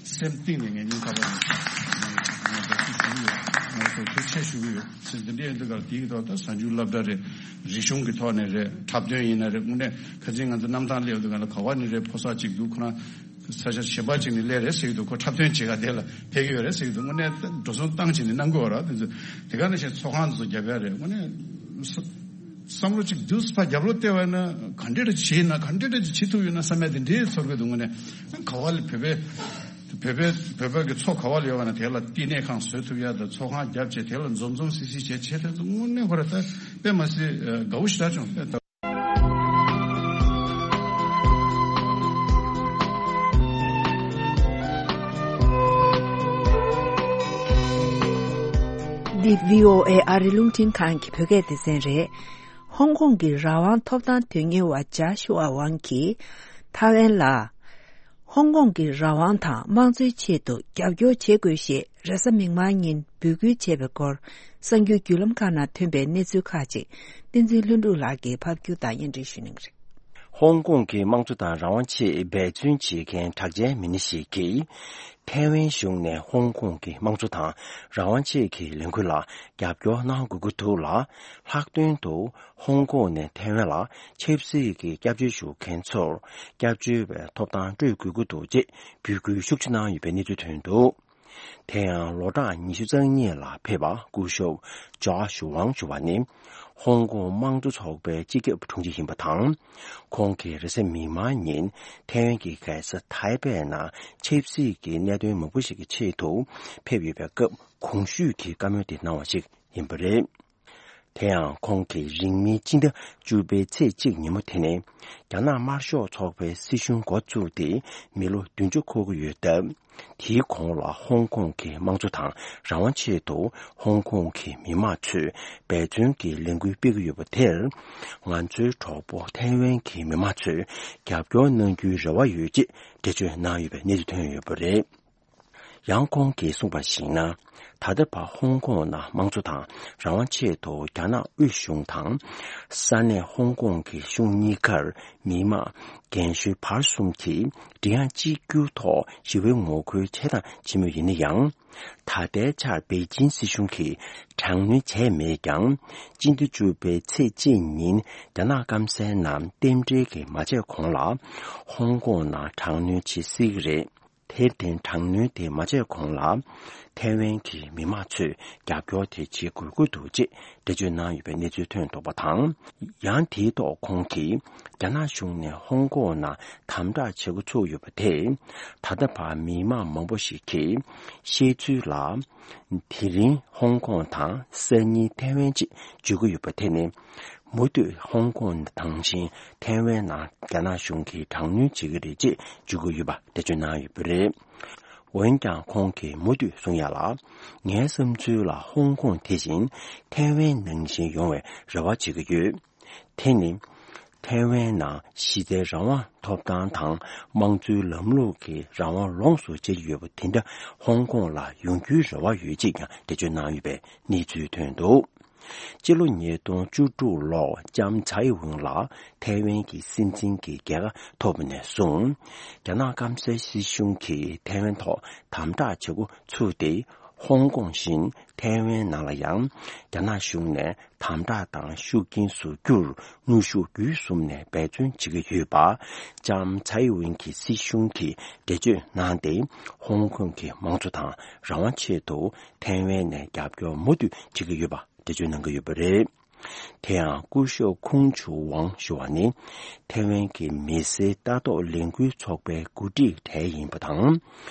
སེམས་གཏིང་ནས་ངས་སྙིང་ཐག་པ་ནས་ང་ང་འདྲ་ཅིག་ཞུ་གི་ཡོད། ང་ཚོ་ཐུགས་རྗེ་ཆེ་ཞུ་གི་ཡོད། ཟེར་འདི་འདྲའི་འདི་གར་དེའི་ཐོག་ད་གཟའ་མཇུག་སློབ་གྲྭ་རེད། རིག་གཞུང་གི་ཐོག་ནས་རེད། འཁྲབ་སྟོན་ཡིན་ན་རེད། དངོས་གནས་ཁ་སང་ང་ཚོ་གནམ་ཐང་སླེབས་དུས་ག་ལ་ག་བ་ནས་རེད། ཕོ་གསར་ཅིག་འདུག་ཁོ་རང་ས་ཆ་གཞན་པ་ཅིག་ནས་སླེབས་རེད་ཟེར་གྱི་འདུག་ཁོ་འཁྲབ་སྟོན་བྱེད་ག་དེ་ལ་ཕེབས་ཀྱི་ཡོད་རེད་ཟེར་གྱི་འདུག་དངོས་གནས་འགྲོ་སོང་བཏང་བྱས་ནས་གནང་གི་ཡོད་རེད། དེ་ཚོ་དེ་ག་ནང་བཞིན་ཚོགས་ཁང་དེ་ཚོ་རྒྱབ་ཡ་རེད། དངོས་གནས་བསམ་བློ་ཅིག་འདུག་ཕར་རྒྱབ་ལོག་བལྟས་པ་ན་ག་འདྲ་འདྲ་བྱས་ན་ག་འདྲ་འདྲ་ཅིག་བྱེད་ཐུབ་ཡོད་ན་བསམ་ཡ་དེ་འདྲའི་ཚོར་གྱི་འདུག་དངོས་གནས་ག་བ་ལ་བོད་པའི་བོད་པའི་བོད་པ་གི་ཚོ་ག་བ་ལ་ཡོད་པ་ན་དེ་ལ་བསྟི་གནས་ཁང་བཟོ་ཐུབ་ཡ་དང་ཚོགས་ཁང་རྒྱབ་བྱས་དེ་ལ་འཛོམས་འཛོམས་སི་སི་བྱས་བྱས་དེ་ཚོ་དངོས་གནས་ཁོ་ར་ད་དཔེ་མ་སྲིད་དགའ་བོ་ཞེ་དྲག་བྱུང་། འདི་བྷི་ཨོ་ཨེ་ཨ་རི་རླུང་འཕྲིན་ཁང་གི་བོད་སྐད་སྡེ་ཚན་རེད། ཧོང་ཀོང་གི་རང་དབང་ཐོབ་ཐང་དོན་གཉེར་བ་ཇཱ་ཤུ་ཨ་ཝང་གིས་ཐའེ་ཝན་ལ་ཧོང་ཀོང་གི་རང་དབང་དང་དམངས་གཙོའི་ཆེད་དུ་རྒྱབ་སྐྱོར་བྱེད་དགོས་ཞེས་རེས་གཟའ་མིག་དམར་ཉིན་འབོད་སྐུལ་བྱས་པའི་སྐོར་གསར་འགྱུར་བརྒྱུད་ལམ་ཁག་ནང་ཐོན་པའི་གནས་ཚུལ་ཁག་ཅིག་བསྟན་འཛིན་ལྷུན་གྲུབ་ལགས་ཀྱིས་ཕབ་སྒྱུར་དང་སྙན་སྒྲོན་ཞུ་གནང་གི་རེད། ཧོང་ཀོང་གི་དམངས་གཙོ་དང་རང་དབང་ཆེད་འབད་བརྩོན་བྱེད་མཁན་གྲགས་ཅན་མི་སྣ་ཞིག་གིས། ཐའེ་ཝན་གཞུང་ནས་ཧོང་ཀོང་གི་དམངས་གཙོ་དང་རང་དབང་ཆེད་ཀྱི་ལས་འགུལ་ལ་རྒྱབ་སྐྱོར་གནང་དགོས་ཀྱི་འདུག་ལ། ལྷག་དོན་དུ་ཧོང་ཀོང་ནས་ཐའེ་ཝན་ལ་ཆབ་སྲིད་ཀྱི་སྐྱབས་བཅོལ་ཞུ་མཁན་ཚོར་སྐྱབས་བཅོལ་བའི་ཐོབ་ཐང་སྤྲོད་དགོས་ཀྱི་འདུག་ཅེས་འབོད་སྐུལ་ཤུགས་ཆེ་གནང་ཡོད་པའི་གནས་ཚུལ་ཐོན་འདུག་དེ་ཡང་ལོ་གྲངས་ཉི་ཤུ་རྩ་གཉིས་ལ་ཕེབས་པ་སྐུ་ཞབས་ཇཱ་ཤུ་ཝང་ཞུ་བ་ནི། ཧོང་ཀོང་དམངས་གཙོ་ཚོགས་པའི་སྤྱི་ཁྱབ་དྲུང་ཆེ་ཡིན་པ་དང་། ཁོང་གིས་རེས་གཟའ་མིག་དམར་ཉིན་ཐའེ་ཝན་གྱི་རྒྱལ་ས་ཐའེ་པེ་ནང་ཆབ་སྲིད་ཀྱི་གནད་དོན་མང་པོ་ཞིག་གི་ཆེད་དུ་ཕེབས་ཡོད་པའི་སྐབས་གོང་ཞུས་ཀྱི་བཀའ་མོལ་དེ་གནང་བ་ཞིག་ཡིན་པ་རེད། དེ་ཡང་ཁོང་གིས་རིང་མིན་སྤྱི་ཟླ་བཅུ་པའི་ཚེས་གཅིག་ཉིན་མོ་དེ་ནས་རྒྱ་ནག་དམར་ཤོག་ཚོགས་པའི་སྲིད་གཞུང་འགོ་བཙུགས་ཏེ་མི་ལོ་བདུན་ཅུ་འཁོར་གྱི་ཡོད་སྟབས། དེའི་གོང་ལ་ཧོང་ཀོང་གི་དམངས་གཙོ་དང་རང་དབང་ཆེད་དུ་ཧོང་ཀོང་གི་མི་མང་ཚོས་འབད་བརྩོན་གྱི་ལས་འགུལ་སྤེལ་གྱི་ཡོད་པ་དེར། ང་ཚོའི་གྲོགས་པོ་ཐའེ་ཝན་གྱི་མི་མང་ཚོས་རྒྱབ་སྐྱོར་གནང་རྒྱུའི་རེ་བ་ཡོད་ཅེས་འགྲེལ་བརྗོད་གནང་ཡོད་པའི་གནས་ཚུལ་ཐོན་ཡོད་པ་རེད། ཡང་ཁོང་གིས་གསུངས་པར་གཞིགས་ན། ད་ལྟ་བར་ཧོང་ཀོང་ནང་དམངས་གཙོ་དང་རང་དབང་ཆེད་དུ་རྒྱ་ནག་དབུས་གཞུང་དང་། ས་གནས་ཧོང་ཀོང་གི་གཞུང་གཉིས་ཀར་མི་མང་རྒན་གཞོན་བར་གསུམ་གྱིས་མགྲིན་དབྱངས་གཅིག་གྱུར་ཐོག་ཞི་བའི་ངོ་རྒོལ་བྱས་དང་བྱེད་མུས་ཡིན་ན་ཡང་། ད་ལྟའི་ཆར་པེ་ཅིན་སྲིད་གཞུང་གིས་དྲག་གནོན་བྱས་མེད་ཀྱང་། སྤྱི་ཟླ་བཅུ་པའི་ཚེས་གཅིག་ཉིན་རྒྱ་ནག་སྐམ་སའི་ནང་རྟེན་འབྲེལ་གྱི་མ་བྱས་གོང་ལ་ཧོང་ཀོང་ནང་དྲག་གནོན་བྱེད་སྲིད་ཀྱི་རེད། དེར་བརྟེན་དྲག་གནོན་དེ་མ་བྱས་གོང་ལ། ཐའེ་ཝན་གྱི་མི་མང་ཚོས་རྒྱབ་སྐྱོར་དེ་བྱེད་དགོས་ཀྱི་འདུག་ཅེས་འགྲེལ་བརྗོད་གནང་ཡོད་པའི་གནས་ཚུལ་ཐོན་འདུག་པ་དང་། ཡང་དེའི་ཐོག་ཁོང་གིས་རྒྱ་ནག་གཞུང་ནས་ཧོང་ཀོང་ནང་དམ་དྲག་བྱེད་འགོ་ཚུགས་ཡོད་པ་དེས། ད་ལྟ་བར་མི་མང་མང་པོ་ཞིག་གིས་བཤད་ཚུལ་ལ། དེ་རིང་ཧོང་ཀོང་དང་སང་ཉིན་ཐའེ་ཝན་ཅེས་བརྗོད་ཀྱི་ཡོད་པ་དེ་ནི། མུ་མཐུད་ཧོང་ཀོང་དང་བཞིན་ཐའེ་ཝན་ནང་རྒྱ་ནག་གཞུང་གིས་དྲག་གནོན་བྱེད་ཀྱི་རེད་ཅེས་བརྗོད་ཀྱི་ཡོད་པ་འགྲེལ་བརྗོད་གནང་ཡོད་པ་རེད། འོན་ཀྱང་ཁོང་གིས་མུ་མཐུད་གསུང་ཡ་ལ། ངའི་བསམ་ཚུལ་ལ་ཧོང་ཀོང་དེ་བཞིན་ཐའེ་ཝན་ནང་བཞིན་ཡོང་བའི་རེ་བ་བྱེད་ཀྱི་ཡོད། དེ་ནི། ཐའེ་ཝན་ནང་གཞི་རྩའི་རང་དབང་ཐོབ་ཐང་དང་དམངས་གཙོའི་ལམ་ལུགས་ཀྱི་རང་དབང་ལོངས་སུ་སྤྱད་ཀྱི་ཡོད་པ་དེ་འདྲ་ཧོང་ཀོང་ལ་ཡོང་རྒྱུའི་རེ་བ་ཡོད་ཅེས་ཀྱང་འགྲེལ་བརྗོད་གནང་ཡོད་པའི་གནས་ཚུལ་ཐོན་འདུག་སྤྱི་ལོ་ཉིས་སྟོང་བཅུ་དྲུག་ལོར་ལྕམ་ཚའེ་ཝུན་ལགས་ཐའེ་ཝན་གྱི་སྲིད་འཛིན་གྱི་རྒྱལ་ཁ་ཐོབ་པ་ནས་བཟུང་། རྒྱ་ནག་སྐམ་སའི་སྲིད་གཞུང་གིས་ཐའེ་ཝན་ཐོག་དམ་དྲག་བྱེད་འགོ་ཚུགས་ཏེ། ཧོང་ཀོང་བཞིན་ཐའེ་ཝན་ནང་ལ་ཡང་རྒྱ་ནག་གཞུང་ནས་དམ་དྲག་དང་ཤུགས་རྐྱེན་བཟོ་རྒྱུར་དངོས་ཤུགས་བརྒྱུད་གསུམ་ནས་འབད་བརྩོན་བྱེད་ཀྱི་ཡོད་པ། ལྕམ་ཚའེ་ཝིན་གྱི་སྲིད་གཞུང་གིས་འགྲེལ་བརྗོད་གནང་སྟེ། ཧོང་ཀོང་གི་དམངས་གཙོ་དང་རང་དབང་ཆེད་དུ་ཐའེ་ཝན་ནས་རྒྱབ་སྐྱོར་མུ་མཐུད་བྱེད་ཀྱི་ཡོད་པ་འགྲེལ་བརྗོད་གནང་གི་ཡོད་པ་རེད། དེ་ཡང་སྐུ་ཞབས་ཁུང་ཆུ་ཝང་ཞུ་བ་ནི་ཐའེ་ཝན་གྱི་མི་སེར་ལྟ་རྟོག་ལས་འགུལ་ཚོགས་པའི་འགོ་ཁྲིད་གྲས་ཡིན་པ་དང་།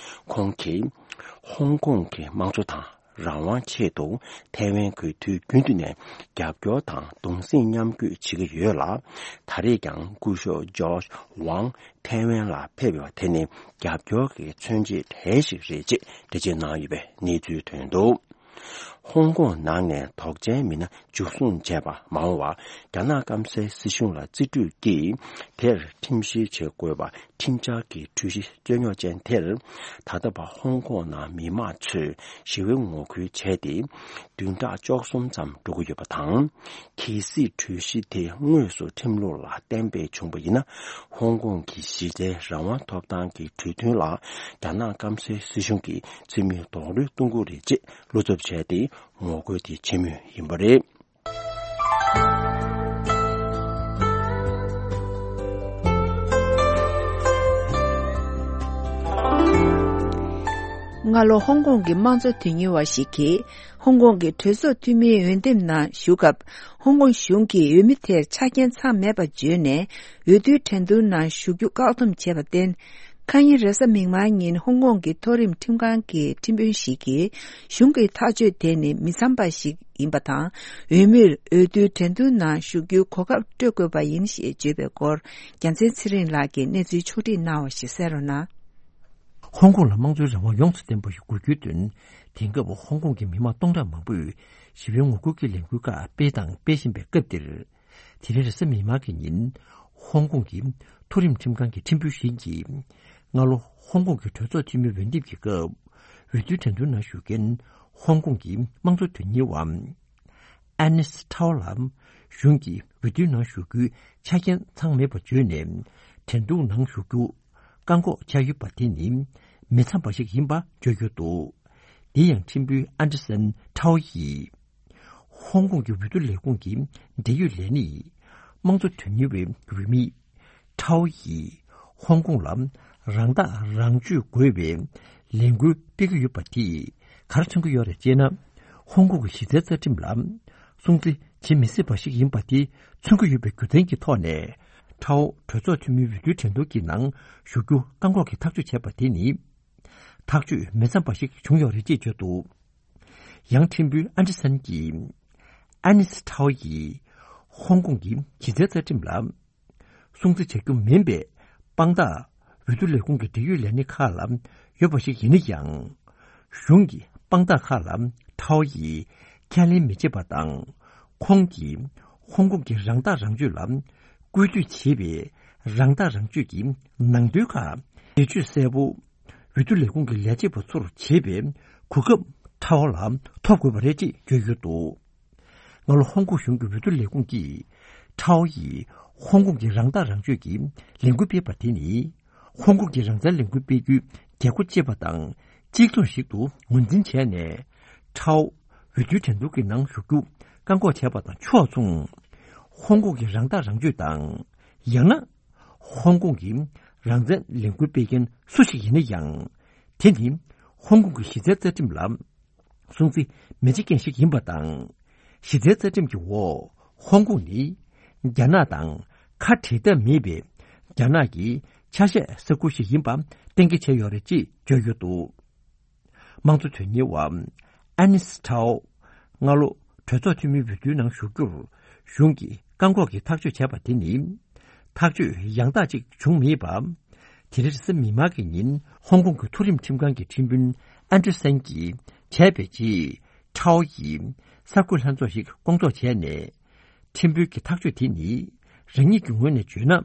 ཁོང་གིས་ཧོང་ཀོང་གི་དམངས་གཙོ་དང་རང་དབང་ཆེད་དུ་ཐའེ་ཝན་གྱིས་དུས་རྒྱུན་དུ་ནས་རྒྱབ་སྐྱོར་དང་གདུང་སེམས་མཉམ་སྐྱེད་བྱེད་ཀྱི་ཡོད་ལ། ད་རེས་ཀྱང་སྐུ་ཞབས་ཇོརྗ་ཝང་ཐའེ་ཝན་ལ་ཕེབས་ཡོད་པ་དེ་ནི་རྒྱབ་སྐྱོར་གྱི་མཚོན་བྱེད་གྲས་ཤིག་རེད་ཅེས་འགྲེལ་བརྗོད་གནང་ཡོད་པའི་གནས་ཚུལ་ཐོན་འདུག་ཧོང་ཀོང་ནང་ནས་དོགས་ཅན་མི་སྣ་འཇུ་བཟུང་བྱས་པ་མ་འོངས་པར་རྒྱ་ནག་སྐམ་སའི་སྲིད་གཞུང་ལ་རྩིས་སྤྲོད་ཀྱིས་དེར་ཁྲིམས་བཤེར་བྱེད་དགོས་པ་ཁྲིམས་འཆར་གྱི་གྲོས་གཞི་རྩོད་རྙོག་ཅན་དེར། ད་ལྟ་བར་ཧོང་ཀོང་ནང་མི་མང་ཚོས་ཞི་བའི་ངོ་རྒོལ་བྱས་ཏེ། བདུན་ཕྲག་བཅུ་གསུམ་ཙམ་འགྲོ་གི་ཡོད་པ་དང་། གལ་སྲིད་གྲོས་གཞི་དེ་དངོས་སུ་ཁྲིམས་ལུགས་ལ་གཏན་འབེབས་བྱུང་བ་ཡིན་ན། ཧོང་ཀོང་གི་གཞི་རྩའི་རང་དབང་ཐོབ་ཐང་གི་གྲོས་མཐུན་ལ་རྒྱ་ནག་སྐམ་སའི་སྲིད་གཞུང་གིས་རྩིས་མེད་རྡོག་རོལ་གཏོང་གི་རེད་ཅེས་བློ་འཚབ་བྱས་ཏེ་ངོ་རྒོལ་དེ་བྱེད་མུས་ཡིན་པ་རེད། སྔ་ལོ་ཧོང་ཀོང་གི་དམངས་གཙོ་དོན་གཉེར་བ་ཞིག་གིས་ཧོང་ཀོང་གི་གྲོས་ཚོགས་འཐུས་མིའི་འོས་འདེམས་ནང་ཞུགས་སྐབས། ཧོང་ཀོང་གཞུང་གིས་འོས་མི་དེར་ཆ་རྐྱེན་ཚང་མེད་པ་བརྗོད་ནས། འོས་བསྡུའི་འགྲན་བསྡུར་ནང་ཞུགས་རྒྱུ་བཀག་སྡོམ་བྱས་པར་བརྟེན། ཁ་ཉིན་རེས་གཟའ་མིག་དམར་ཉིན་ཧོང་ཀོང་གི་མཐོ་རིམ་ཁྲིམས་ཁང་གི་ཁྲིམས་དཔོན་ཞིག་གིས། གཞུང་གི་ཐག་གཅོད་དེ་ནི་མི་འཚམ་པ་ཞིག་ཡིན་པ་དང་། འོས་མིར་འོས་བསྡུའི་འགྲན་བསྡུར་ནང་ཞུགས་རྒྱུའི་གོ་སྐབས་སྤྲོད་དགོས་པ་ཡིན་ཞེས་བརྗོད་པའི་སྐོར། རྒྱལ་མཚན་ཚེ་རིང་ལགས་ཀྱིས་གནས་ཚུལ་ཕྱོགས་བསྒྲིགས་གནང་བ་ཞིག་གསན་རོགས་གནང་། ཧོང་ཀོང་ལ་དམངས་གཙོའི་རང་དབང་ཡོངས་སུ་ལྡན་པ་ཞིག་དགོས་རྒྱུའི་དོན། དེང་སྐབས་ཧོང་ཀོང་གི་མི་མང་སྟོང་ཕྲག་མང་པོས་ཞི་བའི་ངོ་རྒོལ་གྱི་ལས་འགུལ་ཁག་སྤེལ་དང་སྤེལ་བཞིན་པའི་སྐབས་འདིར། དེ་རིང་རེས་གཟའ་མིག་དམར་གྱི་ཉིན། ཧོང་ཀོང་གི་མཐོ་རིམ་ཁྲིམས་ཁང་གི་ཁྲིམས་དཔོན་ཞིག་གིས། སྔ་ལོ་ཧོང་ཀོང་གི་གྲོས་ཚོགས་འཐུས་མི་འོས་འདེམས་ཀྱི་སྐབས། འོས་བསྡུའི་འགྲན་བསྡུར་ནང་ཞུགས་མཁན་ཧོང་ཀོང་གི་དམངས་གཙོ་དོན་གཉེར་བ། ཨ་ནིས་ཐའོ་ལ་གཞུང་གིས་འོས་བསྡུའི་ནང་ཞུགས་རྒྱུའི་ཆ་རྐྱེན་ཚང་མེད་པ་བརྗོད་ནས། འགྲན་བསྡུར་ནང་ཞུགས་རྒྱུ་བཀག་འགོག་བྱས་ཡོད་པ་དེ་ནི་མི་འཚམ་པ་ཞིག་ཡིན་པ་བརྗོད་ཡོད་འདུག་འདི་ཡང་ཁྲིམས་དཔོན་ཨན་ཏི་སན་ཐའོ་ཡིས། ཧོང་ཀོང་གི་འོས་བསྡུ་ལས་ཁུངས་ཀྱི་འབྲེལ་ཡོད་ལས་སྣེ་ཡིས། དམངས་གཙོ་དོན་གཉེར་བའི་འོས་མི་ཐའོ་ཡིས། ཧོང་ཀོང་ལ་རང་ཐག་རང་གཅོད་དགོས་པའི་ལས་འགུལ་སྤེལ་གྱི་ཡོད་པ་དེས་ག་རེ་མཚོན་གྱི་ཡོད་རེད་ཅེ་ན། ཧོང་ཀོང་གི་གཞི་རྩའི་རྩ་ཁྲིམས་ལ་སྲུང་བརྩི་བྱེད་མི་སྲིད་པ་ཞིག་ཡིན་པ་དེ་མཚོན་གྱི་ཡོད་པའི་རྒྱུ་མཚན་གྱི་ཐོག་ནས། ཐའོ་གྲོས་ཚོགས་འཐུས་མིའི་འོས་བསྡུའི་འགྲན་བསྡུར་གྱི་ནང་ཞུགས་རྒྱུ་བཀག་འགོག་གི་ཐག་གཅོད་བྱས་པ་དེ་ནི། ཐག་གཅོད་མི་འཚམ་པ་ཞིག་བྱུང་ཡོད་རེད་ཅེས་བརྗོད་འདུག་ཡང་ཁྲིམས་དཔོན་ཨན་ཏི་སན་གྱིས། ཨ་ནིས་ཐའོ་ཡིས། ཧོང་ཀོང་གི་གཞི་རྩའི་རྩ་ཁྲིམས་ལ། སྲུང་བརྩི་བྱ་རྒྱུ་མིན་པའི་དཔང་རྟགས་འོས་བསྡུ་ལས་ཁུངས་ཀྱི་འབྲེལ་ཡོད་ལས་སྣེ་ཁག་ལ་ཡོད་པ་ཞིག་ཡིན་ན་ཡང་། གཞུང་གི་དཔང་རྟགས་ཁག་ལ་ཐའོ་ཡིས་ཁས་ལེན་མི་བྱེད་པ་དང་། ཁོང་གིས་ཧོང་ཀོང་གི་རང་ཐག་རང་གཅོད་ལ་བཀོད་སྒྲིག་བྱེད་པའི་རང་ཐག་རང་གཅོད་ཀྱི་ནང་དོན་ཁག་འགྲེལ་བརྗོད་གསལ་པོ། འོས་ འོས་བསྡུ་ལས་ཁུངས་ཀྱི་ལས་བྱེད་པ་ཚོར་བྱེད་པའི་གོ་སྐབས་ཁྲའོ་ལ་ཐོབ་དགོས་པ་རེད་ཅེས་བརྗོད་ཡོད་འདུག་སྔ་ལོ་ཧོང་ཀོང་གཞུང་གི་འོས་བསྡུ་ལས་ཁུངས་ཀྱིས་ཁྲའོ་ཡིས་ཧོང་ཀོང་གི་རང་ཐག་རང་གཅོད་ཀྱི་ལས་འགུལ་སྤེལ་བ་དེ་ནི་ཧོང་ཀོང་གི་རང་བཙན་ལས་འགུལ་སྤེལ་རྒྱུའི་རྒྱལ་སྒོ་བཅད་པ་དང་གཅིག་མཚུངས་ཤིག་ཏུ་ངོས་འཛིན་བྱས་ནས། ཁྲའོ་འོས་བསྡུའི་འགྲན་བསྡུར་གྱི་ནང་ཞུགས་རྒྱུ་བཀག་འགོག་བྱས་པ་དང་ཕྱོགས་མཚུངས། ཧོང་ཀོང་གི་རང་ཐག་རང་གཅོད་དང་། ཡང་ན། ཧོང་ཀོང་གི་རང་བཙན་ལས་འགུལ་སྤེལ་མཁན་སུ་ཞིག་ཡིན་ན་ཡང་། དེ་ནི་ཧོང་ཀོང་གི་གཞི་རྩའི་རྩ་ཁྲིམས་ལ་སྲུང་བརྩི་མི་བྱེད་མཁན་ཞིག་ཡིན་པ་དང་། གཞི་རྩའི་རྩ་ཁྲིམས་ཀྱི་འོག་ཧོང་ཀོང་ནི་རྒྱ་ནག་དང་ཁ་བྲལ་ཐབས་མེད་པའི་རྒྱ་ནག་གི་ཆ་ཤས་ས་ཁུལ་ཞིག་ཡིན་པ་གཏན་འཁེལ་བྱས་ཡོད་རེད་ཅེས་བརྗོད་ཡོད་འདུག་དམངས་གཙོ་དོན་གཉེར་བ་ཨ་ནིས་ཁྲའོ་སྔ་ལོ་གྲོས་ཚོགས་འཐུས་མིའི་འོས་བསྡུའི་ནང་ཞུགས་རྒྱུར་གཞུང་གིས་བཀག་འགོག་གི་ཐག་གཅོད་བྱས་པ་དེ་ནི་ཐག་གཅོད་ཡང་དག་ཅིག་བྱུང་མེད་པ། དེ་རིང་རེས་གཟའ་མིག་དམར་གྱི་ཉིན་ཧོང་ཀོང་གི་མཐོ་རིམ་ཁྲིམས་ཁང་གི་ཁྲིམས་དཔོན་ཨན་ཀྲི་སན་གྱིས་བྱས་པའི་རྗེས་ཁྲའོ་ཡིས་གསར་འགོད་ལྷན་ཚོགས་ཤིག་སྐོང་ཚོགས་བྱས་ནས། ཁྲིམས་དཔོན་གྱི་ཐག་གཅོད་དེ་ནི་རང་ཉིད་ཀྱི་ངོས་ནས་བརྗོད་ན།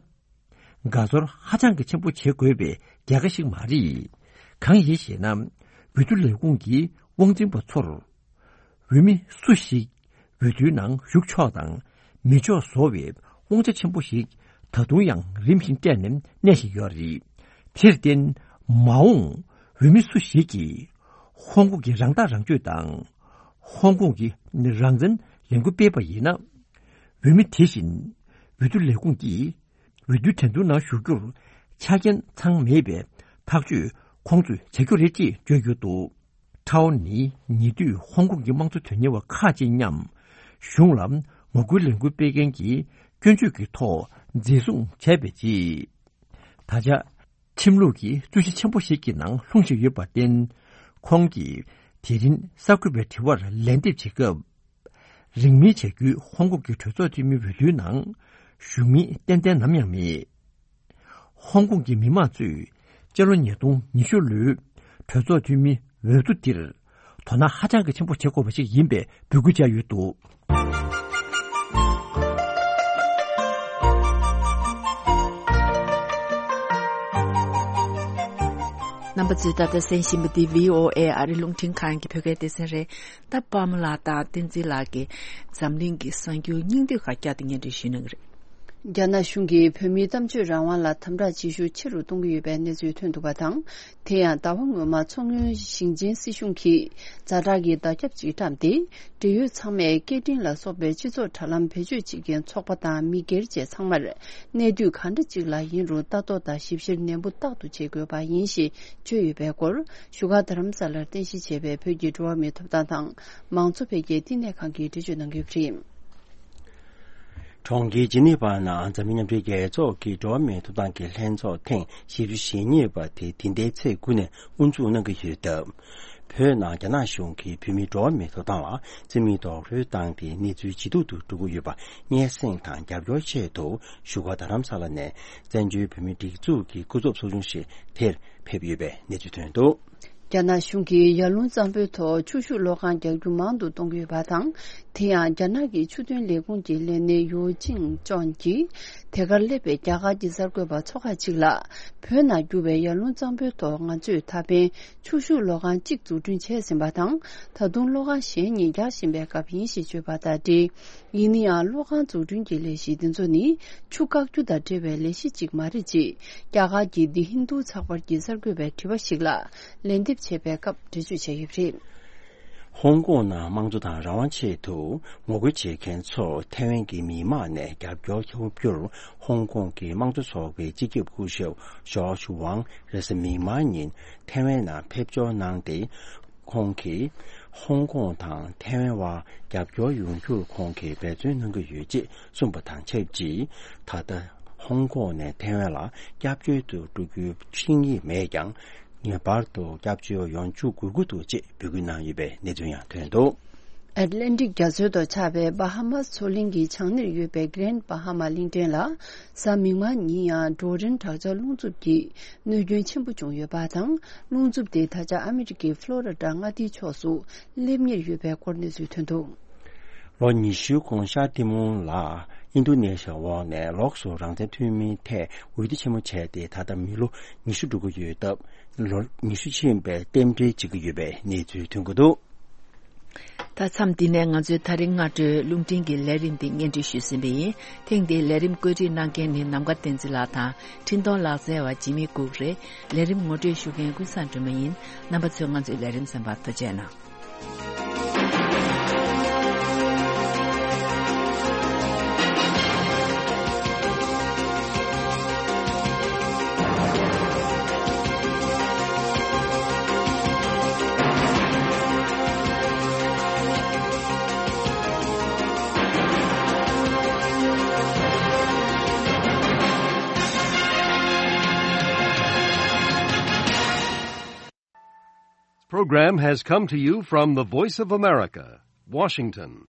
དགའ་ཚོར་ཧ་ཅང་གི་ཆེན་པོ་བྱེད་དགོས་པའི་རྒྱལ་ཁ་ཞིག་མ་རེད། གང་ཡིན་ཞེ་ན། འོས་བསྡུ་ལས་ཁུངས་ཀྱི་དབང་འཛིན་པ་ཚོར། འོས་མི་སུ་ཞིག་འོས་བསྡུའི་ནང་ཞུགས་ཆོག་དང་མི་ཆོག་བཟོ་བའི་དབང་ཆ་ཆེན་པོ་ཞིག་ད་དུང་ཡང་རིམ་བཞིན་སྤྲད་ནས་གནས་བཞིན་ཡོད་རེད། དེར་བརྟེན། མ་འོངས་འོས་མི་སུ་ཞིག་གིས་ཧོང་ཀོང་གི་རང་ཐག་རང་གཅོད་དང་། ཧོང་ཀོང་གི་རང་བཙན་ལས་འགུལ་སྤེལ་བ་ཡིན་ན། འོས་མི་དེ་བཞིན་འོས་བསྡུ་ལས་ཁུངས་ཀྱིས། འོས་བསྡུའི་འགྲན་བསྡུར་ནང་ཞུགས་རྒྱུར་ཆ་རྐྱེན་ཚང་མེད་པའི་ཐག་གཅོད་ཁོང་ཚོས་བྱ་རྒྱུ་རེད་ཅེས་བརྗོད་ཡོད་འདུག་ཁྲའོ་ནི་ཉེ་དུས་ཧོང་ཀོང་གི་དམངས་གཙོ་དོན་གཉེར་བ་ཁག་ཅིག་མཉམ་གཞུང་ལ་ངོ་རྒོལ་ལས་འགུལ་སྤེལ་མཁན་གྱི་སྐྱོན་བརྗོད་ཀྱི་ཐོག་འཛིན་བཟུང་བྱས་པའི་རྗེས། ད་ཆ་ཁྲིམས་ལུགས་ཀྱི་རྩོད་གཞི་ཆེན་པོ་ཞིག་གི་ནང་ལྷུང་བཞིན་ཡོད་པར་བརྟེན། ཁོང་གིས་དེ་རིང་གསར་འགོད་པའི་དྲི་བར་ལན་འདེབས་བྱེད་སྐབས། རིང་མིན་བྱ་རྒྱུའི་ཧོང་ཀོང་གི་གྲོས་ཚོགས་འཐུས་མི་འོས་བསྡུའི་ནང་ཞུགས་མིན་ཏན་ཏན་ནམ་ཡང་མེད། ཧོང་ཀོང་གི་མི་མང་ཚོས་སྤྱི་ལོ་ཉིས་སྟོང་ཉི་ཤུ་ལོའི་གྲོས་ཚོགས་འཐུས་མི་འོས་བསྡུ་འདིར་དོ་སྣང་ཧ་ཅང་གི་ཆེན་པོ་བྱེད་དགོས་པ་ཞིག་ཡིན་པའི་འབོད་སྐུལ་བྱས་ཡོད་འདུག་རྣམ་པ་ཚོས་ད་ལྟ་གསན་བཞིན་པ་འདི་བྷི་ཨོ་ཨེ་ཨ་རི་རླུང་འཕྲིན་ཁང་གི་བོད་སྐད་སྡེ་ཚན་རེད། ད་པདྨ་ལགས་དང་བསྟན་འཛིན་ལགས་ཀྱིས་འཛམ་གླིང་གི་གསར་འགྱུར་སྙིང་བསྡུས་ཁག་བསྐྱར་དུ་སྙན་སྒྲོན་ཞུ་གནང་གི་རེད། རྒྱ་ནག་གཞུང་གིས་བོད་མིའི་གཏམ་བརྗོད་རང་དབང་ལ་དམ་དྲག་བྱེད་ཤུགས་ཆེ་རུ་གཏོང་གི་ཡོད་པའི་གནས་ཚུལ་ཐོན་འདུག་པ་དང་། དེ་ཡང་ཟླ་བ་སྔོན་མ་མཚོ་སྔོན་ཞིང་ཆེན་སྲིད་གཞུང་གིས་ཛ་དྲག་གི་བརྡ་ཁྱབ་ཅིག་བཀྲམ་སྟེ། འབྲེལ་ཡོད་ཚང་མས་སྐད་འཕྲིན་ལ་སོགས་པའི་སྤྱི་ཚོགས་དྲ་ལམ་བེད་སྤྱོད་བྱེད་མཁན་ཚོགས་པ་དང་མི་སྒེར་བཅས་ཚང་མར་གནས་དུས་གང་འདྲ་ཅིག་ལ་ཡིན་རུང་ལྟ་རྟོག་དང་ཞིབ་བཤེར་ནན་པོ་རྟག་ཏུ་བྱེད་དགོས་པ་ཡིན་ཞེས་བརྗོད་ཡོད་པའི་སྐོར་བཞུགས་སྒར་རྡ་རམ་ས་ལར་རྟེན་གཞི་བྱས་པའི་བོད་ཀྱི་འགྲོ་བ་མིའི་ཐོབ་ཐང་དང་མང་གཙོ་འཕེལ་རྒྱས་བསྟི་གནས་ཁང་གིས་འགྲེལ་བརྗོད་གནང་ཡོད་པ་རེད། གྲོང་ཁྱེར་ཇི་ནི་ཝ་ནང་འཛམ་གླིང་མཉམ་འབྲེལ་རྒྱལ་ཚོགས་ཀྱི་འགྲོ་བ་མིའི་ཐོབ་ཐང་གི་ལྷན་ཚོགས་ཐེངས་བཞི་བཅུ་ཞེ་གཉིས་པ་དེ་འདི་ཟླའི་ཚེས་དགུ་ནས་དབུ་འཛུགས་གནང་གི་ཡོད་སྟབས། བོད་ནང་རྒྱ་ནག་གཞུང་གིས་བོད་མིའི་འགྲོ་བ་མིའི་ཐོབ་ཐང་ལ་རྩིས་མེད་རྡོག་རོལ་བཏང་སྟེ་གནས་ཚུལ་ཇེ་སྡུག་ཏུ་འགྲོ་གི་ཡོད་པ་སྙན་སེང་དང་རྒྱབ་སྐྱོར་ཆེད་དུ་བཞུགས་སྒར་རྡ་རམ་ས་ལ་ནས་བཙན་བྱོལ་བོད་མིའི་སྒྲིག་འཛུགས་ཀྱི་སྐུ་ཚབ་ཚོགས་ཆུང་ཞིག་དེར་ཕེབས་ཡོད་པའི་གནས་ཚུལ་ཐོན་འདུག་རྒྱ་ནག་གཞུང་གིས་ཡར་ཀླུང་གཙང་པོའི་ཐོག་ཆུ་ཤུགས་གློག་ཁང་རྒྱག་རྒྱུ་མང་དུ་གཏོང་གི་ཡོད་པ་དང་། དེ་ཡང་རྒྱ་ནག་གི་ཆུ་དོན་ལས་ཁུངས་ཀྱི་ལས་སྣེ་ཡོ་ཅིང་ཅོན་གྱིས་དེ་གར་སླེབས་པའི་རྒྱ་གར་གྱི་གསར་འགོད་པ་ཚོ་ཁག་ཅིག་ལ། བོད་ནང་རྒྱུ་བའི་ཡར་ཀླུང་གཙང་པོའི་ཐོག་ང་ཚོས་ད་ཕན་ཆུ་ཤུགས་གློག་ཁང་གཅིག་འཛུགས་སྐྲུན་བྱས་ཟིན་པ་དང་། ད་དུང་གློག་ཁང་གཞན་གཉིས་རྒྱག་བཞིན་པའི་སྐབས་ཡིན་ཞེས་བརྗོད་པ་དང་འབྲེལ། ཡིན་ན་ཡང་གློག་ཁང་འཛུགས་སྐྲུན་གྱི་ལས་གཞི་འདི་ཚོ་ནི་ཆུ་བཀག་རྒྱུ་དང་འབྲེལ་བའི་ལས་གཞི་གཅིག་མ་རེད་ཅེས་རྒྱ་གར་གྱི་The Hindu་ཚགས་པར་གྱི་གསར་འགོད་པས་དྲི་བ་ཞིག་ལ་ལན་འདེབས་བྱས་པའི་སྐབས་འགྲེལ་བརྗོད་བྱས་ཡོད་པ་རེད། ཧོང་ཀོང་ནང་དམངས་གཙོ་དང་རང་དབང་ཆེད་དུ་ངོ་རྒོལ་བྱེད་མཁན་ཚོར་ཐའེ་ཝན་གྱི་མི་མང་ནས་རྒྱབ་སྐྱོར་ཐོབ་རྒྱུར་ཧོང་ཀོང་གི་དམངས་གཙོ་ཚོགས་པའི་སྤྱི་ཁྱབ་སྐུ་ཞབས་ཇོརྗ་ཝང་རེས་གཟའ་མིག་དམར་ཉིན་ཐའེ་ཝན་ནང་ཕེབས་འབྱོར་གནང་སྟེ། ཁོང་གིས་ཧོང་ཀོང་དང་ཐའེ་ཝན་བར་རྒྱབ་སྐྱོར་ཡོང་རྒྱུར་ཁོང་གིས་འབད་བརྩོན་གནང་གི་ཡོད་ཅེས་གསུངས་པ་དང་ཆབས་ཅིག་ད་ལྟ་ཧོང་ཀོང་ནས་ཐའེ་ཝན་ལ་སྐྱབས་བཅོལ་དུ་འགྲོ་རྒྱུའི་ཆིངས་ཡིག་མེད་ཀྱང་། ངེས་པར་དུ་སྐྱབས་བཅོལ་ཡོང་འཇུག་དགོས་ཀྱི་འདུག་ཅེས་འབོད་སྐུལ་གནང་ཡོད་པའི་གནས་ཚུལ་ཡང་ཐོན་འདུག་ཨེཊ་ལན་ཊིག་རྒྱ་མཚོའི་ཐོག་ཆགས་པའི་བྷ་ཧ་མཱས་མཚོ་གླིང་གི་བྱང་སྣེར་ཡོད་པའི་གྷི་རེན་བྷ་ཧ་མཱ་གླིང་ཕྲན་ལ། གཟའ་མིག་དམར་ཉིན་ཡང་ཌོ་རིན་དྲག་ཆར་རླུང་འཚུབ་ཀྱིས་གནོད་སྐྱོན་ཆེན་པོ་བྱུང་ཡོད་པ་དང་། རླུང་འཚུབ་དེ་ད་ཆ་ཨ་མི་རི་ཀའི་ཕློ་རི་ཌ་མངའ་སྡེའི་ཕྱོགས་སུ་སླེབས་ཉེར་ཡོད་པའི་སྐོར་གནས་ཚུལ་ཐོན་འདུག་ལོ་ཉི་ཤུའི་གོང་ཤར་ཐེ་མུང་ལ། ཨིན་རྡུ་ནེ་ཤི་ཡ་འོག་ནས་ལོགས་སུ་རང་བཙན་ཐོན་མིའི་ཐད་འོས་བསྡུ་ཆེན་མོ་བྱས་ཏེ། ད་ལྟ་མི་ལོ་ཉི་ཤུ་འགྲོ་གི་ཡོད་སྟབས། ལོ་ཉི་ཤུ་ཕྱིན་པའི་རྟེན་འབྲེལ་བྱེད་ཀྱི་ཡོད་པའི་གནས་ཚུལ་ཐོན་གྱི་འདུག་ད་མཚམས་འདི་ནས་ང་ཚོའི་ད་རིང་སྔ་དྲོའི་རླུང་འཕྲིན་གྱི་ལས་རིམ་འདི་སྙན་སྒྲོན་ཞུས་ཟིན་པ་ཡིན། ཐེངས་འདིའི་ལས་རིམ་བཀོད་སྒྲིག་གནང་མཁན་ནི་ནམ་མཁའ་བསྟན་འཛིན་ལགས་དང་། འཕྲིན་གཏོང་ལག་རྩལ་བ་འཇིགས་མེད་སྐུ་རེད། ལས་རིམ་ངོ་སྤྲོད་ཞུ་མཁན་ཀུན་བཟང་སྒྲོལ་མ་ཡིན། རྣམ་པ་ཚོས་ང་ཚོའི་ལས་རིམ་གསན་པར་ཐུགས་རྗེ་གནང་། Program has come to you from the Voice of America, Washington.